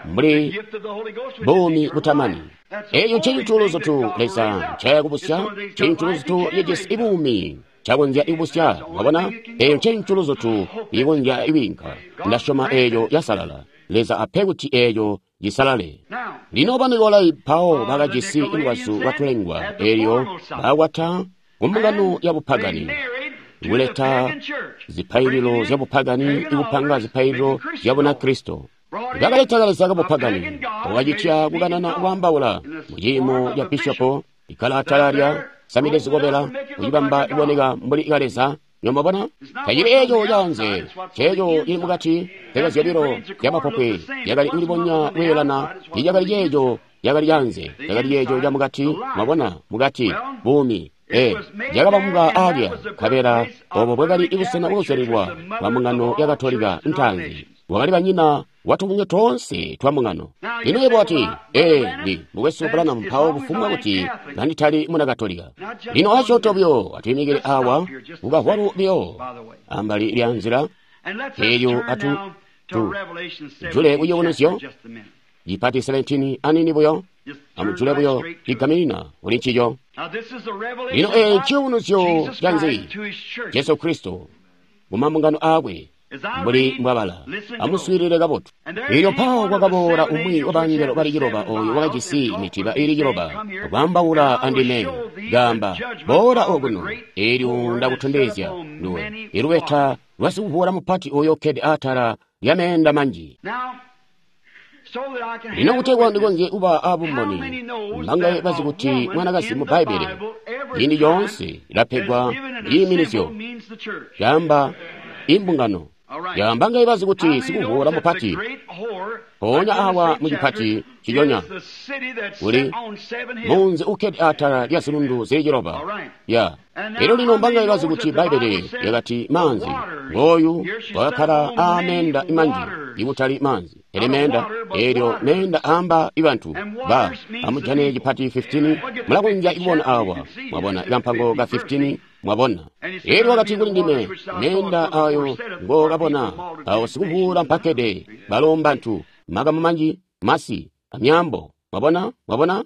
mbuli buumi butamani. Eeco ncecintu Leza ncayakubusya, ncecintu cijisi buumi cakonzya ikubusya. Mwabona, eeyo ncecintu ikonzya ikwiinka. Ndasyoma eeco yasalala. Leza ape kuti eeco cisalale. Lino Banikolai mpawo bakajisi lubazu lwatulengwa, eelyo bakwata kumbungano ya bupagani, kuleta zipaililo zya bupagani, ikupanga zipaililo zya Bunakristo. Bakaleta kaleza kabupagani, wakacitya kukanana kwaambaula muciimo ca bishopo, ikkala atala lya samide zikobela, kucibamba iboneka mbuli kaleza. Nyomabona tacili eeco caanze, ceeco cili mukati. Mpeka zyobilo zyamapopwe yakali kulibonya kweelana, icakali ceeco yakali caanze, cakali ceeco camukati. Mwabona, mukati buumi yakabambwa aalya, nkabela obo bwakali busena bwakuzyalilwa bwa mbungano ya Katolika ntaanzi. Wakali banyina watubungwe toonse twa mbungano. Lino yebo wati, ndi mukwesu Branham, mpawo kufumbwa kuti kanditali muna Katolika. Lino asyoonto buyo atwiimikile awa kukahwalu buyo ambali lya nzila elyo atu jule kuciyubunuzyo cipati 17 anini buyo, amujule buyo cigaminina kuli ncico. Lino ee ciyubunuzyo canzi? Jesu Kristo mumambungano aakwe mbuli mbwabala. Amuswiilile kabotu. Elyo mpawo kwakaboola umwi wa bangelo bali ciloba oyo wakajisi mitiba ili ciloba, kwaambaula andime, kaamba, boola okuno, elyo ndakutondezya nduwe ilubeta lwa sikuvuula mupati oyo ukkede atala lya meenda manji. Lino kutegwa ndikonzye kuba abumboni, mbangaye bazi kuti mwanakazi mu Bbaibbele ciindi coonse ilapegwa ciiminizyo caamba imbungano. Yaamba ngai bazi kuti sikuvuula mupati mpoonya awa mucipati ciconya uli munzi ukkede atala lya zilundu zili ciloba. Ya elyo lino mbangai bazi kuti Bbaibbele lyakati maanzi ngooyu wakakkala aameenda manji, ikutali maanzi pele meenda. Elyo meenda aamba ibantu ba amujane cipati 15 mulakonzya kubona awa, mwabona ikampango ka 15. Mwabona, elyo wakati kuli ndime, meenda ayo ngokabona awo sikuvuula mpakkede balo mbantu, makamu manji, masi, amyaambo. Mwabona, mwabona.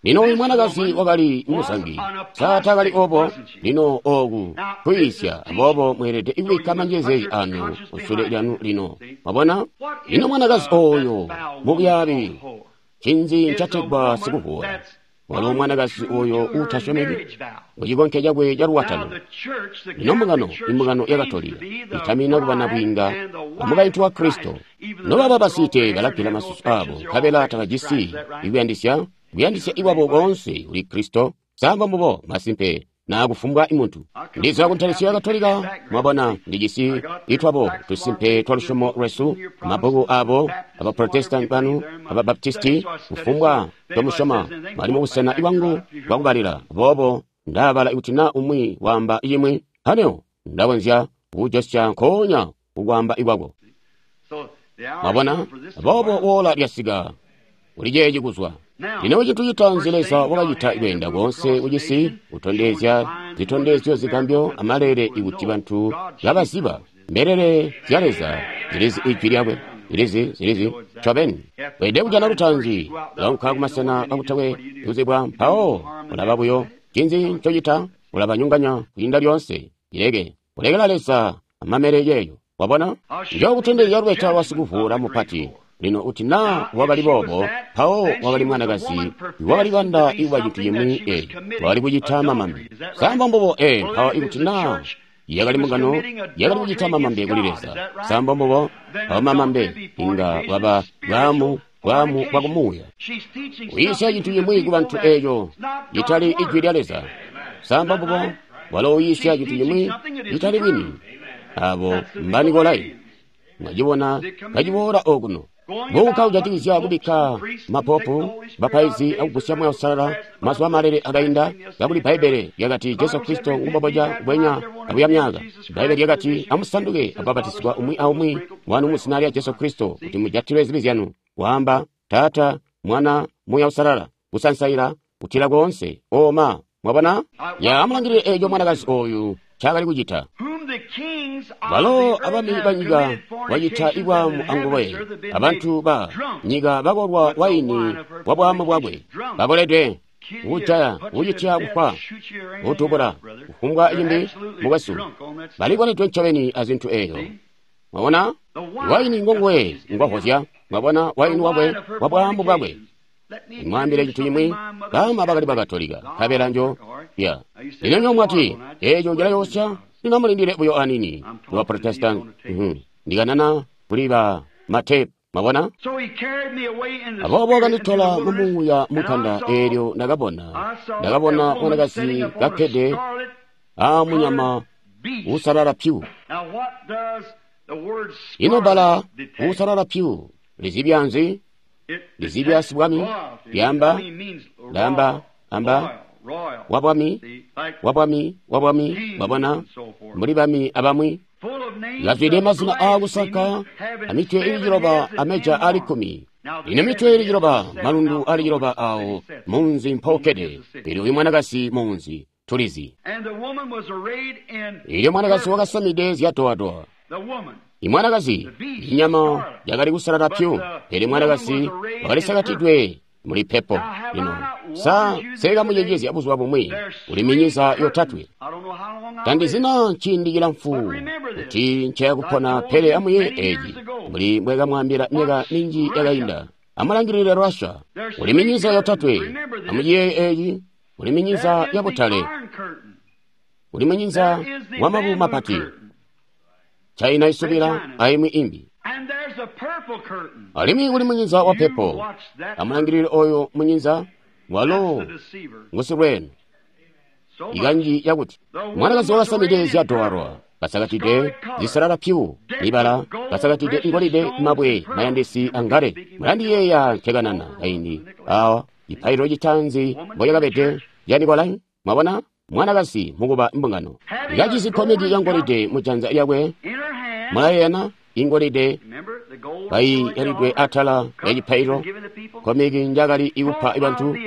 Lino uyu mwanakazi wakali muzangi, sa takali obo? Lino oku kwiisya, aboobo mweelede kubikka manjezeezi anu kusule lyanu lino. Mwabona, lino mwanakazi oyo mubyaabi, ncinzi ncategwa sikuvuula? Walo mwanakazi oyo uutasyomeki mucikonke cakwe ca lukwatano. Lino mbungano, imbungano ya Katolika itamina kuba nabwiinga amukaintu wa Kristo. Nobaba basiite balagela masusu abo, nkabela tabajisi ikuyandisya, kuyandisya ikwabo koonse kuli Kristo. Samba mbubo masimpe na kufumbwa imuntu. Ndiza kuntalisyo ya Katolika, mwabona, ndijisi itwabo tusimpe twa lusyomo lwesu, mabbuku abo, abaprotestanti banu, ababaptisti, kufumbwa tomusyoma, bali mubusena ibwangu bwakubalila. Aboobo ndabala kuti na umwi waamba imwi, aneo ndakonzya kujosya nkoonya kukwaamba ikwako. Mwabona, aboobo woola lyasika kuli ceeci kuzwa. Lino cintu citaanzi Leza wakacita kweenda koonse kucisi kutondezya zitondezyo zigambyo amalele ikuti bantu kabaziba mbelele zya Leza zilizi ijwi lyakwe, zilizi ncobeni. Weelede kujana lutaanzi launka kumasena akutakwe kuzibwa, mpawo ulaba buyo. Ncinzi ncocita? Ulabanyonganya kwiinda lyoonse. Ileke kulekela Leza amamele yeeyo. Wabona, njokutondezya lubeta lwa sikuvuula mupati. Lino kuti naa wakali boobo, mpawo wakali mwanakazi wakali banda ikuba cintu cimwi eeci, wakali kucita mamambe. Samba mbubo mpawo ikuti naa yakali mbungano yakali kucita mamambe kuli Leza. Samba mbubo, mpawo mamambe inga bwaba bwaamu bwaamu bwa kumuuya. Uyiisya cintu cimwi ku bantu eeco citali ijwi lya Leza. Samba mbubo, walo uyiisya cintu cimwi citali bwini. Abo Mbanikolai. Mwacibona kaciboola okuno. Buka kujatikizya kubikka mapopu, bapaizi akugusya Muuya Uusalala mazuba malele akainda, kakuli Bbaibbele lyakati Jesu Kristo ngumboboca bwenya abuya myaka. Bbaibbele lyakati amusanduke akubapatizigwa umwi aumwi wanu mu zina lya Jesu Kristo kuti mujatilwe zibi zyanu. Waamba Taata, Mwana, Muuya Uusalala, kusansaila, kutila koonse. Oma, mwabona? Ya amulangilile eeco mwanakazi ooyu ncaakali kucita. Balo abami banyika bacita ibwaamu anguwe, abantu ba nyika bakolwa waini wa bwaamu bwakwe. Bakoledwe, kujaya, kucitya kufwa, kutubula, kufumbwa cimbi mukwesu. Balikoledwe ncobeni azintu eeyo. Mwabona? Waini ngonguwe ngwavozya. Mwabona waini wakwe wa bwaamu bwakwe. Nimwaambile cintu cimwi, baama bakali Bakatolika, nkabela njo ya. Lino nyo mwati, eeco cilayoosya, lino amulindile buyo aniini. Lwa Protestant, ndikanana kuli ba matepu, mwabona? Aboobo kanditola mumuuya munkanda eelyo ndakabona, ndakabona mwanakazi kakkede aamunyama uusalala pyu. Ino bbala uusalala pyu lizibya nzi? Lizibya sibwami, lyamba, lamba, amba, wabwami, wabwami, wabwami, wabona, mbuli bami abamwi. Lazwide mazina aakusaka, amitwe ili ciloba ameja ali 10. Ino mitwe ili ciloba, malundu ali ciloba awo, munzi mpookkede. Pele uyu mwanakazi munzi, tulizi. Ilyo mwanakazi wakasamide zyatoatoa. Imwanakazi, inyama yakali kusalala pyu, pele mwanakazi wakalisakatidwe muli pepo. Lino, sa sekamucenjezya buzuba bumwi, uli minyiza yotatwe. Tandizina nciindi cilamfu kuti ncayakupona, pele amuye eeci, mbuli mbwekamwaambila myaka minji yakainda. Amulangilile Russia, uli minyiza yotatwe. Amuciyeeye eeci, uli minyiza yabutale, uli minyiza wamabu mapati. China isubila aimwi imbi. Alimwi kuli munyinza wa pepo. Amulangilile oyo munyinza walo ngusilweeno. Ikanji yakuti mwanakazi wakasamide zyadowalwa, kasakatide zisalala pyu, libala kasakatide ingolide, mabwe mayandisi angale. Mulandiyeeya nkekanana kaindi awa cipaililo citaanzi mbolyakabede lya Nikolai. Mwabona? Mwanakazi mukuba mbungano kajisi komeki ya ngolide mujanza lyakwe. Mulayena ingolide kaiyalidwe atala ya cipaililo, komeki njakali ikupa bantu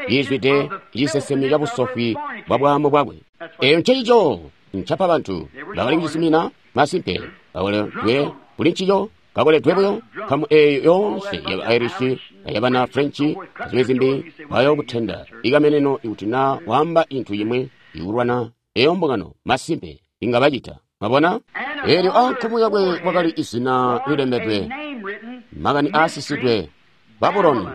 yizwide cisesemyo ca busofwi bwa bwaamu bwakwe. Eyo ncecico ncapa bantu bakali kucisumina masimpe bakoledwe kuli ncico, kakoledwe buyo nkamu eeyo yoonse yaba Irish ayabana French azimwi zimbi bayokutenda ikameneno ikuti naa waamba cintu cimwi ikulwana eyo mbungano masimpe inga bacita. Mwabona? Eelyo ankumu yakwe kwakali izina lilembedwe, makani aasisidwe, Babuloni.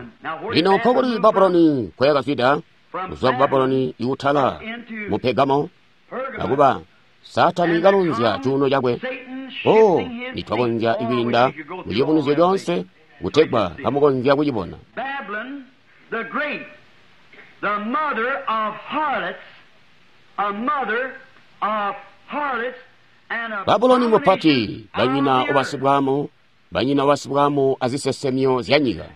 Lino nkokuli Babuloni nkoyakazwida, kuzwa ku Babuloni ikutala mu Pegamo, akuba Saatani kalunzya cuuno cakwe. Oh, nitwakonzya ikwiinda mu ciyubunuzyo coonse kutegwa kamukonzya kucibona. Babuloni mupati, banyina wabasibwaamu, banyina wabasibwaamu azisesemyo zya nyika.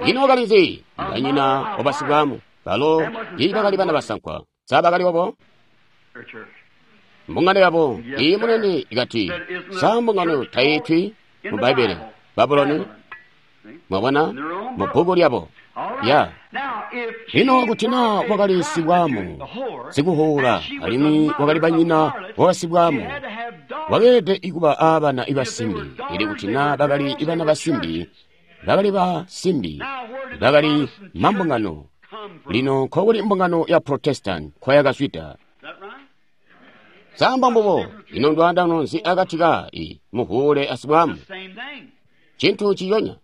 Ino wakali nzi? Banyina wabasibwaamu, balo tiibakali bana basankwa. Sa bakali obo? Mbungano yabo iyi munene ikati, sa mbungano taitwi mu Bbaibbele, Babuloni? Mwabona, mu bbuku lyabo. Ya. Lino kuti naa wakali sibwaamu, sikuhuula, alimwi wakali banyina wabasibwaamu, wakeelede ikuba aabana basimbi. Ili kuti naa bakali bana basimbi, bakali basimbi, bakali mambungano. Lino nkokuli mbungano ya Protestant nkoyakazwida. Samba mbubo, ino ndwaandano nzi akati ka i muhuule asibwaamu? Cintu ciyonya.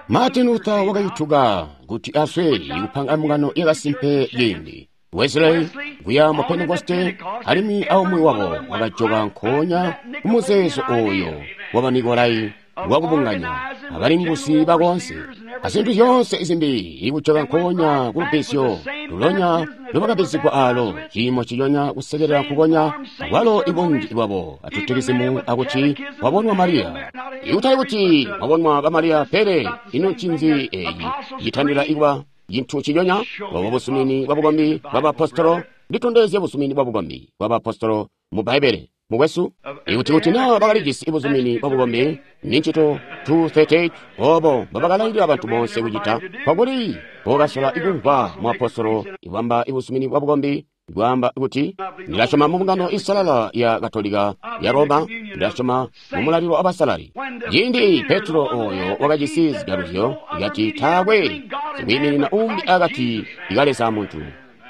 Martin Luther wakayutuka kuti aswe kupanga mbungano yakasimpe ciindi. Wesley kuya mu Pentekoste alimwi aumwi wabo wakajoka nkoonya kumuzeezo oyo wa Banikolai wakubunganya abalingusi bakonse azintu zyoonse zimbi ikujoka nkoonya kulubizyo lulonya lubakabizigwa alo ciimo ciyonya kusekelela nkukonya akwalo ibunji bwabo atutikizimu akuti wabonwa Mariya. Ikutali kuti wabonwa ba Mariya, pele ino ncinzi eyi citandila ikuba cintu ciyonya obo busumini bwa bukombi bwa bapostolo. Nditondezye busumini bwa bukombi bwa bapostolo mu Bbaibbele mukwesu. Ikuti kuti naa bakalijisi buzumini bwa bukombi ni ncito 238 obo mbobakalailila abantu bonse kucita, kwakuli bokasola ikumvwa muapostolo ibwamba ibuzumini bwa bukombi bwaamba kuti ndilasyoma mu mbungano isalala ya Katolika ya Roma, ndilasyoma mu mulalilo wa basalali. Ciindi Petro oyo wakajisi zigaluzyo kati taakwe sikwiiminina umbi akati ka Leza muntu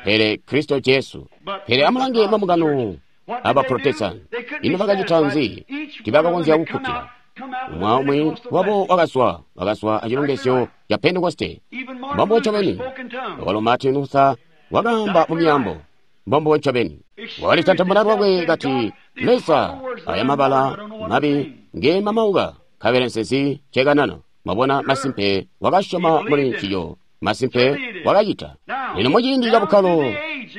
pele Kristo Jesu. Pele amulange mambungano aba Protestant, ino bakacita nzi? Tibakakonzya kukkutila. Umwi wabo wakazwa acilongezyo ca Pentekoste. Mbombo ncobeni. Walo Martin Luther wakaamba mu myaambo. Mbombo ncobeni. Wakalitantamuna lwakwe kati Leza aya mabala mabi nge mamauka nkabela nsezi cekanana. Mwabona, masimpe wakasyoma muli nciyo. Masimpe wakacita. Lino muciindi ca bukkalo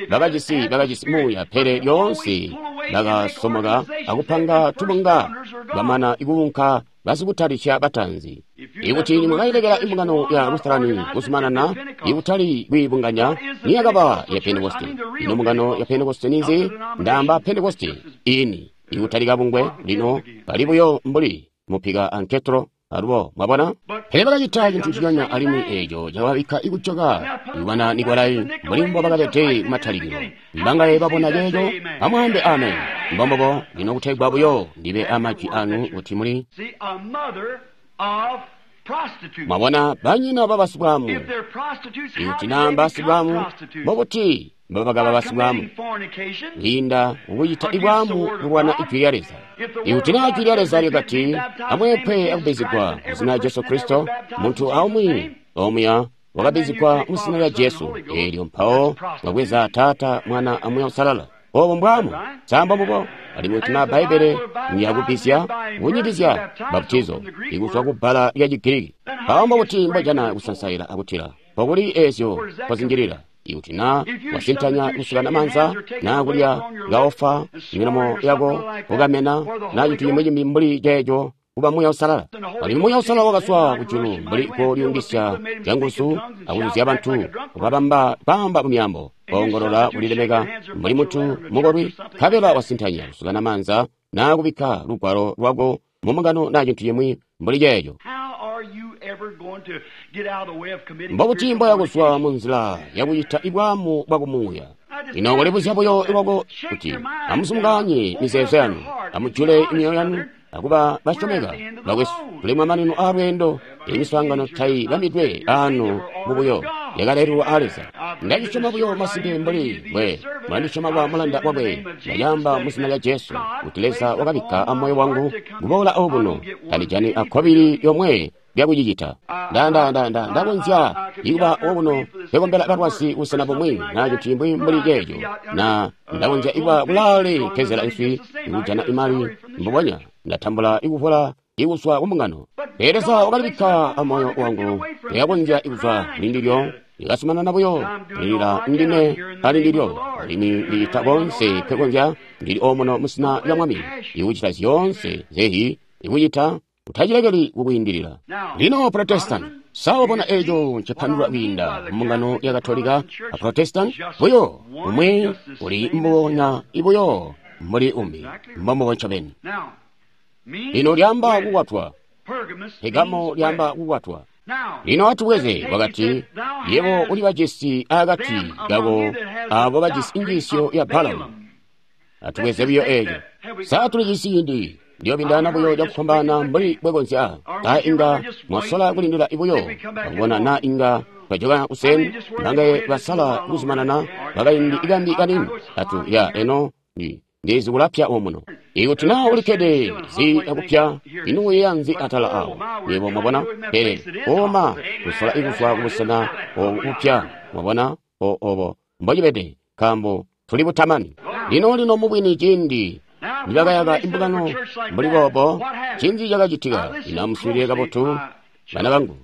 bakajisi muuya, pele lyoonse bakasomoka akupanga tubunga bamana ikuunka basikutalisya batanzi. Ikuti nimwakailekela imbungano ya Lutherani kuzumanana ikutali kwiibunganya, niyakaba ya Pentekoste. Ino mbungano ya Pentekoste ninzi? Ndaamba Pentekoste ini ikutali kabungwe, lino bali buyo mbuli mupika anketro. Alubo mwabona, pele bakacita cintu ciyonya alimwi eeco cakababikka ikujoka ikubana Nikolai mbuli mbo bakabede kumatalikilo. Mbangaye babona ceeco? Amwaambe amen. Mbombobo lino kutegwa buyo ndibe amajwi anu kuti muli mwabona banyina babasibwamu. Ikuti naa mbasibwamu, mbobuti mbobakaba basibwamu? Kwiinda kukucita ibwamu kulwana ijwi lya Leza. Ikuti naa ijwi lya Leza lyakati amweepwe akubizigwa mu zina lya Jesu Kristo, muntu aumwi omuya wakabizigwa mu zina lya Jesu, eelyo mpawo mwabweza Taata, Mwana a Muuya Uusalala. Obo mbwamu, samba mbubo. Alimwi kuti naa Bbaibbele niyakubizya kunyikizya baptizo ikuzwa ku bbala lya Chigiriki, mpawo mbokuti mbojana kusansaila akutila pokuli eezyo mpozinjilila. Ikuti naa wasintanya kusukana maanza naa kulya kaofa milomo yako kukamena naa cintu cimwi cimbi mbuli ceeco kuba Muuya Uusalala. Alimwi Muuya Uusalala wakazwa kujulu mbuli kolyungisya canguzu akuzuzya bantu ukabamba kwaamba mu myaambo, koongolola kulilemeka mbuli muntu mukolwi, nkabela wasintanya kusukana maanza naa kubikka lugwalo lwako mu mbungano naa cintu cimwi mbuli ceeco. Mbobuti mboya kuzwa mu nzila yakucita ibwamu bwa kumuuya? Ino kulibuzya buyo lwako kuti amusumukanye mizeezo yanu, amujule myoyo yanu akuba basyomeka. Bakwesu, tuli mamanino aalweendo. Emiswaangano taibambidwe aano mubuyo, yakalaililwa a Leza. Ndacisyoma buyo masimpe mbuli mbwe mulandisyoma kwa mulanda wakwe. Ndacaamba mu zina lya Jesu kuti Leza wakabikka amoyo wangu kuboola obuno, tandijani akkobili lyomwe lyakucicita. Ndakonzya ikuba obuno pekombela balwazi busena bumwi naa cintu cimwi mbuli ceeco, na ndakonzya ikuba kulaale mpezela nswi ikujana imali mbubonya ndatambula ikuvola ikuzwa kumbungano. Pele Leza wakalibikka amoyo wangu, lyakonzya ikuzwa kulindilyo, likasumanana buyo lilila ndime ali ndilyo, alimwi ndicita konse pekonzya ndili omuno mu zina lya Mwami ikucita zyoonse zehi ikucita utacilekeli kukwiindilila. Lino Protestant, sawabona eeco ncipandulula kwiinda mbungano ya Katolika a Protestant buyo umwi uli mbubonya ibuyo mbuli umbi, mbombubo ncobeni. Lino lyaamba kukwatwa, Pegamo lyaamba kukwatwa. Lino atubweze wakati, yebo uli bajisi akati kako abo bajisi injiisyo ya Balamu. Atubweze buyo eeco. Sa tulijisi ciindi ndiyobindana buyo cakufwambaana mbuli bwekonzya. Naa inga mwasola kulindila ibuyo akubona naa inga twajoka kuseni mbangaye basala kuzumanana bakaindi ikambi kanini atu ya eno. Ndizi kulapya omuno. Ikuti na ulikkede zi akupya, ino uyeeya nzi atala awo? Yebo mwabona? Pele oma kusola ikuzwa kubusena obu bupya, mwabona? Obo mbocibede, nkaambo tuli butamani. Lino lino mubwini ciindi nibakayaka imbungano mbuli boobo, ncinzi cakacitika? Ino amuswiilile kabotu, bana bangu.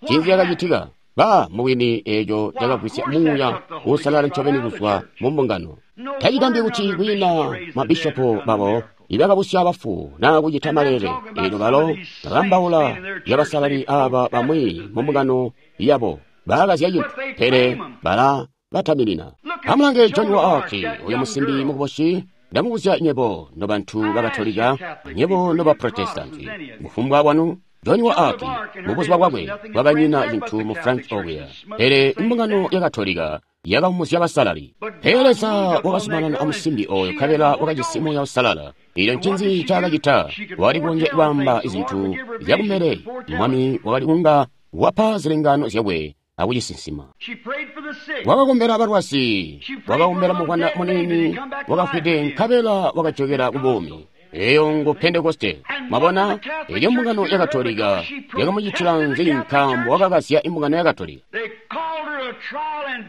Ncinzi cakacitika? Ba mubwini eeco cakagwisya Muuya Uusalala ncobeni kuzwa mu mbungano. Tacigambyi kuti kwiina mabishopo babo ibakabusya bafu naa kucita maleele, eelyo balo bakambaula lyabasalali aaba bamwi mu mbungano yabo bakazya cintu, pele bala bataminina. Amulange John wa Arc, uyo musimbi mukuboshi. Ndamubuzya nywebo nobantu bakatolika, nywebo noba Protestanti, kufumbwa bwanu. John wa Arc mubuzuba bwakwe bwakanyina cintu mu French okuya, pele imbungano ya Katolika yakamumuzya basalali. Pele Leza wakazumanana amusimbi oyo nkabela wakajisi Muuya Uusalala. Elyo ncinzi ncaakacita? Wakali kukonzya kwaamba zintu zyakumbele. Mwami wakali kunga wapa zilengaano zyakwe akucisinsima. Wakakombela balwazi, wakakombela muvwanda muniini wakafwide nkabela wakajokela ku buumi. Eyo ngu Pentekoste. Mwabona? Elyo mbungano ya Katolika yakamucitila nzi nkaambo wakakazya imbungano ya Katolika?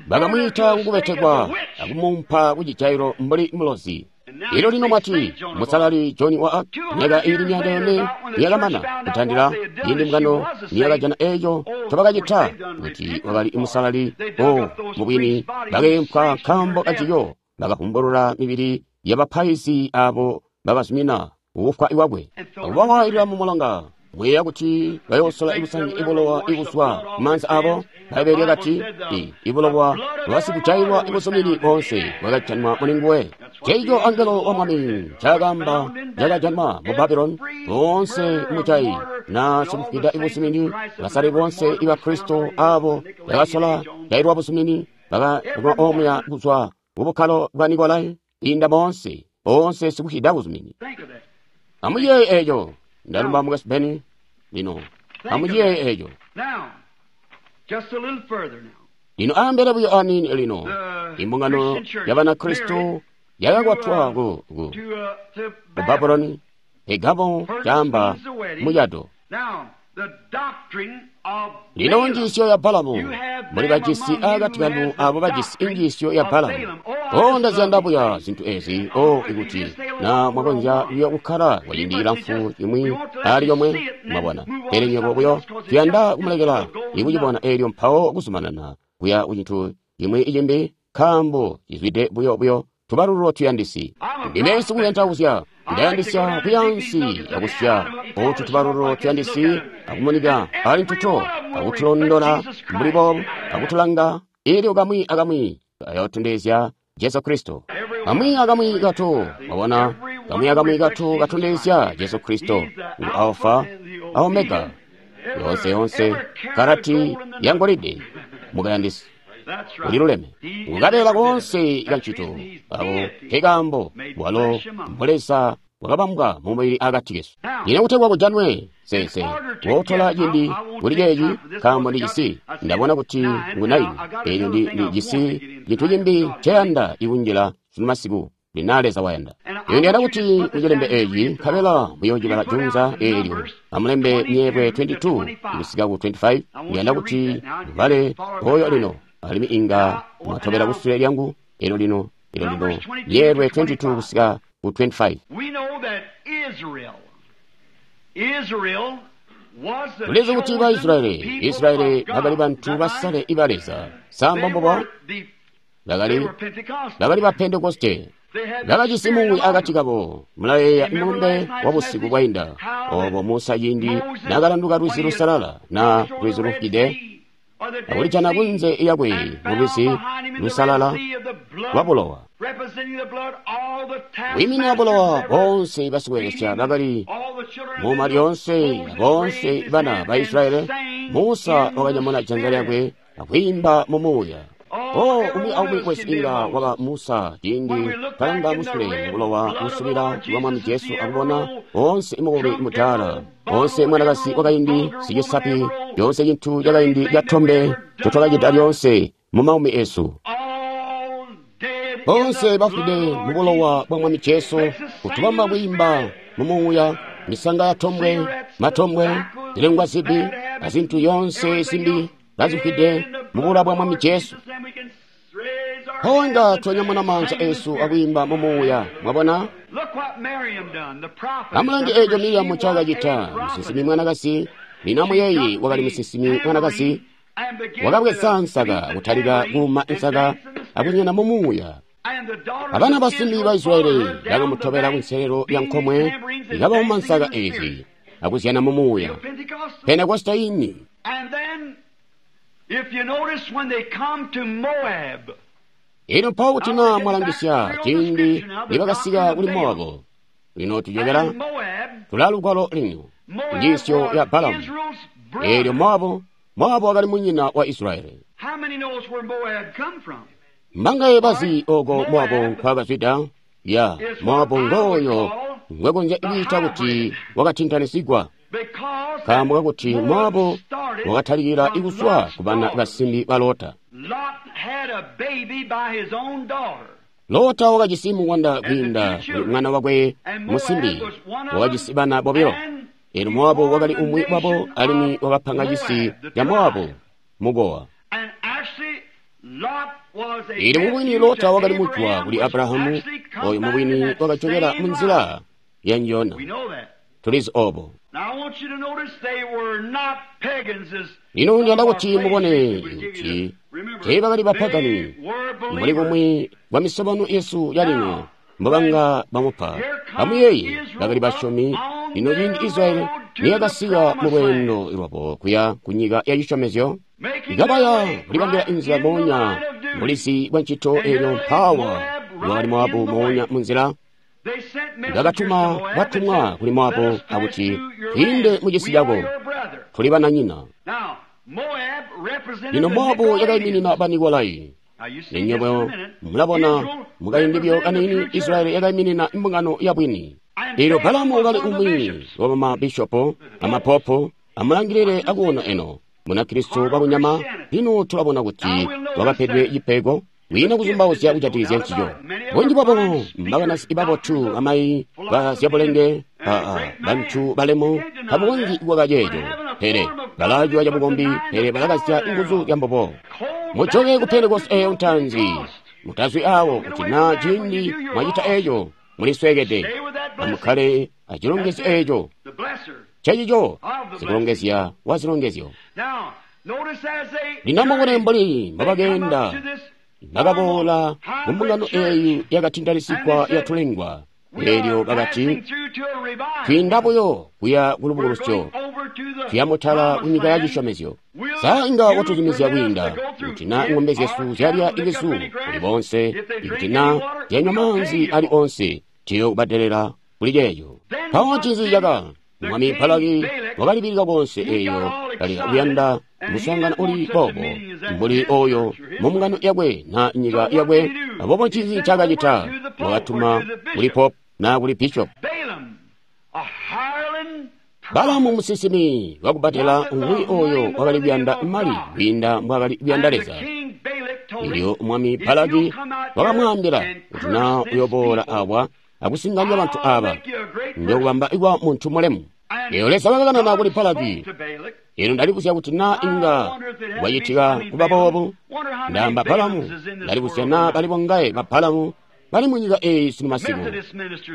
Bakamwiita kukubetekwa akumuumpa ku cijailo mbuli mulozi. Elyo lino mwati, Musalali John wa Arc, myaka iili 400 yakamana kutandila ciindi mbungano niyakajana eco ncobakacita kuti wakali musalali. O mubwini bakeempwa nkaambo kancico, bakavumbulula mibili yabapaizi abo bakazumina kufwa kwakwe akubawailila mu mulonga. Mwiiya kuti bayoosola ibusangi ibulowa ibuzwa kumaanza abo. Bbaibbele lyakati, ibulowa bwasikujailwa ibuzumini boonse bwakajanwa mulinguwe. Ceico angelo wa Mwami ncaakaamba cakajanwa mu Babuloni. Boonse mujayi na sikufwida ibuzumini, basale boonse iba Kristo abo bakasola jailwa buzumini bakajanwa omuya kuzwa kubukkalo bwa Nikolai inda boonse boonse sikufwida buzumini. Amuyeeye eco. Ndalumba Mukwesu Beni. Lino amuyeeye eco. Lino ambele buyo aniini lino. Imbungano ya Banakristo yakakwatwa ku Babuloni. Pegamo caamba mucado. Lino njiisyo ya Balamu, muli bajisi akati kanu abo bajisi injiisyo ya Balamu. O ndaziyanda buya zintu ezi. O ikuti na mwakonzya buyo kukkala kwa ciindi cilamfu cimwi ali yomwe, mwabona. Pele nywebo buyo tuyanda kumulekela ikucibona eelyo mpawo kuzumanana kuya ku cintu cimwi cimbi, nkaambo cizwide buyo buyo tubalululo tuyandisi. Ndime sikuyandisya, ndayandisya kuyansi akusya otu tubalululo tuyandisi akumunika ali ntuto akutulondola mbuli boobu akutulanga eelyo kamwi akamwi kayotondezya Jesu Kristo. Kamwi akamwi kato, mwabona, kamwi akamwi kato katondezya Jesu Kristo, ngu Alpha a Omega, yonse yonse karati ya ngolide mukayandisi. Uliluleme ngukabeela koonse kancito abo nkekaambo walo mbuleza bwakabambwa mumubili akati kesu. Lino kutegwa kujanwe sese wotola ciindi kuli ceeci nkaambo ndijisi ndabona kuti ngu 9 eelyo ndijisi cintu cimbi nceyanda ikunjila sunu masiku lina Leza wayanda. Iyo ndiyanda kuti mucilembe eeci nkabela muyoocibala junza eelyo amulembe myeelwe 22 kusika ku 25. Ndiyanda kuti mubale oyo lino alimwi inga mwatobela kusule lyangu elo lino elo lino myeelwe 22 kusika ku 25. Tulizi kuti ba Israeli, Israeli bakali bantu basale iba Leza. Sa mbombubo? Bakali ba Pentekoste. Bakajisi muuya akati kabo. Mulayeeya mulumbe wa busiku bwainda obo Musa ciindi nakalanduka lwizi lusalala na lwizi lufwide akulijana kunze yakwe mu lwizi lusalala lwa bulowa. Wiiminina bulowa boonse basikweelesya bakali muma lyoonse boonse bana ba Israeli. Musa wakanyamuna janza lyakwe akwiimba mu muuya. O umwi aumwi wesu inga waba Musa ciindi kalanga musule mubulowa busubila bwa Mwami Jesu akubona onse mukubi mudaala, onse mwanakazi wakaindi sicisapi, lyonse cintu cakaindi catombe ncotwakacita lyonse mu maumi esu. Bonse bafwide mu bulowa bwa Mwami Jesu, kutubamba kwiimba mu muuya, misanga ya tombwe, matombwe, zilengwa zibi, azintu yonse zimbi bazifwide mu bulowa bwa Mwami Jesu. Mpawo twanyamuna maanza esu akwiimba mu muuya. Mwabona? Amulange eco Miriamu ncaakacita, musinsimi mwanakazi. Lino amuyeeye, wakali musinsimi mwanakazi. Wakabweza nsaka kutalika kuuma nsaka akunyona mu muuya. Abana basimbi ba Israyeli bakamutobela kunselelo ya nkomwe, ikabauma nsaka ezi akuzyana mu muuya. Pentekoste ini. Ino mpawo kuti naa mwalangisya ciindi nibakasika kuli Mowabu. Lino tujokela tulalugwalo lino njiisyo ya Balamu. Eelyo Mowabu, Mowabu wakali munyina wa Israyeli. Mbangaye bazi oko Mowabu nkwakazwida? Ya, Mowabu ngooyo ngwekonzya kwiita kuti wakatintanisigwa, nkaambo kakuti Mowabu wakatalikila ikuswa ku bana basimbi ba Lota. Lota wakajisi mungwanda kwiinda kuli mwana wakwe musimbi, wakajisi bana bobilo. Eelyo Mowabu wakali umwi wabo, alimwi wakapanga cisi ca Mowabu mukowa. Eelyo mubwini Lota wakali mujwa kuli Abrahamu, oyo mubwini wakajokela munzila ya njona. Tulizi obo. Lino ndiyanda kuti mubone kuti teebakali bapagani mbuli kumwi kwa misobano yesu yalino mbobanga bamupa. Amuyeeye, bakali basyomi. Lino ciindi Israyeli niyakasika mu lweendo lwabo kuya ku nyika ya cisyomezyo, ikabaya kulibambila inzila moonya mulizi bwa ncito. Eelyo mpawa wakali Mowabu moonya munzila. Bakatuma batumwa kuli Mowabu akuti, twiinde mu cisi cako, tuli bananyina. Lino Mowabu yakaiminina ba Nikolai. Ninyobo mulabona mukaindi kaniini Israyeli yakaiminina mbungano ya bwini. Eelyo Balamu wakali umwi wa bamabishopo amapopo. Amulangilile akuona eno Munakristo wakunyama. Lino tulabona kuti wakapedwe cipego wiina kuzumbauzya kujatikizya ncico. Bunji bwabo mbakanasi babotu, amayi ba zyabulenge, bantu balemu, tabukonzyi kuwaka ceeco, pele balaciwa cabukombi, pele balakazya nguzu zya mbubo. Mujoke ku Pentekoste eyo ntaanzi, mutazwi awo kuti naa ciindi mwacita eco mulisweekede. Amukkale acilongezyo eco, cecico sikulongezya wa zilongezyo. Lino amubone mbuli mbobakeenda, bakaboola ku mbungano eyi yakatintanisigwa yatulengwa. Eelyo bakati, twiinda buyo kuya ku lubukulusyo, tuya mutala ku nyika ya cisyomezyo. Sa inga watuzumizya kwiinda kuti naa ng'ombe zyesu zyalya ibisu kuli bonse, ikuti naa zyanywa maanzi ali onse, tiyo kubadelela kuli ceeco. Mpawo ncinzi caka? Mwami Balaki wakalibilika konse eeyo kali kuyanda muswaangano uli boobo mbuli oyo mu mbungano yakwe na nyika yakwe. Aboobo ncinzi ncaakacita? Wakatuma kuli pope na kuli bishop. Balamu musinsimi wakubbatela umwi oyo wakali kuyanda mali kwiinda mbwaakali kuyanda Leza. Elyo mwami Balaki wakamwaambila kuti naa uyoboola awa akusinganya bantu aba, ndiyokubamba kwa muntu mulemu. Eyo Leza wakakanana kuli Balaki. Eno ndalibuzya kuti naa inga bwacitika kuba boobu. Ndaamba Balamu, ndalibuzya naa bali bongaye ba Balamu bali mu nyika eyi sunu masiku.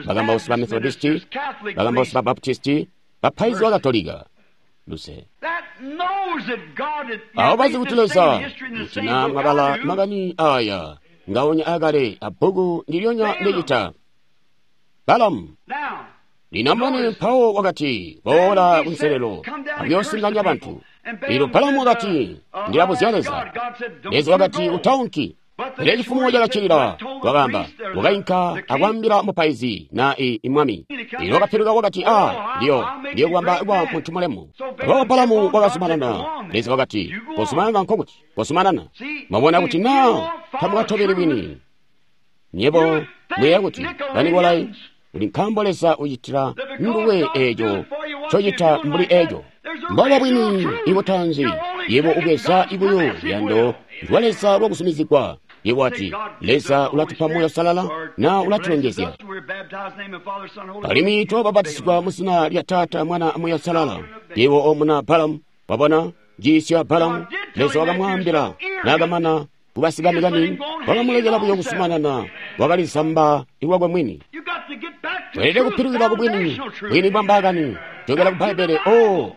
Bakambausi ba Methodisti, bakambausi ba Baptisti, bapaizi ba Katolika. Luse. Awo bazi kuti Leza, kuti naa mwabala makani aya ngaonya akale abbuku ndilyonya ndicita. Balamu. Lino amubone mpawo wakati, boola kunselelo akuyoosinganya bantu. Lino Balamu wakati, ndilabuzya Leza. Leza wakati, utaunki. Pele cifumo cakacilila, wakaamba, wakainka akwaambila mupaizi na imwami. Lino wakapiluka wakati, ndiyo kubamba kwa muntu mulemu. Aboobo Balamu wakazumanana. Leza wakati, kozumanana nkokuti, kozumanana. Mwabona kuti naa tamukatobeli bwini. Nyebo muyeeya kuti Banikolai uli nkaambo Leza ucitila nduwe eeco ncocita mbuli eeco. Mboba bwini ibutanzi, yebo ubweza ibuyo luyando lwa Leza lwakusumizigwa. Yebo wati, Leza ulatupa Muuya Uusalala na ulatulongezya. Alimwi twabapatizigwa mu zina lya Taata, Mwana, Muuya Uusalala. Yebo omuna Balamu, wabona njiisyo ya Balamu. Leza wakamwaambila naakamana kubasikamikami, wakamulekela buyo kusumanana, wakalizamba lwakwe mwini. Tweelede kupilukila ku bwini, bwini bwa mbaakani, jokela ku Bbaibbele. Oh,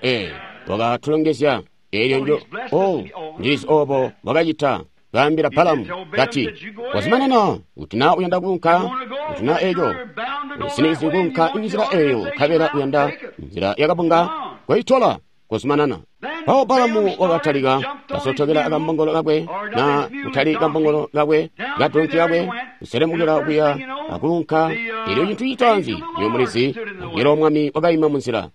wakatulongezya. Eelyo njo, oh, ndilizi obo wakacita. Kaambila Balamu, kati, wazumanana, kuti naa uyanda kuunka, kuti naa eco, usinikizye kuunka nzila eyo, nkabela uyanda nzila yakabunga, koitola, kozumanana. Mpawo Balamu wakatalika, kasotokela akambongolo kakwe, na kutali kambongolo kakwe, kadonki kakwe, kuselemukila kuya akuunka. Elyo cintu citaanzi, nywebo mulizi, angelo Mwami wakaima munzila.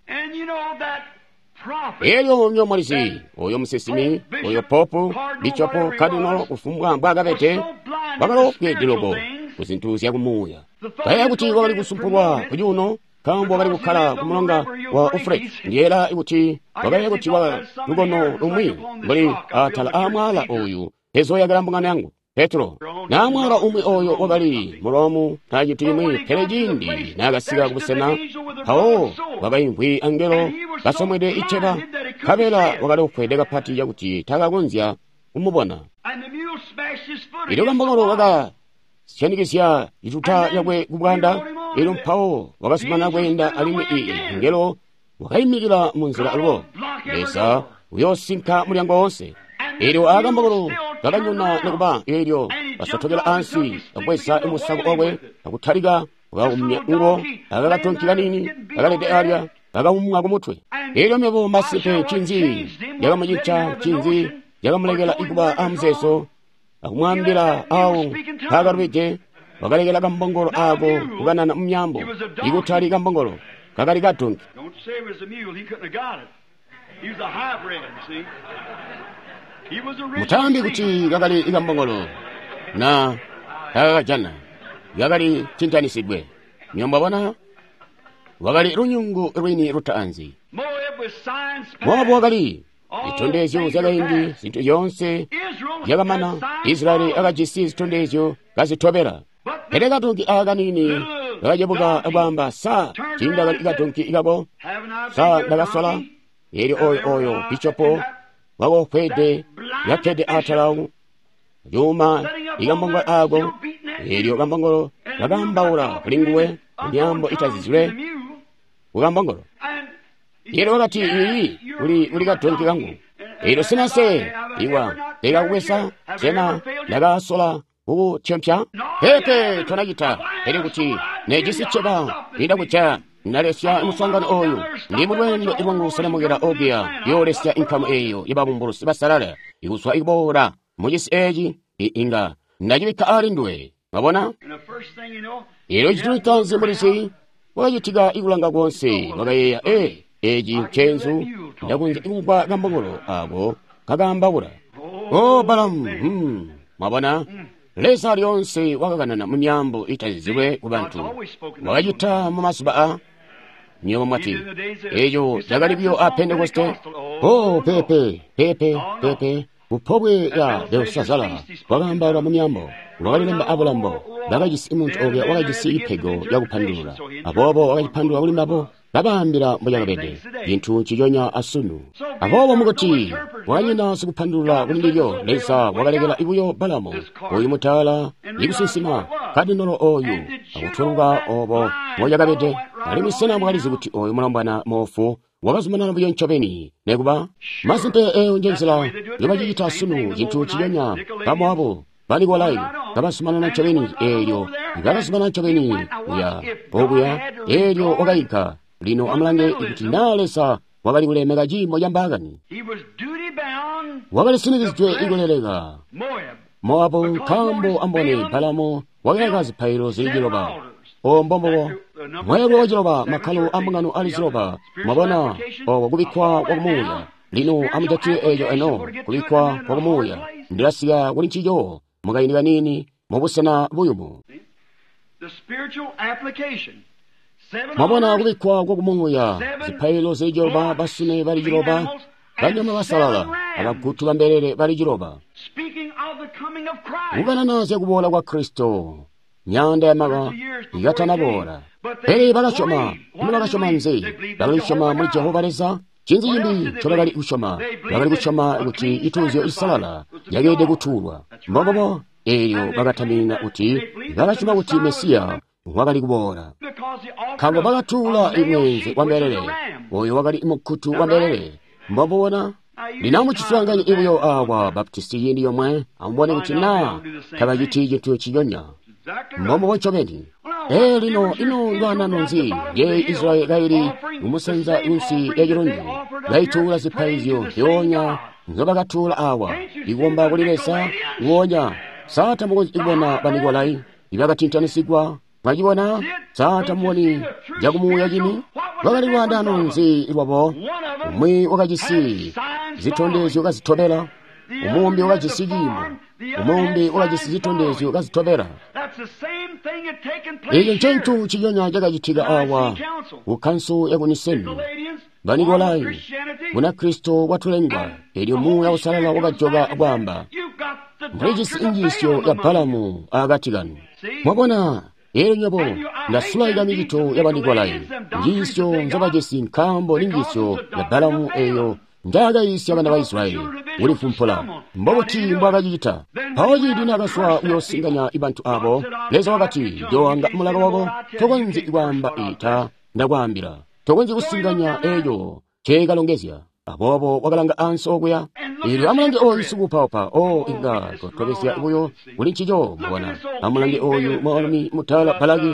Elyo nywebo mulizi, oyo musinsimi, oyo popu, bishopo, kadinolo, kufumbwa mbwaakabede, wakalofweede loko ku zintu zyakumuuya. Kayeeya kuti wakali kusumpulwa kucuuno, nkaambo wakali kukkala ku mulonga wa Ufreti. Ndiyeeyela kuti wakayeeya kuti wakali lukono lumwi mbuli atala aamwaala oyu ezoyakila mbungano yangu, Petro. Na mwaala umwi oyo wakali mulomu na cintu cimwi, pele ciindi naakasika kubusena, mpawo wakaimvwi angelo kasomwede iceba, nkabela wakali ufwede kapati cakuti takakonzya kumubona. Elyo kambongolo kakasyanikizya cituta cakwe ku bwanda, elyo mpawo wakazumanana kweenda, alimwi angelo wakaimikila munzila alubo. Leza uyoosinka mulyango wonse. Elyo akambongolo kakanyona nikuba elyo kasotokela ansi, kabweza musako wakwe akutalika wakaumya ngo akakatonki kanini kakalede alya kakaumwa kumutwe. Elyo mebo masimpe ncinzi yakamucinca, ncinzi yakamulekela ikuba amuzeezo akumwaambila awo mpaakalubide. Wakalekela kambongolo ako kukanana mumyaambo, ikutali kambongolo kakali kadonki. Mutaambi kuti kakali kambongolo na kakakajana, kakali cintanisidwe. Nywebo mwabona, wakali lunyungu lwini lutaanzi. Mowabu wakali zitondezyo zyakaindi, zintu zyoonse zyakamana. Israeli akajisi zitondezyo kazitobela. Pele kadonki aka kanini kakacebuka akwaamba, sa tiindakali kadonki kako, sa ndakasola. Elyo oyo oyo bishopo wakofwede yakkede atala yuma ikambongolo ako, elyo kambongolo kakambaula kuli nguwe myaambo itazizilwe kukambongolo. Elyo wakati, iyi uli kadonki kangu. Elyo sena se iwa ndikakubweza, sena ndakasola kukutyompya? Pepe, tonacita. Pele kuti nejisi cceba lindakuja nalesya muswaangano oyu, ndi mulweendo lwangu kuselemukila okuya yoolesya inkamu eyo yababumbulusi basalala ikuzwa ikuboola mucisi eci, inga ndacibikka ali nduwe. Mwabona? Elyo cintu citaanzi mulizi wakacitika ikulanga konse, wakayeeya, eci ncenzu, ndakonzya kumvwa kambongolo ako kakambaula. O Balamu, mwabona? Leza lyoonse wakakanana mu myaambo itazizilwe ku bantu. Wakacita mu mazuba a nywebo mwati, eco cakali buyo a Pentekoste. Oh, pepe, pepe, pepe. Kupobwe ya Belshazzara wakaambaula mu myaambo, wakalilemba abulambo. Bakajisi muntu okuya wakajisi ipego yakupandulula, aboobo wakacipandulula kuli mbabo, babaambila mbocakabede cintu nciconya asunu. Aboobo mukuti wanyina sikupandulula kuli ndilyo, Leza wakalekela buyo Balamu oyu mutaala ikusinsima kadinolo oyu akutweluka obo mbocakabede. Alimwi sena mwakalizi kuti oyu mulombwana moofu wakazumanana buyo ncobeni nekuba? Masimpe eyo njenzila yobacicita sunu, cintu nciconya. Bamoabu, Banikolai kabazumanana ncobeni, eelyo bakazumanana ncobeni kuya okuya, eelyo wakainka. Lino amulange kuti naa Leza wakali kulemeka ciimo ca mbaakani. Wakali sinikizidwe ikuleleka Moabu, nkaambo ambone Balamu wakayaka zipaililo zili ciloba. O mbombobo mweelwe wa ciloba, makkalo ambungano ali ciloba. Mwabona oko kubikkwa kwa kumuuya. Lino amujatile eco eno, kubikkwa kwa kumuuya. Ndilasika kuli ncico mukaindi kanini mubusena buyumu. Mwabona kubikkwa kwa kumuuya, zipaililo zili ciloba, basune bali ciloba, banyama basalala, abagutu bambelele bali ciloba. Kukanana zyakuboola kwa Kristo, myaanda yamyaka ikatanaboola. Pele bakasyoma. Ino bakasyoma nzi? Bakali kusyoma muli Jehova Leza. Ncinzi cimbi ncobakali kusyoma? Bakali kusyoma kuti cituuzyo cisalala cakeelede kutuulwa. Mbombubo. Eelyo bakataminina kuti bakasyoma kuti Mesiya wakali kuboola, nkaambo bakatuula imweenze wa mbelele, oyo wakali mukutu wa mbelele. Mbomubona? Lino amuciswaanganye buyo awa Baptisti ciindi yomwe, amubone kuti naa tabaciti cintu ciyonya. Mbombubo ncobeni. Ee, lino ino lwaanano nzi ye Israyeli kaili kumusanza kunsi ya cilundu, kaituula zipaizyo zyoonya nzobakatuula awa, ikukomba kuli Leza nguonya. Sa tamukonzyi kubona Banikolai ibakatintanisigwa? Mwacibona? Sa tamuboni cakumuuya cini? Lwakali lwaandaano nzi lwabo? Umwi wakajisi zitondezyo kazitobela, umumbi wakajisi ciimo, umumbi wakajisi zitondezyo kazitobela. Eco ncentu ciyonya cakacitika awa ku kanso yaku Niseni. Banikolai, Bunakristo bwatulengwa, elyo Muuya Uusalala wakajoka kwaamba, mulijisi injiisyo ya Balamu akati kanu. Mwabona? Eelyo nywebo ndasulaika micito ya Banikolai, njiisyo nzobajisi nkaambo ni njiisyo ya Balamu eeyo njaakayiisya bana ba Israyeli kulifumpula. Mbobuti mbwaakacicita? Mpawo ciindi naakazwa kuyoosinganya bantu abo, Leza wakati, Njooanga mulaka wako, tokonzyi kwaamba ita ndakwaambila, tokonzyi kusinganya eeco nceekalongezya. Aboobo wakalanga ansi okuya. Eelyo amulange oyu sikuupaupa. O, inga twatobezya buyo kuli ncico, mubona. Amulange oyu mwaalumi mutala Balaki,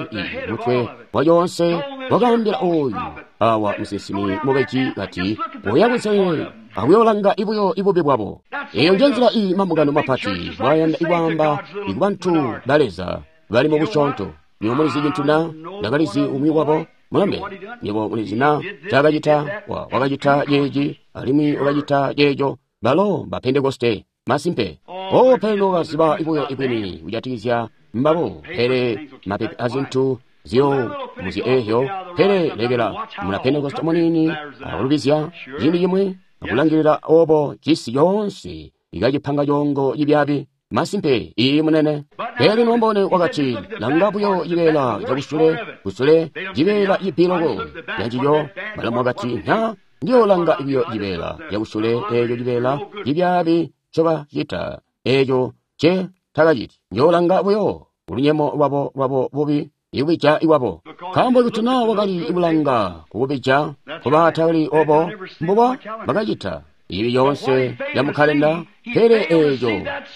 mutwe wa coonse, wakaambila oyu awa musinsimi mubeji kati, oya kunselelo akuyoolanga ibuyo ibubi bwabo. Eyo njenzila iyi mambungano mapati bwayanda ikwaamba ikubantu ba Leza bali mu busyoonto. Nywebo mulizi cintu na? Ndakalizi umwi wabo. Mulambe, nywebo mulizi na ncaakacita? Wakacita ceeci alimwi wakacita ceeco. Balo ba Pentekoste masimpe. O, pele nokaziba ibuyo ibwini kujatikizya mbabo, pele mapepe azintu zyo muzyi eezyo. Pele lekela muna Pentekoste muniini akulubizya ciindi cimwi akulangilila obo cisi coonse ikacipanga coongo cibyaabi. Masimpe, iyi munene. Pele lino mbone wakati, langa buyo cibeela cakusule, kusule, cibeela cipiloko cancico. Balamu wakati, na, ndiyoolanga buyo cibeela cakusule eeco cibeela cibyaabi ncobacita, eeco nce takaciti. Ndiyoolanga buyo ulunyemo lwabo lwabo bubi, ikubija iwabo. Nkaambo kuti naa wakali kulanga kukubija, kuba takali obo mbubo bakacita. Ibi yoonse ya mukalenda, pele eeco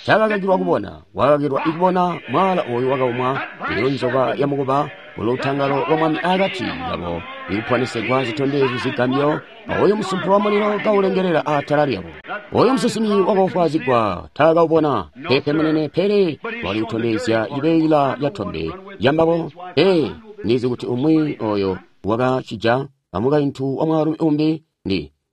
cakakakilwa kubona, wakakakilwa ikubona mwaala oyu wakaumwa, eyo nzoka ya mukuba, ulutangalo lwa mwami akati kabo, ikuponesegwa zitondezyo zigambyo, oyu musumpu wa mulilo kaulengelela atala lyabo. Oyu musinsimi wakofwaazigwa taakaubona, pepe munene, pele wali kutondezya cibeela ca tombe lyambabo. Ee, ndizi kuti umwi oyo wakacija amukaintu wa mwaalumi umbi,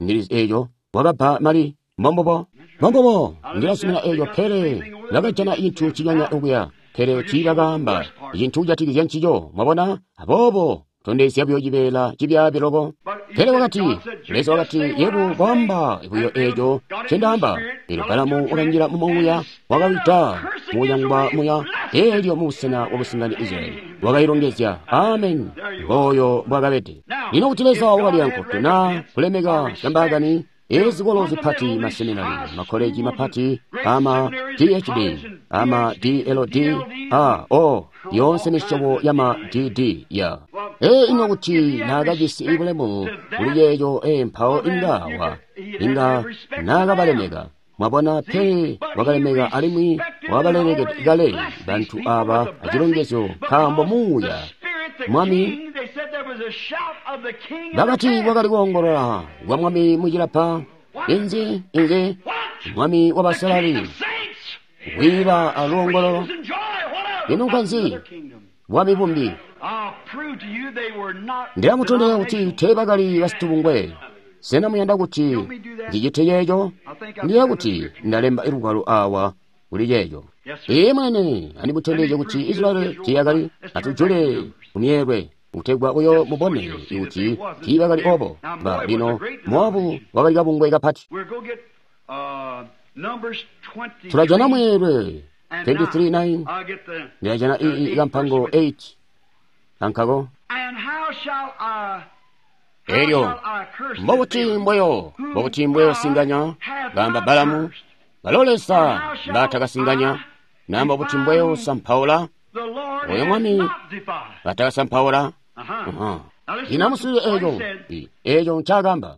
ndilizi eeco wakabba mali. Mbombubo, mbombubo, ndilazumina eeco, pele bakajana cintu cinyanya okuya, pele tiibakaamba cintu kujatikizya ncico. Mwabona? Aboobo tondezya buyo cibeela cibyaabi loko. Pele wakati, Leza wakati, yebo kwaamba buyo eeco ncendaamba. Eelyo Balamu wakanjila mu muuya, wakawida mukuyangwa muya, eelyo mubusena bwakusinganya Israyeli wakailongezya. Amen. Ngooyo mbwakabede. Lino kuti Leza wakali ankoto naa kulemeka cambaakani, ezikolo zipati, maseminari, makoleji mapati, ama PhD, ama DLD, a o yoonse misyobo yama DD ya. Ee, ino kuti naakajisi bulemu kuli ceeco, ee, mpawo inga wa, inga naakabalemeka. Mwabona, pele wakalemeka alimwi wabalelekede kale bantu aba acilongezyo, nkaambo muuya mwami bakati kwakali kuongolola kwa mwami mucilapa. Inzi, inzi, mwami wabasalali kwiila aluongololo. Ino nkanzi bwami bumbi? Ndilamutondezya kuti teebakali basitubungwe. Sena muyanda kuti ndicite ceeco? Ndiye kuti ndalemba lugwalo awa kuli ceeco. Ee mwene, andimutondezye kuti Israyeli tiyakali. Atujule kumyeelwe kutegwa uyo mubone kuti tiibakali obo. Ba lino Moabu wakali kabungwe kapati. Tulajana mweelwe 23:9. Ndilajana ii kampango 8 kankako. Elyo mbobuti mbweyo, mbobuti mbweyo singanya, gamba Balamu, balo Leza mbatakasinganya, na mbobuti mbweyo sampaula, oyo Mwami batakasampaula. Ino amuswiilile eeco, eeco ncaakamba.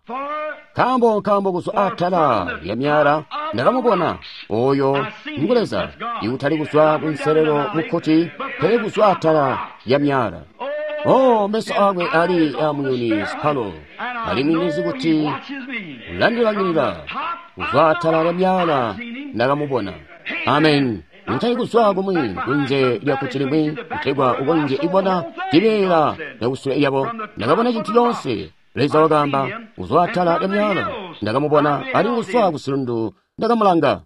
Nkaambo nkaambo kuzwa atala lya myala ndakamubona oyo ngu Leza, ikutali kuzwa kunselelo mukkuti, pele kuzwa atala lya myala. Oh, meso akwe ali amuyuni sipalo, alimwi ndizi kuti ulandilangilila. Kuzwa atala lya myala ndakamubona. Amen. Ntali kuzwa kumwi kunze lya kkuti limwi kutegwa ukonzye ibona cibeela lyakusule lyabo. Ndakabona cintu coonse. Leza wakaamba, kuzwa atala lya myala ndakamubona, alimwi kuzwa kusilundu ndakamulanga.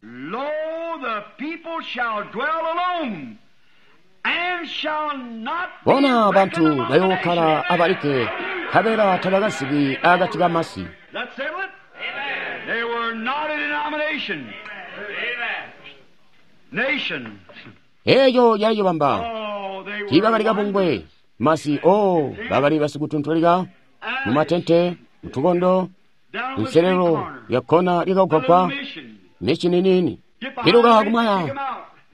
Bona bantu bayookkala abalikke, nkabela tabakazibwi akati kamasi. Eeco cayibamba. Tiibakali kabungwe masi. O bakali basikutuntulika mumatente, mutukondo, nselelo ya kona lyakagwagwa micini nini piluka kumwaya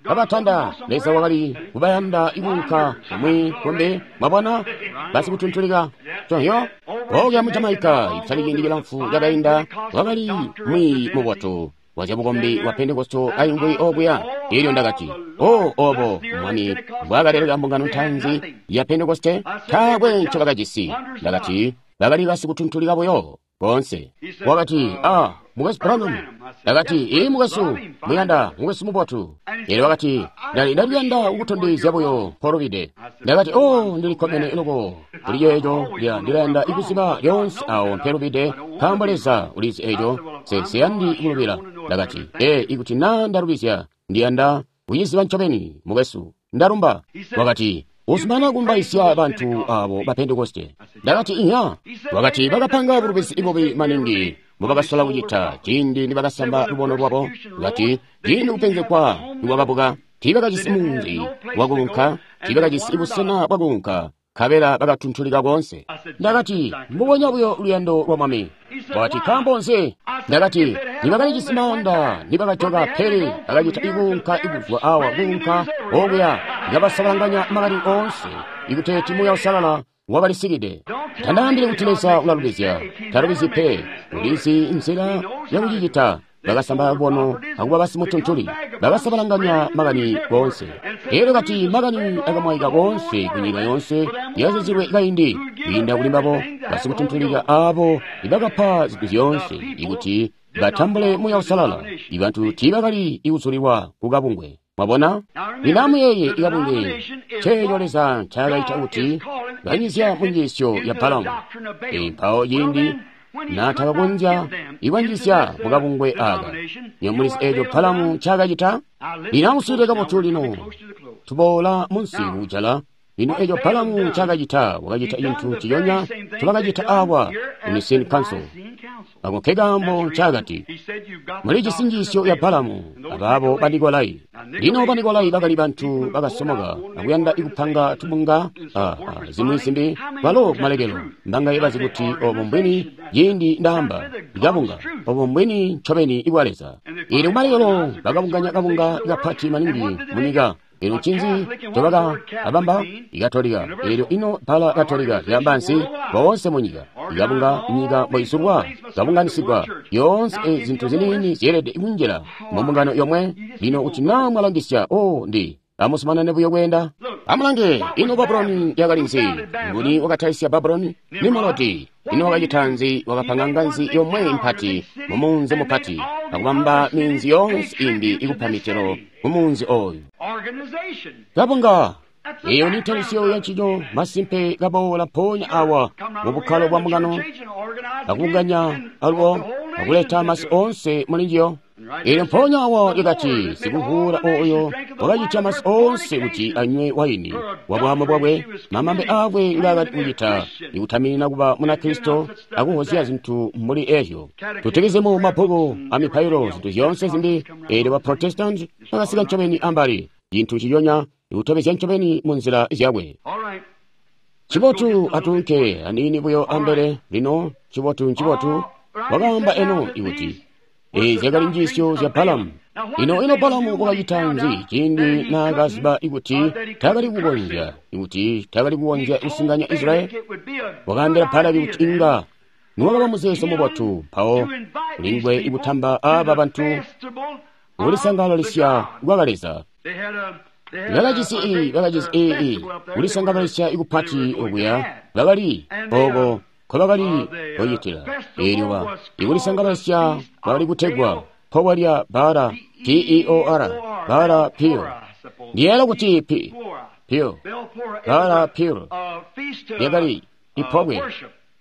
kabatanda. Leza wakali kubayanda ikunka kumwi kumbi. Mwabona basikutuntulika conhyo okuya mu Jamaica itali ciindi cilamfu cakainda, wakali mwiiyi mubotu wa zyabukombi wa Pentekosto aingwi okuya. Elyo ndakati, o obo Mwami mbwakaleleka mbungano ntaanzi ya Pentekoste, taakwe ncobakajisi. Ndakati, bakali basikutuntulika buyo boonse. Wakati, ah, mukwesu Branham. Ndakati, ii mukwesu, muyanda, mukwesu mubotu. Elyo wakati, ndaliyanda kukutondezya buyo mpolubide. Ndakati, oh, ndilikkomene loko kuli ceeco. Ndilayanda ikuziba lyoonse awo mpelubide, nkaambo Leza ulizi eco. Nsiyandi kulubila. Ndakati, ee, ikuti naa ndalubizya, ndiyanda kuciziba ncobeni, mukwesu. Ndalumba. Wakati, uzumana kumbaisya bantu abo ba Pentekoste. Ndakati, inya. Wakati, bakapanga bulubizi bubi maningi mbubakasola kucita ciindi nibakasamba lubono lwabo. Wakati, ciindi kupenzegwa nikwakabuka, tiibakajisi munzi wakuunka, tiibakajisi busena bwakuunka, nkabela bakatuntulika koonse. Ndakati, mbubonya buyo luyando lwa Mwami. Wakati, nkaambo nzi? Ndakati, nibakalijisi maanda nibakajoka, pele bakacita ikuunka ikuzwa awa kuunka okuya, ikabasabalanganya makani oonse, ikuteeti Muuya Uusalala wakalisikide. Tandaambile kuti Leza ulalubizya. Talubizyi pe. Ulizi nzila yakucicita. Bakasamba lubono akuba basimutuntuli, bakasabalanganya makani koonse. Elyo kati makani akamwaika koonse kunyika yoonse yazizilwe kaindi, kwiinda kuli mbabo basikutuntulika aabo ibakapa zintu zyoonse ikuti batambule Muuya Uusalala. Ibantu tiibakali ikuzulilwa kukabungwe. Mwabona? Lino amuyeeye ikabungwe ceeco Leza ncaakaita kuti kanyizya munjiisyo ya Balamu. Mpawo ciindi naatakakonzya ikwanjizya mukabungwe aka, nyomulizi eeco Balamu ncaakacita? Lino amuswiilile kabotu lino, tuboola munsi kujala. Lino eeco Balamu ncaakacita, wakacita cintu nciconya ncobakacita awa ku Nicene Council. Ako nkekaambo ncaakati, mulijisi njiisyo ya Balamu abaabo ba Nikolai. Lino ba Nikolai bakali bantu bakasomoka akuyanda ikupanga tubunga zimwi zimbi, balo kumalekelo mbangaye bazi kuti obo mbwini. Ciindi ndaamba ikabunga, obo mbwini ncobeni ibwa Leza. Ili kumalekelo bakabunganya kabunga kapati maningi munyika. Elyo ncinzi ncobakabamba? Ikatolika. Elyo ino bbala Katolika lyaamba nzi? Boonse munyika. Ikabunga nyika mboizulwa, kabunganisigwa. Yoonse ezi zintu ziniini zyeelede kunjila mu mbungano yomwe. Lino kuti naa mwalangisya, oh, ndi amuzumanane buyo kweenda. Amulange, ino Babuloni yakali nzi? Nguni wakatalisya Babuloni? Nimrodi. Ino wakacita nzi? Wakapanga nganzi yomwe mpati mumunzi mupati, akubamba minzi yoonse imbi ikupa mitelo mumunzi oyu. Kabunga. Eyo ni ntalisyo ya ncico masimpe kaboola mpoonya awa mu bukkalo bwa mbungano, akubunganya alubo akuleta masi oonse muli njiyo. Eelyo mpoonya awa lyakati, sikuvuula oyo wakacitya masi oonse kuti anywe waini wa bwaamu bwakwe, mamambe aakwe ngaakali kucita, ikutaminina kuba Munakristo akuhozya zintu mbuli ezyo. Tutekezemu mabbuku amipailo, zintu zyoonse zimbi. Eelyo ba Protestant bakasika ncobeni ambali, cintu ciyonya ikutobezya ncobeni mu nzila zyakwe. Ncibotu atuunke aniini buyo ambele lino. Ncibotu, ncibotu. Wakaamba eno ikuti eezi zyakali njiisyo zya Balamu. Ino ino Balamu wakacita nzi ciindi naakaziba ikuti taakali kukonzya, ikuti taakali kukonzya kusinganya Israyeli? Wakaambila Balaki kuti inga niwakaba muzeezo mubotu mpawo kulingwe ikutamba aaba bantu kulisangalalisya kwa Leza. Bakajisi i, bakajisi i, kulisangalalisya ikupati okuya, bakali oko nkobakali kucitila. Eelyo ba ikulisangalalisya bakali kutegwa pobwe lya Baala, P-E-O-R, Baala Peor. Ndiyeeyela kuti P, Peor, Baala Peor, lyakali ipobwe,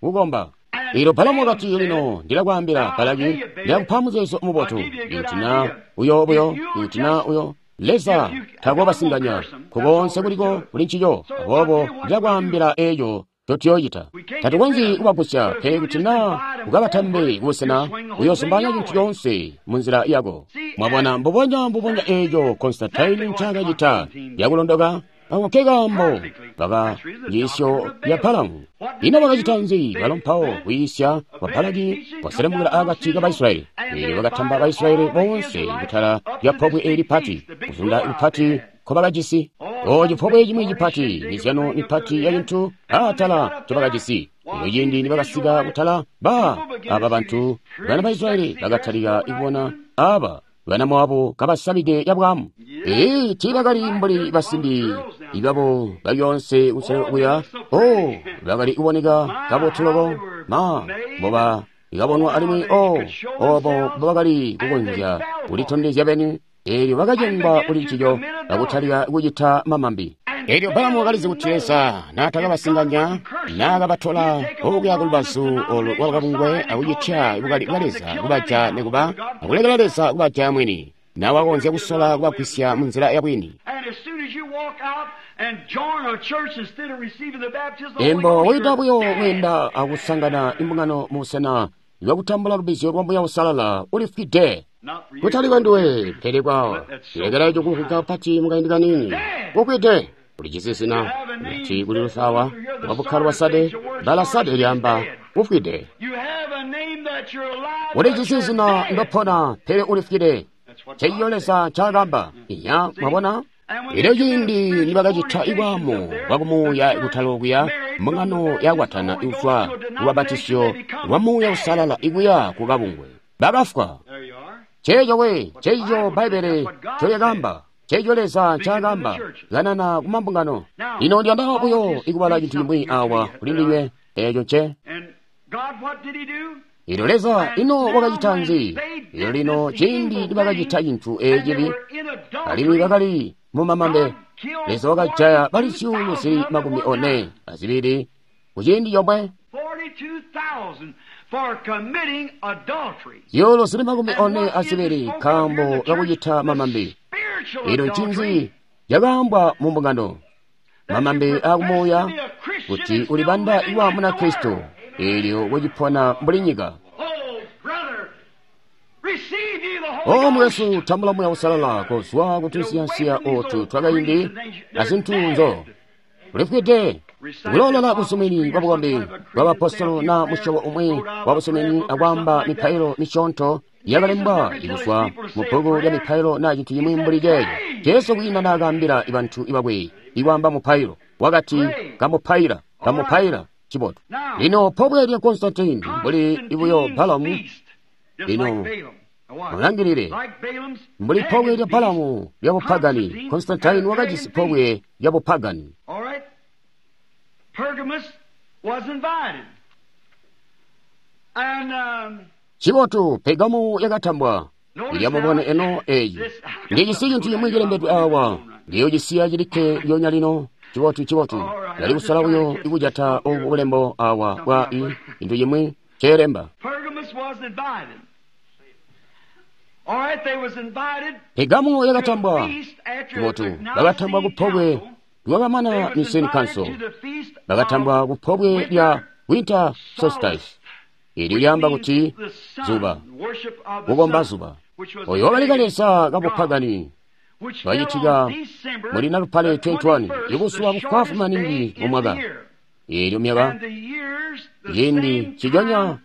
kukomba. Eelyo Balamu wakati, lino ndilakwaambila Balaki, ndilakupa muzeezo mubotu, ikuti na uyo buyo, ikuti na uyo Leza takobasinganya kukonse kuliko kuli ncico. Aboobo ndilakwaambila eeco ncotuyoocita. Tatukonzyi kubagusya, pele kuti naa ukabatambe kubusena, uyoozumbanya cintu coonse munzila yako. Mwabona, mbubonya mbubonya eeco Constantine ncaakacita yakulondoka. Ako nkekaambo baka njiisyo ya Balamu. Ino bakacita nzi balo mpawo? Kwiisya kwa Balaki kwaselemukila akati ka Baisilayeli. Eelyo bakatamba Baisilayeli boonse kutala lya pobwe eeli pati, kuzunda kupati nkobakajisi. O cipobwe cimwi cipati, mizyano mipati ya cintu aatala ncobakajisi. Elyo ciindi nibakasika kutala, ba aba bantu bana ba Israyeli bakatalika kubona aba bana Moabu kabasamide yabwamu. Ee, tiibakali mbuli basimbi ibabo balyonse kusele kuya. Oh, bakali kuboneka kabotu loko, ma mboba ikabonwa alimwi oh, obo mbobakali kukonzya kulitondezya beni. Eelyo bakacengwa kuli ncico akutalika kucita mamambi. Eelyo Balamu wakalizi kuti Leza naatakabasinganya, naakabatola okuya kulubazu olu lwakabungwe akucitya bukali bwa Leza kubaja nikuba akulekela Leza kubaja mwini, nawakonzya kusola kubagwisya munzila yabwini. Embo woita buyo kweenda akusangana imbungano mubusena bwakutambula lubbizyo lwa Muuya Uusalala, ulifwide. Kutali kwanduwe, pele kwawo. Lekela eco kumvwika kapati mukaindi kaniini. Ukwide, ulijisi zina, kuti kuli lusawa, lwa bukkalo bwa Sade, bbala Sade lyaamba ufwide. Ulijisi zina ndopona, pele ulifwide. Ceiyo Leza ncaakamba. Iya, mwabona? Elyo ciindi nibakacita ibwaamu bwakumuuya kutala okuya, mbungano yakwatana ikuzwa lubabatisyo lwa Muuya Uusalala ikuya ku kabungwe, bakafwa. Ceeco we, ceeco Bbaibbele ncolyakaamba, ceeco Leza ncaakaamba, kanana ku mambungano. Lino ndiyanda buyo ikubala cintu cimwi awa kuli ndinywe, eeco nce. Elyo Leza ino wakacita nzi? Elyo lino ciindi nibakacita cintu eecibi, alimwi bakali mu mamambe, Leza wakajaya bali 42,000 kuciindi comwe. 42,000 nkaambo kakucita mamambe. Elyo ncinzi cakaambwa mu mbungano? Mamambe aakumuuya, kuti ulibanda iwa Munakristo, eelyo kucipona mbuli nyika. O mwesu, tambula Muuya Uusalala kozwa kutunsiyansiya ootu twakaindi azintu nzo ulifwide. Kuloolola busumini bwa bukombi bwa bapostolo na musyobo umwi wa busumini akwaamba mipailo misyoonto yakalembwa ikuzwa mu bbuku lya mipailo na cintu cimwi mbuli ceeco. Jesu kwiina naakaambila bantu bakwe ikwaamba mupailo, wakati kamupaila, kamupaila. Cibotu. Lino pobwe lya Constantine mbuli ibuyo Balamu. Lino mulangilile, mbuli pobwe lya Balamu lya bupagani, Constantine wakajisi pobwe lya bupagani. Cibotu, Pergamu yakatambwa. Ilya mubone eno eyi. Ndijisi cintu cimwi cilembedwe awa. Ndiyocisiya cilikke lyonya lino. Cibotu, cibotu. Ndali kusola buyo ikujata obu bulembo awa bwa i cintu cimwi ceelemba. Pergamo yakatambwa kubotu, bakatambwa kupobwe lwakamana Nicene Council, bakatambwa kupobwe lya Winter Solstice, ilyo lyaamba kuti zuba, kukomba zuba. Oyo wakali kaleza kabupagani lwacitika muli Nalupale 21, ibuzuba bufwaafwi maningi mu mwaka. Eelyo myaka ciindi ciconya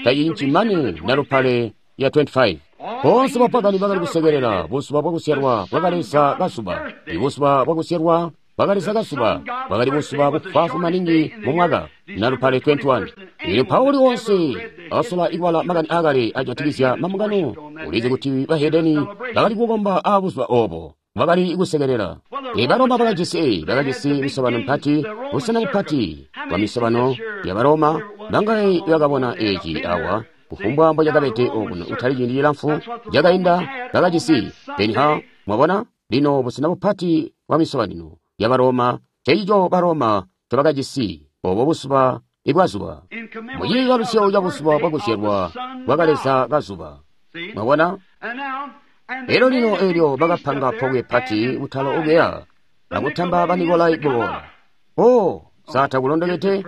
tacincimane Nalupale ya 25. Boonse bapagani bakali kusekelela buzuba bwakuzyalwa bwakaleza kazuba. Ibuzuba bwakuzyalwa bwakaleza kazuba bwakali buzuba bufwaafwi maningi mu mwaka, Nalupale 21. Eelyo Pauli wonse asola ikubala makani aakale ajatikizya mambungano, ulizi kuti bahedeni bakali kukomba aabuzuba oobo bakali kusekelela. Baroma bakajisi misobano mipati, busena bupati bwa misobano ya Baroma. Bangaye bakabona eci awa kufumbwa mbocakabede okuno kutali ciindi cilamfu cakainda bakajisi Benha. Mwabona lino busena bupati bwa misobanino ya Baroma, ceico Baroma ncobakajisi obo buzuba ibwazuba muciibalusyo ca buzuba bwakuzyalwa bwakaleza kazuba. Mwabona? Elyo lino eelyo bakapanga pobwe pati kutala okuya akutamba Banikolai kuboola. O, satakulondokede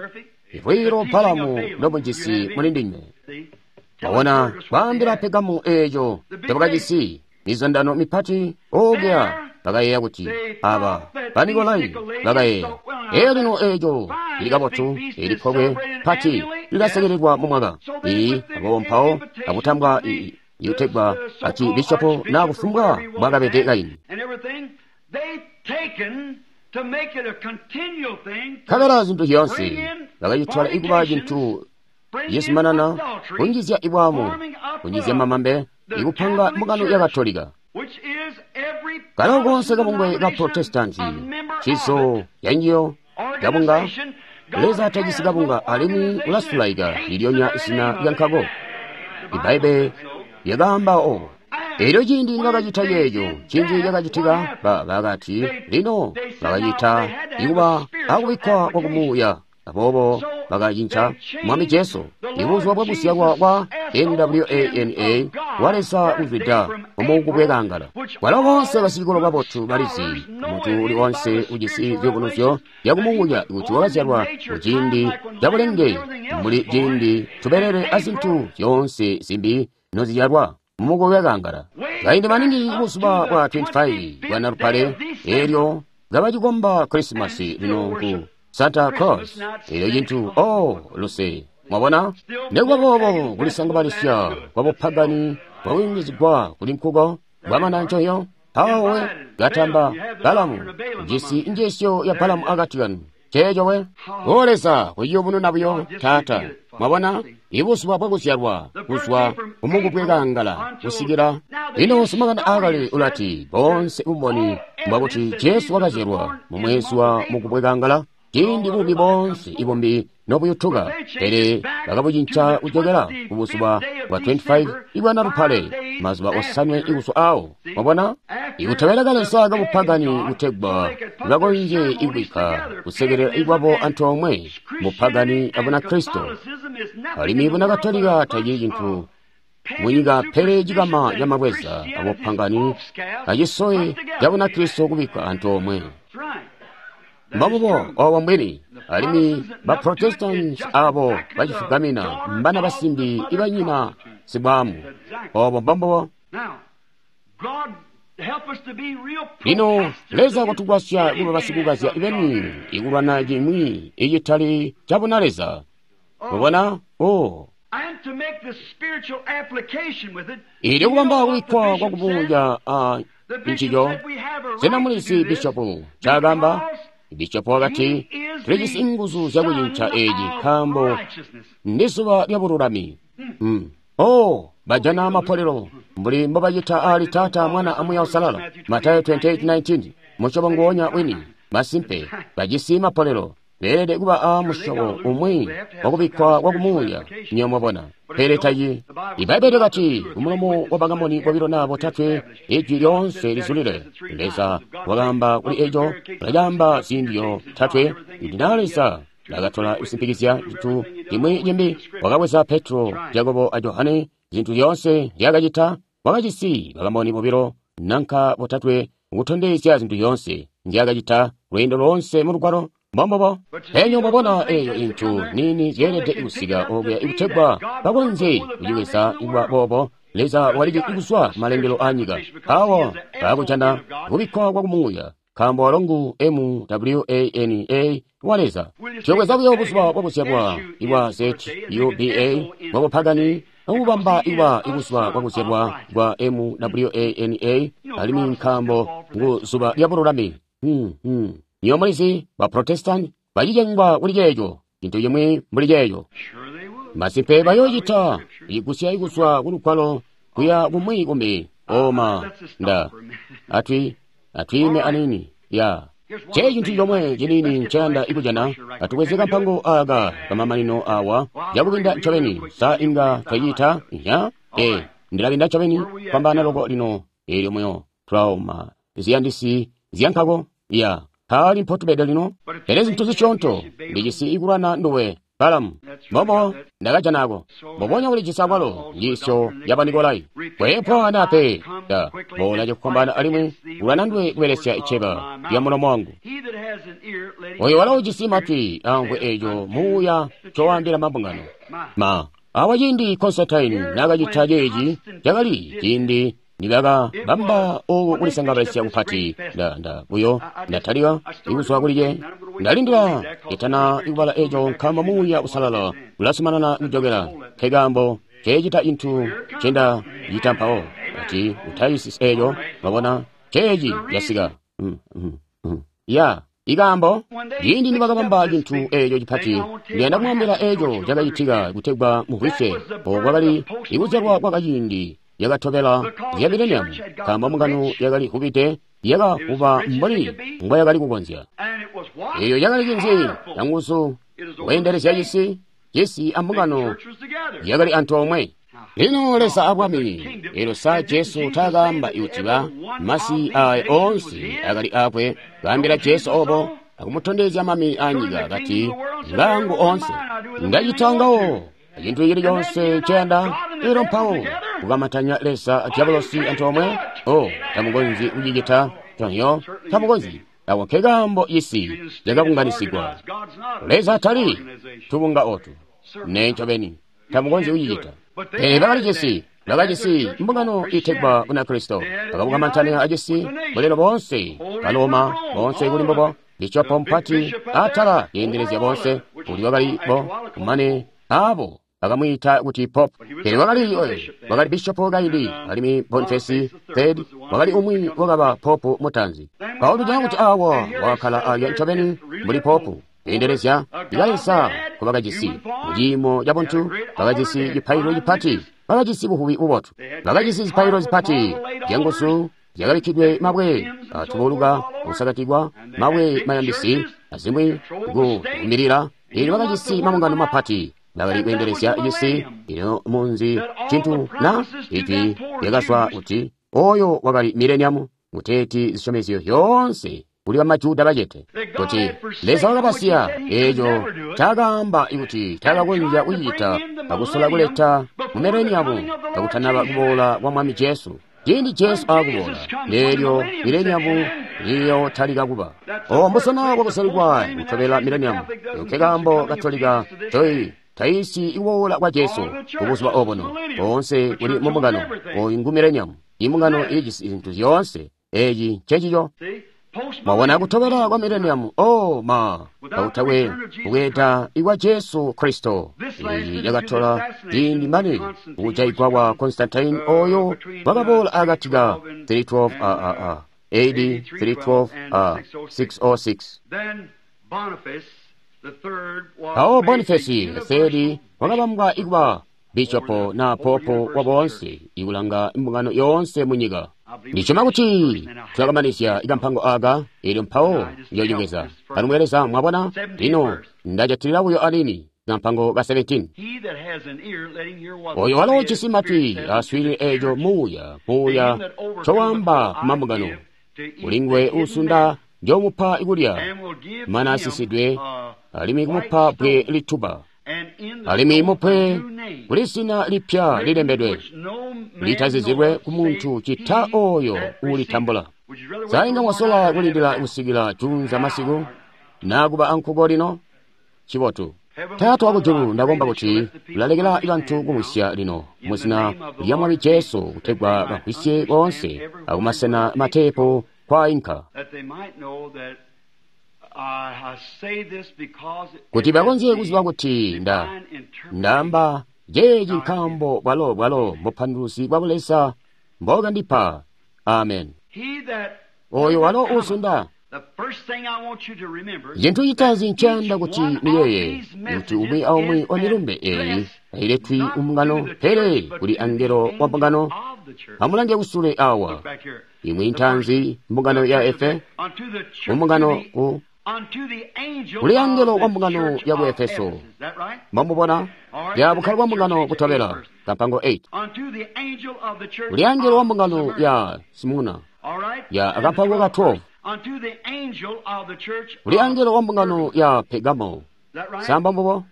ivwilo Balamu lomujisi muli ndinywe. Mwabona, kwaambila Pergamo eeco ncobakajisi mizundano mipati okuya, bakayeeya kuti aba Banikolai bakayeeya. Elyo lino eeco lili kabotu, eli pobwe pati lilasekelelwa mu mwaka. Aboobo mpawo akutambwa ikutegwa archibishopo na kufumbwa bwakabede kaini. Nkabela zintu zyoonse bakacitwala ikuba cintu cizumanana, kunjizya ibwaamu, kunjizya mamambe, ikupanga mbungano ya Katolika. Kalo koonse kabungwe ka Protestanti, cizo yanjiyo kabunga, Leza tajisi kabunga alimwi ulasulaika lilyonya zina lya nkako. Ibbaibbele lyakaamba obo. Elyo ciindi nibakacita ceeco, cinji cakacitika, bakati, lino bakacita ikuba akubikkwa kwa kumuuya. Aboobo bakacinca Mwami Jesu, ibuzuba bwakuzyalwa kwa NWANA wa Leza kuzwida mumukubwekangala. Kwalo bonse basicikolo babotu balizi, muntu uli onse ujisi ziyubunuzyo yakumuuya kuti wakazyalwa muciindi cabulenge mbuli ciindi tubelele azintu zyoonse zimbi nozizyalwa mumukubwekangala. Kaindi maningi buzuba bwa 25 bwa Nalupale, eelyo kabacikomba Krisimasi lino ku Santa Claus, elyo cintu, oh, luse. Mwabona? Nekuba boobo kulisangabalisya kwa bupagani bwakuyungizigwa kuli nkuko bwamana ncoyo, mpawo we katamba Balamu, jisi njiisyo ya Balamu akati kanu. Ceeco we? O Leza, kuyubununa buyo, Taata. Mwabona? Ibuzuba bwakuzyalwa kuzwa kumukubwekangala kusikila lino. Simakani aakale ulati boonse bumboni mbwakuti Jesu wakazyalwa mu mwezi wa mukubwekangala, ciindi buumi boonse ibumbi nobuyutuka, pele bakabucinca kujokela kubuzuba bwa 25 ibwa Nalupale, mazuba osanwe ikuzwa awo. Mwabona? Ikutobela kaleza kabupagani kutegwa bakonzye ikubikka kusekelela ikwabo antoomwe mupagani abuna Kristo. Alimwi buna Katolika tacili cintu munyika pele cikama camabweza abupangani acisoye cabuna Kristo kubikka antoomwe. Mbamubo obo mbwini, alimwi ba Protestants abo bacifugamina mbana basimbi ibanyina sibwamu. Obo mbambubo. Lino Leza kwatugwasya kuba basikukazya beni ikulwana cimwi icitali cabuna Leza. Mubona? Oh. Ili kubamba kubikkwa kwa kumuuya a ncico. Sena mulizi bishopu ncaakamba? Bishopu wakati, tulijisi nguzu zyakucinca eci nkaambo ndi zuba lya bululami. Oh, bajana mapolelo mbuli mbobacita ali Taata, Mwana aMuuya Uusalala. Matayo 28:19. Musyobo nguwonya wini. Masimpe, bajisi mapolelo. Beelede kuba a musyobo umwi wakubikkwa kwa kumuuya, nyo mwabona. Pele tayi. Ibbaibbele kati kumulomo wa bakamoni bobilo naa botatwe ijwi lyoonse lizulile. Leza wakaamba kuli eco, ulacaamba ziindi zyotatwe, kuti naa Leza nakatola kusimpikizya cintu cimwi cimbi, wakabweza Petro, Jakobo a Johane, zintu zyoonse nzyakacita Wakajisi bakamboni bobilo nanka botatwe kutondezya zintu zyoonse nzyakacita lweendo loonse mu lugwalo. Mbombobo. Enyo mwabona eyo intu nini zyeelede kusika okuya ikutegwa bakonzye kucibweza kuba boobo. Leza walili kuzwa malengelo a nyika. Awo bakujana kubikkwa kwa kumuuya, nkaambo walo ngu M-W-A-N-A wa Leza. Tuyobweza buyo buzuba bwakuzyalwa ibwa Z-U-B-A bwabupagani akubamba iwa ibuzuba bwakuzyalwa bwa M-W-A-N-A alimwi nkaambo ngu zuba lya bululami. Nywebo mulizi ba Protestant bacicengwa kuli ceeco, cintu cimwi mbuli ceeco. Masimpe bayoocita igusya ikuzwa ku lugwalo kuya kumwi kumbi. Oma nda atwi atwiime anini ya ce cintu comwe cinini nceyanda ikujana. Atubweze kampango aka kamamanino awa yakubinda ncobeni. Sa inga twacita ya ndilabinda ncobeni kwambana loko lino eelyo muyo trauma ziyandisi zyankako ya paali mpotubede lino. Pele zintu zisyoonto ndijisi ikulwana nduwe Balamu. Mbobo ndakajanako mbobonya kulijisi akwalo njiisyo ya Banikolai. Kweepwa nape da boola cakukombana alimwi kulwana nduwe kubelesya iceba lya mulomo wangu. Oyo walo ujisi matwi amvwe eeco muuya ncowaambila mabungano. Ma awa ciindi Constantine naakacita ceeci cakali ciindi nibakabamba oku kulisangabalisa kupati. Nda buyo ndatalika ikuzwa kuli ndalindila itana ikubala eco nkaambo muuya usalala ulazumanana kujokela. Nkekaambo ceecita cintu ncenda cita mpawo ati utayisisi eco. Mwabona ceeci casika. Ya ikaambo ciindi nibakabamba cintu eco cipati, ndiyanda kumwambila eco cakacitika kutegwa mumvwisye. Oku kwakali ikuzyalwa kwakaciindi yakatobela ya mileniamu, nkaambo mbungano yakali vubide yakavuba mbuli mbwayakali kukonzya. Eyo yakali cinzi canguzu kweendelezya cisi, cisi ambungano yakali antoomwe. Lino Leza abwami, elyo sa Jesu taakaamba kuti ba masi aya oonse akali akwe, kaambila Jesu obo akumutondezya mami anyika kati ngangu oonse ndacita ngawo cintu cili conse nceyanda. Elyo mpawo kukamatanya Leza a diabolosi antoomwe. O tamukonzyi kucicita tonyo, tamukonzyi. Ako nkekaambo cisi cakabunganisigwa. Leza tali tubunga otu ne ncobeni tamukonzyi kucicita. Pele bakali bakajisi mbungano itegwa Bunakristo, bakabukamantanya acisi bulelo boonse Baloma boonse kuli mbubo, bishopo mpati atala yeendelezya boonse kuli bakali bo kumane abo bakamwiita kuti Pope. Pele wakali bishopo kaindi, alimwi Boniface III wakali umwi wakaba Pope mutanzi. Paulo tujana kuti awa wakakhala alya ncobeni mbuli Pope yeendelezya ikalesa kubakajisi muciimo ca buntu. Bakajisi cipaililo cipati, bakajisi buvubi bubotu, bakajisi zipaililo zipati zyanguzu zyakabikkidwe mabwe atubuluka kusakatikwa mabwe mayandisi azimwi kukumbilila. Eelyo bakajisi mabungano mapati, bakali kweendelezya cisi. Ino munzi cintu na ijwi lyakazwa kuti oyo wakali mileniamu kuteeti zisyomezyo zyoonse kuli bamajuda bacete, kuti Leza wakabasiya eeco ncaakaamba kuti taakakonzya kucicita akusola kuleta mu mileniamu kakutanaba kuboola kwa Mwami Jesu. Ciindi Jesu aakuboola, leelyo mileniamu niyotalika kuba. O mbusena bwakusalikwa kutobela mileniamu. Nkekaambo Katolika toi taisi ikuboola kwa Jesu kubuzuba obuno. Boonse kuli mumbungano oyu ngu mileniamu. Imbungano ilijisi zintu zyoonse. Eeci ncencico. Mwabona kutobela kwa mileniamu. O ma kautakwe kubweeda ikwa Jesu Kristo. Eeci cakatola ciindi mane kujaigwa kwa Constantine oyo wakaboola akati ka 312 AAA AD 312 606. Mpawo Boniface III wakabambwa ikuba bishopo na popo wa boonse ikulanga imbungano yoonse munyika. Ndisyoma kuti tulakamanizya ikampango aka eelyo mpawo njoocibweza. Kanumweleza mwabona lino ndajatilila buyo anini kampango ka 17. Oyo walo ujisi matwi aswiilile eeco muuya ncowaamba kumambungano. Kuli nguwe uusunda njomupa ikulya mana asisidwe alimwi kumupa bbwe lituba. Alimwi mupe kuli zina lipya lilembedwe, litazizilwe ku muntu cita oyo uulitambula. Sainga mwasola kulindila kusikila junza masiku, nakuba ankuko lino? Chibotu. Taata wakujulu, ndakomba kuti ulalekela bantu kumwisya lino muzina lya Mwami Jesu, kutegwa bamvwisye koonse akumasena mateepo kwainka, kuti bakonzye kuziba kuti ndaamba jeeci nkaambo bwalo mbupanduluzi bwa Buleza mbokandipa. Amen. Oyo walo uzunda. Cintu citaanzi ncayanda kuti muyeeye kuti umwi aumwi wa milumbe eyi tayiletwi umbungano, pele kuli angelo wa mbungano. Amulange kusule awa, imwi ntaanzi mbungano ya Efe, umbungano ku kuli angelo wa mbungano ya ku Efeso. Mwamubona ya bukkalo bwa mbungano butobela, kampango 8. Kuli angelo wa mbungano ya Simuna, ya akampango ka 12. Kuli angelo wa mbungano ya Pergamo. Samba mbubo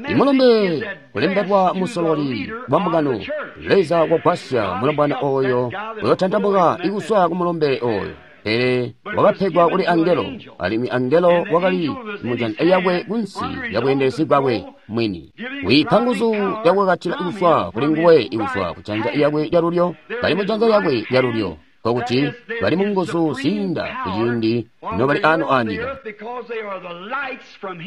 imulumbe kulembedwa musololi wa mbungano. Leza wagwasya mulombwana oyo uyotantamuka ikuswa ku mulumbe oyo, pele wakapegwa kuli angelo, alimwi angelo wakali mujanza yakwe kunsi ya bweendelezi bwakwe mwini. Wiipa nguzu yakukakatila ikuswa kuli nguwe ikuswa kujanza yakwe lyalulyo, bali mujanza lyakwe lyalulyo, nkokuti bali mu nguzu ziinda kuciindi nobali ano anyika.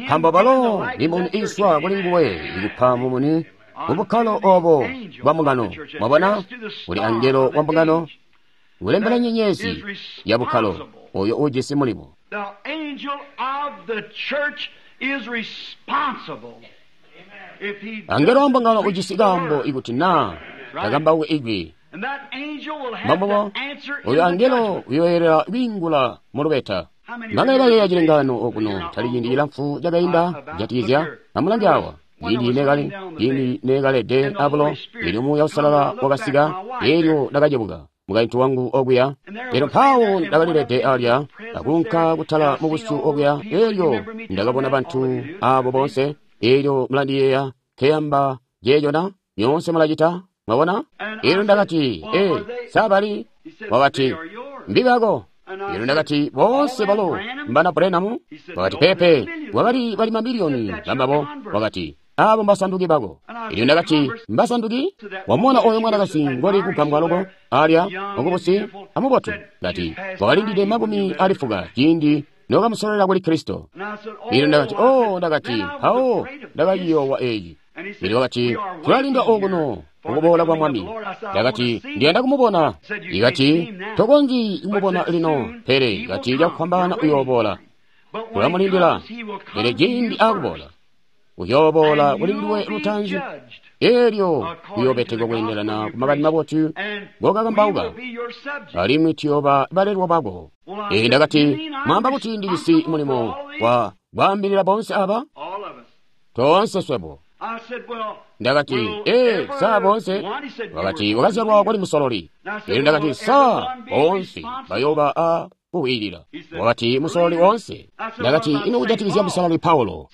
Nkaambo balo mimuni iiswa kuli nguwe ikupa mumuni mubukkalo obo bwa mbungano. Mwabona, kuli angelo wa mbungano kulembela nyenyezi ya bukkalo oyo ujisi mulimo. Angelo wa mbungano ujisi kaambo ikuti naa takambauke ijwi. Mbambubo oyo angelo uyoyelera kwiingula mu lubeta. Mbangale bayeeya cilengano okuno tali ciindi cilamfu cakainda kujatikizya. Amulange awa, ciindi nekalede abulo, eelyo Muuya Uusalala wakasika, eelyo ndakacebuka mukaintu wangu okuya, elyo mpawo ndakalilede alya akunka kutala mubusyu okuya, eelyo ndakabona bantu abo boonse. Eelyo mulandiyeeya nkeyamba jeejo na? Nyoonse mulacita? Mwabona? Eelyo ndakati, sa bali? Wakati, mbibako. Eelyo ndakati, boonse balo mbana Branham? Wakati, pepe, wakali bali mamiliyoni bambabo. Wakati, abo mbasanduki bako. Eelyo ndakati, mbasanduki? Wamubona oyo mwanakazi ngoli kugambwa loko alya mukubusi amubotu? Ndati, wakalindide 40 ciindi nokamusololela kuli Kristo. Eelyo ndakati, oh, ndakati, mpawo ndakayiyoowa eyi. Eelyo wakati, tulalinda okuno ukuboola kwa Mwami. Ndakati, ndiyanda kumubona. Ikati, tokonzyi kumubona lino, pele ikati cakufwambaana uyooboola. Tulamulindila, pele ciindi akuboola, uyooboola kuli nduwe lutaanzi. Eelyo uyoobetekwa kweendelana ku makani mabotu ngokakambauka, alimwi tuyooba balelwa bako. Ee, ndakati, mwaamba kuti ndijisi mulimo wa kwaambilila boonse aba? Toonse swebo. Ndakati, ee, sa boonse? Wakati, wakazyalwa kwali musololi. Eelyo ndakati, sa boonse bayooba a kuwiilila? Wakati, musololi woonse. Ndakati, ino kujatikizya musololi Paulo?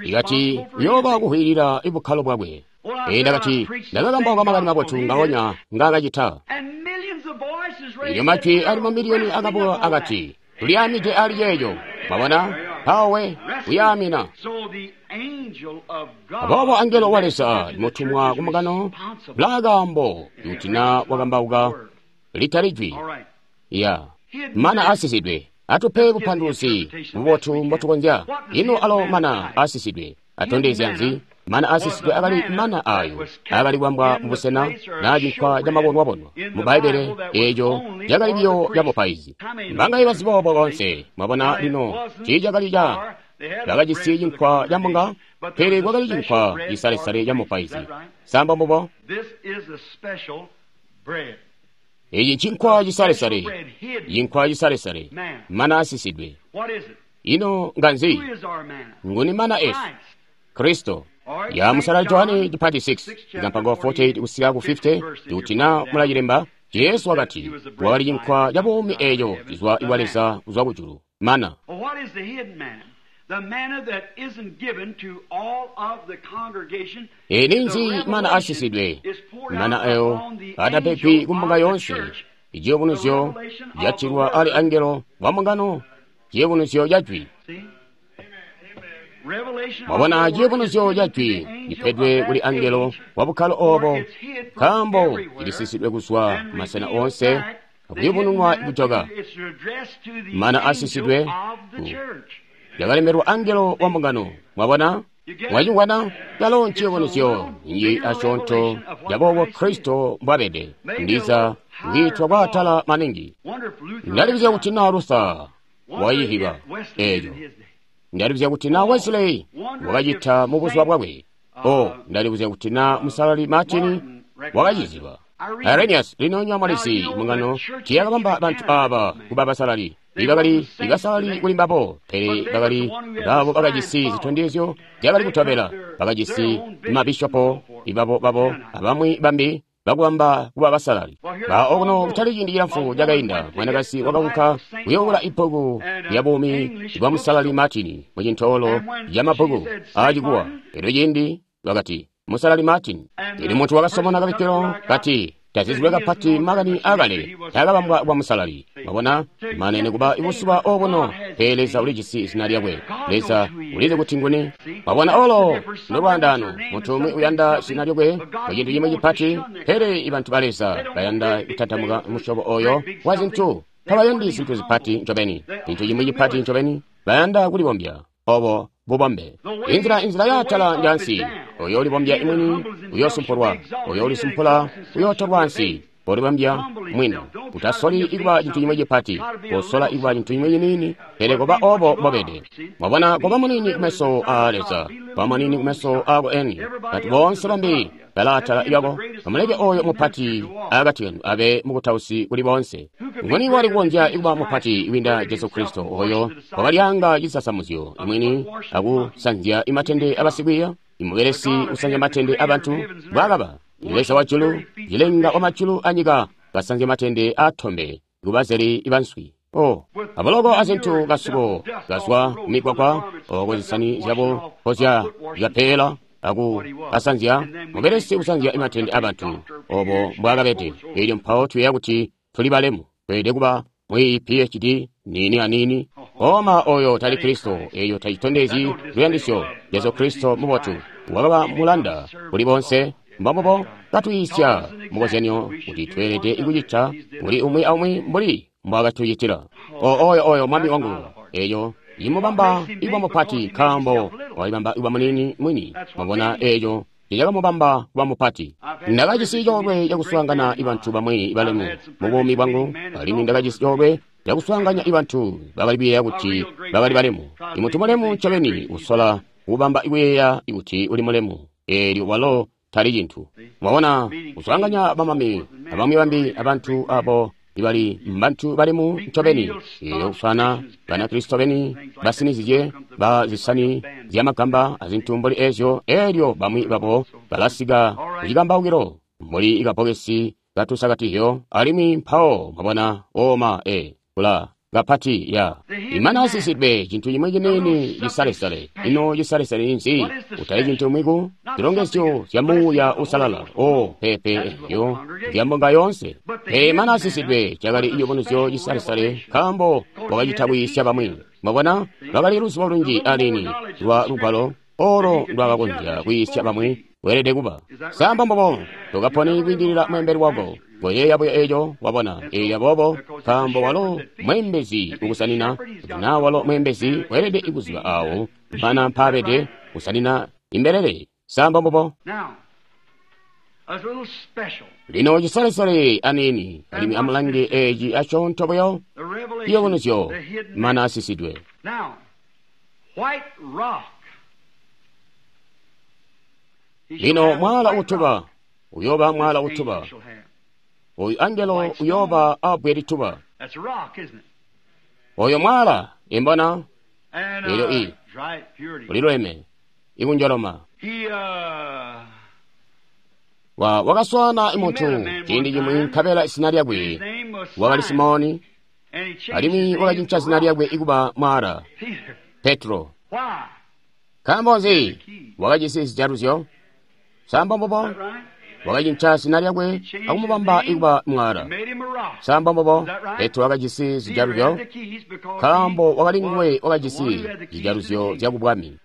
Ikati, uyooba kuhwiilila ibukkalo bwakwe. Ee, ndakati, ndakakambauka makani mabotu ngaonya ngaakacita. Elyo majwi ali mamiliyoni akabuka akati, tuliamide ali ceeco. Mwabona? Mpawe uyaamina. Aboobo angelo wa Leza mutumwa ku mbungano bulaakaambo kuti na wakambauka litali jwi ya mana asisidwe. Atupe bupanduluzi bubotu mbotukonzya. Ino alo mana asisidwe atondezya nzi? Mana asisidwe akali mana ayo akali kwambwa mubusena na cinkwa camabonwabonwa mu Bbaibbele, eeco cakali biyo ca mupaizi. Mbangaye bazi boobo konse? Mwabona lino tiicakali ca bakajisi cinkwa ca mbunga, pele kwakali cinkwa cisalesale ca mupaizi. Samba mbubo? Eci cinkwa cisalesale, cinkwa cisalesale, mana asisidwe. Ino nganzi? Nguni mana esu? Kristo. Ya musala Johane chipati 6 ikampango 48 kusika ku 50 kuti na mulachilemba. Jesu wakati wakali cinkwa ca buumi eeco cizwa iwa Leza kuzwa kujulu mana. Ninzi mana asisidwe, mana ayo atapegwi ku mbunga yoonse. Iciyubunuzyo catilwa ali angelo wa mbungano, ciyubunuzyo ca jwi. Mwabona, ciyubunuzyo ca jwi cipedwe kuli angelo wa bukkalo obo, nkaambo cilisisidwe kuzwa masena oonse akuyubununwa kujoka. Mana asisidwe yakalemberwa angelo wa mbungano. Mwabona, mwacingwana calo nciyubunuzyo nji asyoonto caboobo Kristo mbwabede. Ndiza kwiitwa kwaatala maningi. Ndalibuzya kuti naa Luther wayihiba eeco. Ndalibuzya kuti naa Wesley wakacita mu buzuba bwakwe. O, ndalibuzya kuti naa Musalali Martin wakaciziba. Irenaeus, lino nywa mwalisi mbungano tiyakabamba bantu aba kuba basalali. Ibakali ibasalali kuli mbabo, pele bakali babo bakajisi zitondezyo zyakali kutobela, bakajisi mabishopo ibabo babo abamwi bambi bakubamba kuba basalali. Ba okuno kutali ciindi cilamfu cakainda, mwanakazi wakaunka kuyoowula ibbuku lya buumi bwa Musalali Martin mu cintoolo ca mabbuku aacikuwa. Elyo ciindi bakati Musalali Martin, ili muntu wakasomona kabikkilo kati tazizilwe kapati makani akale takabambwa kwa musalali. Mwabona, mane nikuba ibusuba obuno, pele Leza ulijisi zina lyakwe. Leza ulizi kuti nguni. Mwabona, olo ndolwaandano. Muntu umwi uyanda zina lyakwe mu cintu cimwi cipati, pele ibantu ba Leza bayanda kutantamuka musyobo oyo wa zintu. Tabayandi zintu zipati ncobeni, cintu cimwi cipati ncobeni, bayanda kulibombya. Obo bubombe. Inzila yaatala njansi. Oyo ulibombya imwini uyosumpulwa, oyo ulisumpula uyootolwa ansi. Polibombya mwini, utasoli ikuba cintu cimwi cipati, kosola ikuba cintu cimwi ciniini, pele koba obo mbobede. Mwabona, koba munini kumeso aa Leza, koba munini kumeso aako eni. Bantu boonse bambi balaatala lyako, amuleke oyo mupati akati kanu abe mukutausi kuli boonse. Nguni wali kukonzya kuba mupati kwiinda Jesu Kristo oyo wakalyanga cisasamuzyo imwini akusanzya imatende abasikwiiya? Imubelesi usanzya matende abantu bwakaba Leza wa julu, cilenga wa majulu anyika, kasanzya matende aatombe kubazeli banswi. O, aboloko azintu kasuko kazwa kumikwakwa oko zisani zyabo kozya zyapeela aku kasanzya mubelesi kusanzya matende abantu obo mbwakabede. Elyo mpawo tuyeeya kuti tuli balemu, tweelede kuba mwi PhD nini anini. Oma oyo tali Kristo, eyo tacitondezyi luyandisyo. Jesu Kristo mubotu wakaba mulanda kuli bonse. Mbambobo katwiisya mukozyanyo kuti tweelede kucita kuli umwi aumwi mbuli mbwakatucitila. O oyo mwami wangu, eyo imubamba ikuba mupati nkaambo walibamba ikuba munini mwini. Mwabona, eyo cakamubamba kuba mupati. Ndakajisi coolwe cakuswaangana ibantu bamwi balemu mu buumi bwangu, alimwi ndakajisi coolwe cakuswaanganya ibantu bakali kuyeeya kuti bakali balemu. Imuntu mulemu ncobeni usola kubamba kuyeeya kuti uli mulemu, eelyo walo tali cintu. Mwabona, kuswaanganya bamami abamwi bambi abantu abo ibali mbantu balemu ncobeni, eelyo kuswaana Banakristo beni basinizye ba zisani zyamagamba azintu mbuli ezyo, eelyo bamwi babo balasika kucikambaukilo mbuli kabokesi katusakatizyo, alimwi mpawo mwabona oma kula kapati ya imana asisidwe cintu cimwi ciniini cisalesale. Ino cisalesale ninzi? Utali cintu cimwi ku zilongezyo zya Muuya Uusalala. O pepe eyo zya mbunga yoonse. Pele imana asisidwe cakali ciyubunuzyo cisalesale nkaambo wakacita kwiisya bamwi. Mwabona, lwakali luzibo lunji alini lwa lugwalo olo lwakakonzya kwiisya bamwi. Weelede kuba samba mbobo tokaponi kwiindilila mweembeli wako. Koyeeya buyo eco wabona, eelyo aboobo nkaambo walo mweembezi ukusanina, kuti naa walo mweembezi weelede kuziba awo mpana mpaabede kusanina imbelele. Samba mbobo. Lino cisalesale aniini, alimwi amulange eci asyoonto buyo, ciyubunuzyo mana asisidwe. Lino mwala utuba uyoba mwala utuba. Oyu angelo uyoba abbwe lituba. Oyo mwala imbona elyo i ulilweme ikunjoloma. Wakaswaana imuntu ciindi cimwi nkabela izina lyakwe wakali Simoni, alimwi wakacinca zina lyakwe ikuba mwala Petro. Nkaambo nzi? Wakajisi zijaluzyo. Samba mbubo? Wakacinca zina lyakwe akumubamba ikuba mwala. Samba mbubo? Petro wakajisi zijaluzyo nkaambo wakali nguwe wakajisi zijaluzyo zyakubwami.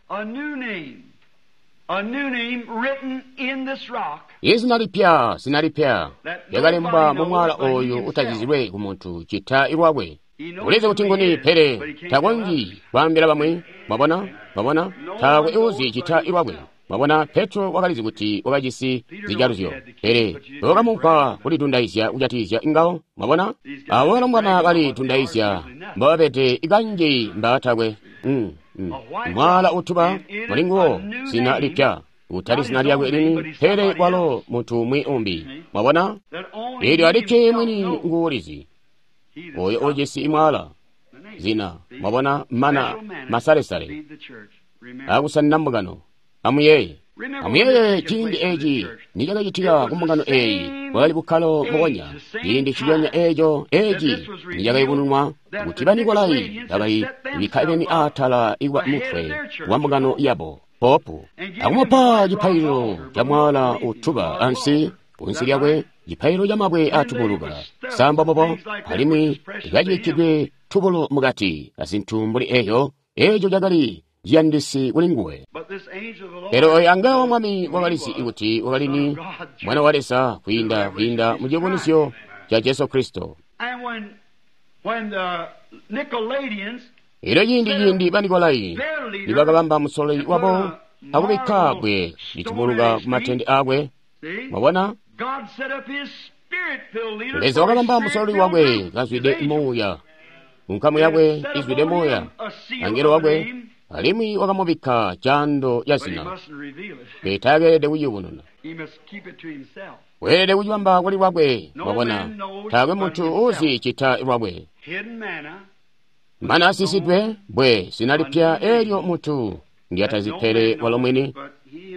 Izina lipya, zina lipya lyakalembwa mu mwala oyu utazizilwe ku muntu cita ilwakwe. Ulizi kuti nguni, pele takonzyi kwaambila bamwi. Mwabona? Mwabona? Taakwe uuzi cita ilwakwe. Mwabona, Petro wakalizi kuti wakajisi zijaluzyo, pele bakamupa kulidundaizya kujatikizya ngawo. Mwabona? Abo balombwana balitundaizya mbababede kanji mbatakwe. Mwala utuba muli nguwo zina lipya, utali zina lyakwe lini, pele walo muntu umwi umbi. Mwabona? Eelyo alikke mwini nguulizi, oyo ujisi mwala zina. Mwabona, mana masalesale akusanina mbungano. Amuyeeye, amuyeeye ciindi eci nicakacitika ku mbungano eeyi, bwakali bukkalo mbubonya. Ciindi ciyonya eeco eci nicakayubununwa kuti Banikolai bakali bikka beni atala ikuba mutwe wa mbungano yabo, popu, akumupa cipaililo ca mwala utuba ansi kunsi lyakwe, cipaililo ca mabwe atubuluka samba mbobo, alimwi likacibikkidwe tubulo mukati azintu mbuli eeyo. Eeco cakali ciyandisi kuli nguwe. Pele oyo angelo wa Mwami wakalizi kuti wakali ni Mwana wa Leza kwiinda mu ciyubunuzyo ca Jesu Kristo. Elyo ciindi Banikolai nibakabamba musololi wabo akubikka bbwe litubuluka ku matende akwe, mwabona, Leza wakabamba musololi wakwe kazwide muuya, nkamu yakwe izwide muuya, angelo wakwe, alimwi wakamubikka caando ca zina, pele taakeelede kuciyubununa. Weelede kucibamba kuli lwakwe. Mwabona, taakwe muntu uuzi cita lwakwe. Mana asisidwe bwe zina lipya eelyo muntu ndyatazi pele walo mwini,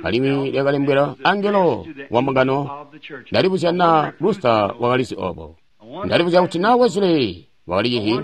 alimwi lyakalembwela angelo wa mbungano. Ndalibuzya naa Luther wakalizi obo. Ndalibuzya kuti naa Wesley wakalicizi.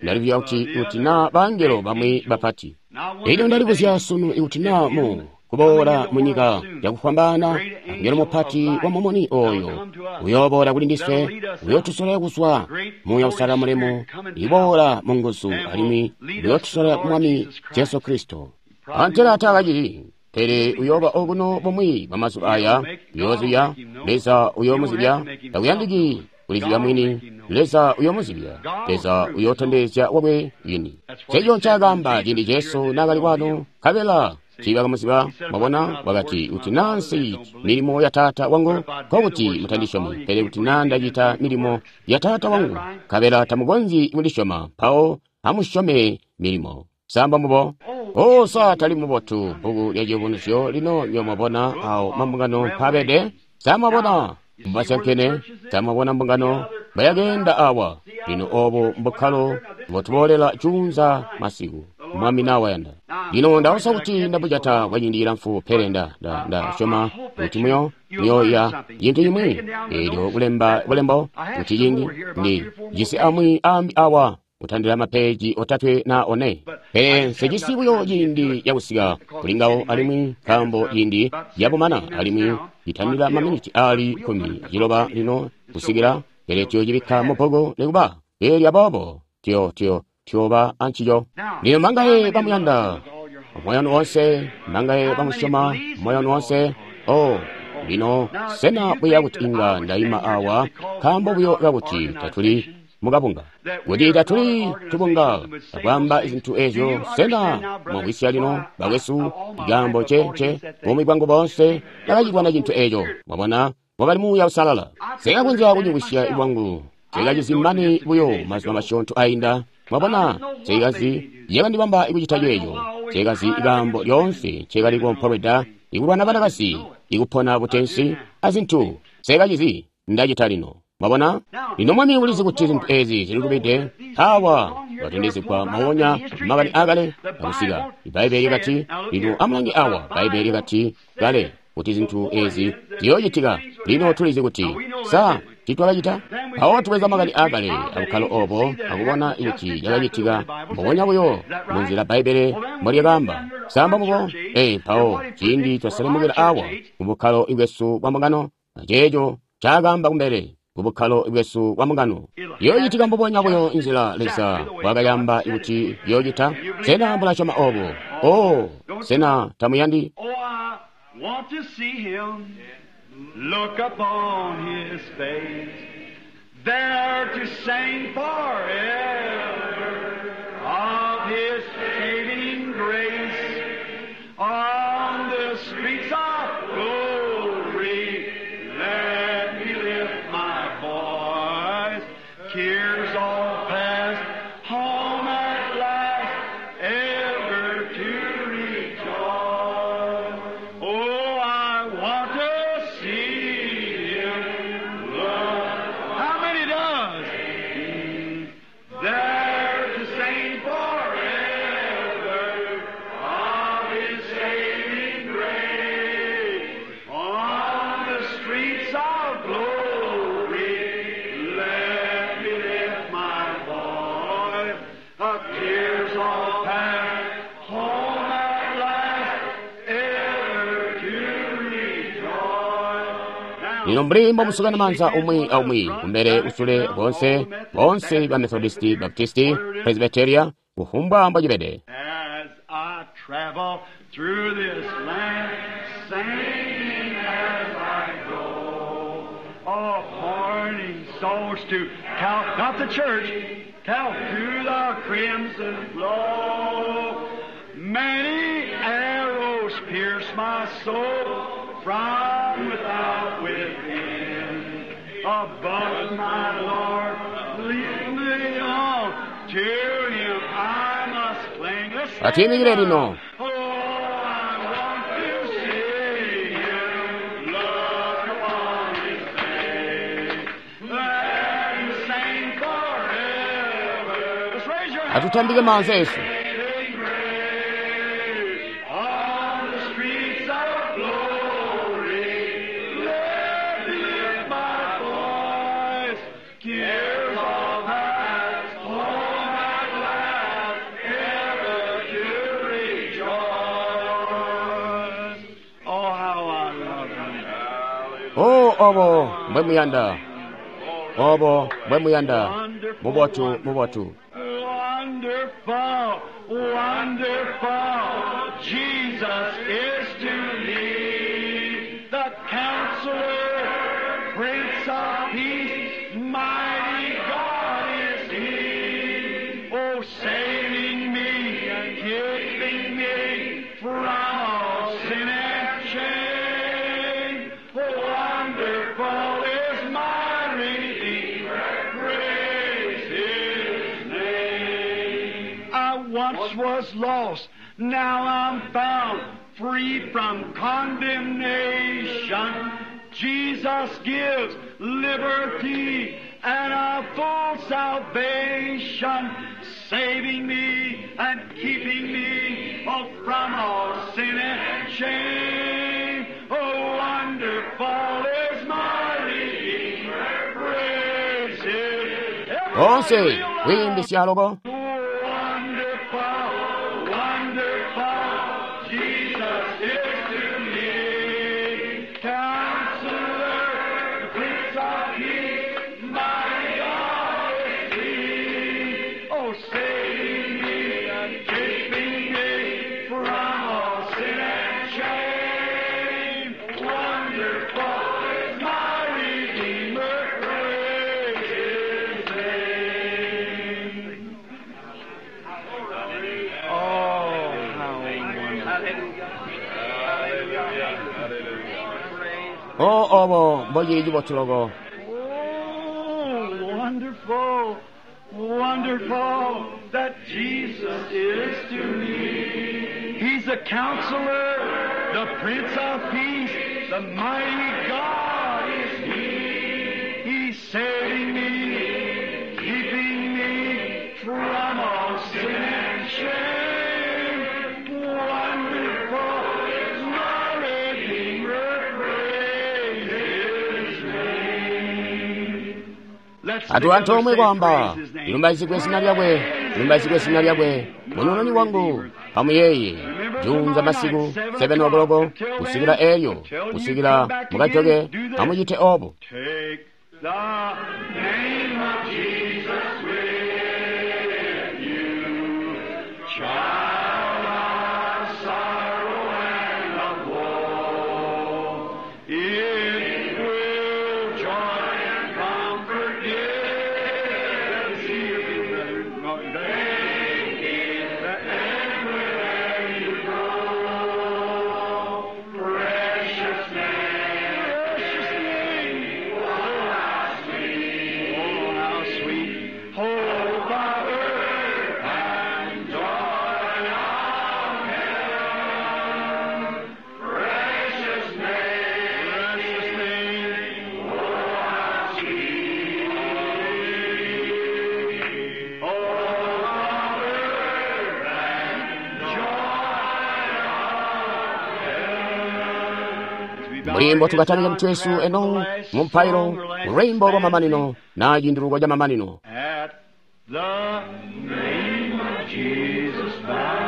Ndalibuzya kuti naa bangelo bamwi bapati. Elyo ndalibuzya sunu ikuti naa mu kuboola mu nyika cakufwambaana angelo mupati wa mumuni oyo uyooboola kuli ndiswe, uyootusola kuzwa Muuya Uusalala mulemu, iboola mu nguzu, alimwi uyootusola ku Mwami Jesu Kristo. Antela taakacili, pele uyooba okuno bumwi bwa mazuba aya, uyoozibya, Leza uyoomuzibya, takuyandiki kulizibya mwini, Leza uyoomuzibya, Leza uyootondezya wakwe yini. Nceco ncaakaamba ciindi Jesu naakali kwano, nkabela tiibakamuziba. Mwabona, wakati, kuti naa nsi milimo ya Taata wangu, nkokuti mutandisyomi, pele kuti naa ndacita milimo ya Taata wangu, nkabela tamukonzyi kundisyoma, mpawo amusyome milimo. Samba mbubo? O, sa tali mubotu bbuku lya Ciyubunuzyo lino nyo mwabona awo mambungano mpaabede? Sa mwabona mbasyankene? Sa mwabona mbungano mbayakeenda awa? Lino obo mbukkalo mbotuboolela juunza masiku, Mwami nawayanda. Lino ndausa kuti ndabujata kwa ciindi cilamfu, pele ndasyoma kuti muyoiya cintu cimwi. Eelyo kulemba bulembo kuti ciindi ndi jisi amwi ambi awa kutandila mapeji 3 na 4, pele nsejisi buyo ciindi cakusika kuli ngawo, alimwi nkaambo ciindi cabumana, alimwi citandila maminiti ali 16 lino kusikila, pele tuyocibikka mu bbuku nikuba. Eelyo aboobo tuyooba ancico. Lino mangaye bamuyanda moyo wanu wonse, mangaye bamusyoma moyo wanu wonse. Oh, lino sena buya kuti inga ndaima awa nkaambo buyo kakuti tatuli mukabunga, kuti tatuli tubunga akwaamba zintu ezyo? Sena mwamvwisya lino, bakwesu, ikaambo ce buumi bwangu boonse ndakacibona cintu eco. Mwabona, wakali Muuya Uusalala. Sekakonzya kucimvwisya bwangu, sekacizi mane buyo mazuba masyoonto ainda. Mwabona, sekazi yakandibamba ikucita ceeco, sekazi ikaambo lyoonse ncekali kuompolweda ikulwana banakazi, ikupona butensi azintu. Sekacizi ndacita lino. Mwabona? Lino Mwami ulizi kuti zintu ezi zililubide. Awa watondezegwa mawonya makani akale akusika. Ibaibbele likati, lino amulange awa, Baibbele likati kale kuti zintu ezi ziyoocitika. Lino tulizi kuti sa Tiitwakacita? Mpawo tubweza makani aakale abukkalo obo akubona kuti cakacitika mbubonya buyo munzila Bbaibbele mbolyakaamba. Sa mbo? Ee, mpawo ciindi twaselemukila awa mu bukkalo bwesu bwa mbungano, aceeco ncaakaamba kumbele ku bukkalo bwesu bwa mbungano. Yoocitika mbubonya buyo nzila Leza mbwaakayamba kuti yoocita. Sena mulasyoma obo? Oh, sena tamuyandi? Oh, I want to see him, look upon his face, there to sing forever of his saving grace. On the streets of glory, let me lift my voice. Tears all past, home at last, ever to rejoice. Oh, I want to see him. Look. How many does? There to sing forever of his saving grace. On the streets of glory, let me lift my voice. The tears all past, home at last, ever to rejoice. Now, Lino mbuli mbomusukana maanza umwi aumwi kumbele kusule bonse bonse ba Methodisti, Baptisti, Presbyteria, kufumbwa mbocibede. As I travel through this land, singing as I go, oh, pointing souls to Cal, not the church, Cal to the crimson flow. Many arrows pierce my soul from without within. Above my Lord, lead me on to Him I must cling. Let's sing Atiyimikire lino. Oh, I want to see Him, look upon His face, let Him sing forever. Let's raise your hands. Atutambike maanza esu. On the streets of glory, let me lift my voice. Tears all past, home at last, ever to rejoice. Oh, how I love Him. Oh, obo mbwemuyanda. Obo mbwemuyanda. Mubotu, mubotu. Wonderful, wonderful, Jesus is to me the Counselor, Prince of Peace, mighty God is He. Oh, saving me, keeping me from all sin and shame. Wonderful is my Redeemer, praise His name. I once was lost, now I'm found, free from condemnation. Jesus gives liberty and a full salvation, saving me and keeping me oh, from all sin and shame. Oh, wonderful is my Redeemer, praise His. Onse kuyimbisya loko. Wonderful, wonderful, Jesus is to me. Counselor, Prince of Peace, my God is He. Oh, saving me and keeping me from all sin and shame. Wonderful is my Redeemer, praise His name. Oh, how wonderful. Oh, obo mbocili cibotu loko. Oh, wonderful, wonderful that Jesus is to me. He's the counselor, the Prince of Peace, the mighty God is He. He's saving me, keeping me from all sin and shame. Wonderful is my Redeemer, praise His name. Atu antoomwe kwaamba, Lilumbaizigwe zina lyakwe, lilumbaizigwe zina lyakwe, Munununi wangu. Amuyeeye, juunza masiku 7 o'clock kusikila elyo, kusikila mukajoke, amucite obo. Take the name of Jesus with you, child of sorrow and of woe. It will joy and comfort give. See you, brother. Take it everywhere you go. Precious name, precious name. Oh, how sweet, oh, how sweet. Hope of earth and joy of heaven. Precious name, precious name. Oh, how sweet. Oh, of earth and joy of heaven. Mulimbo tukatalika mtwesu eno mumpairo mulwimbo lwa mamanino na chinduluko cha mamanino. At the name of Jesus, bow.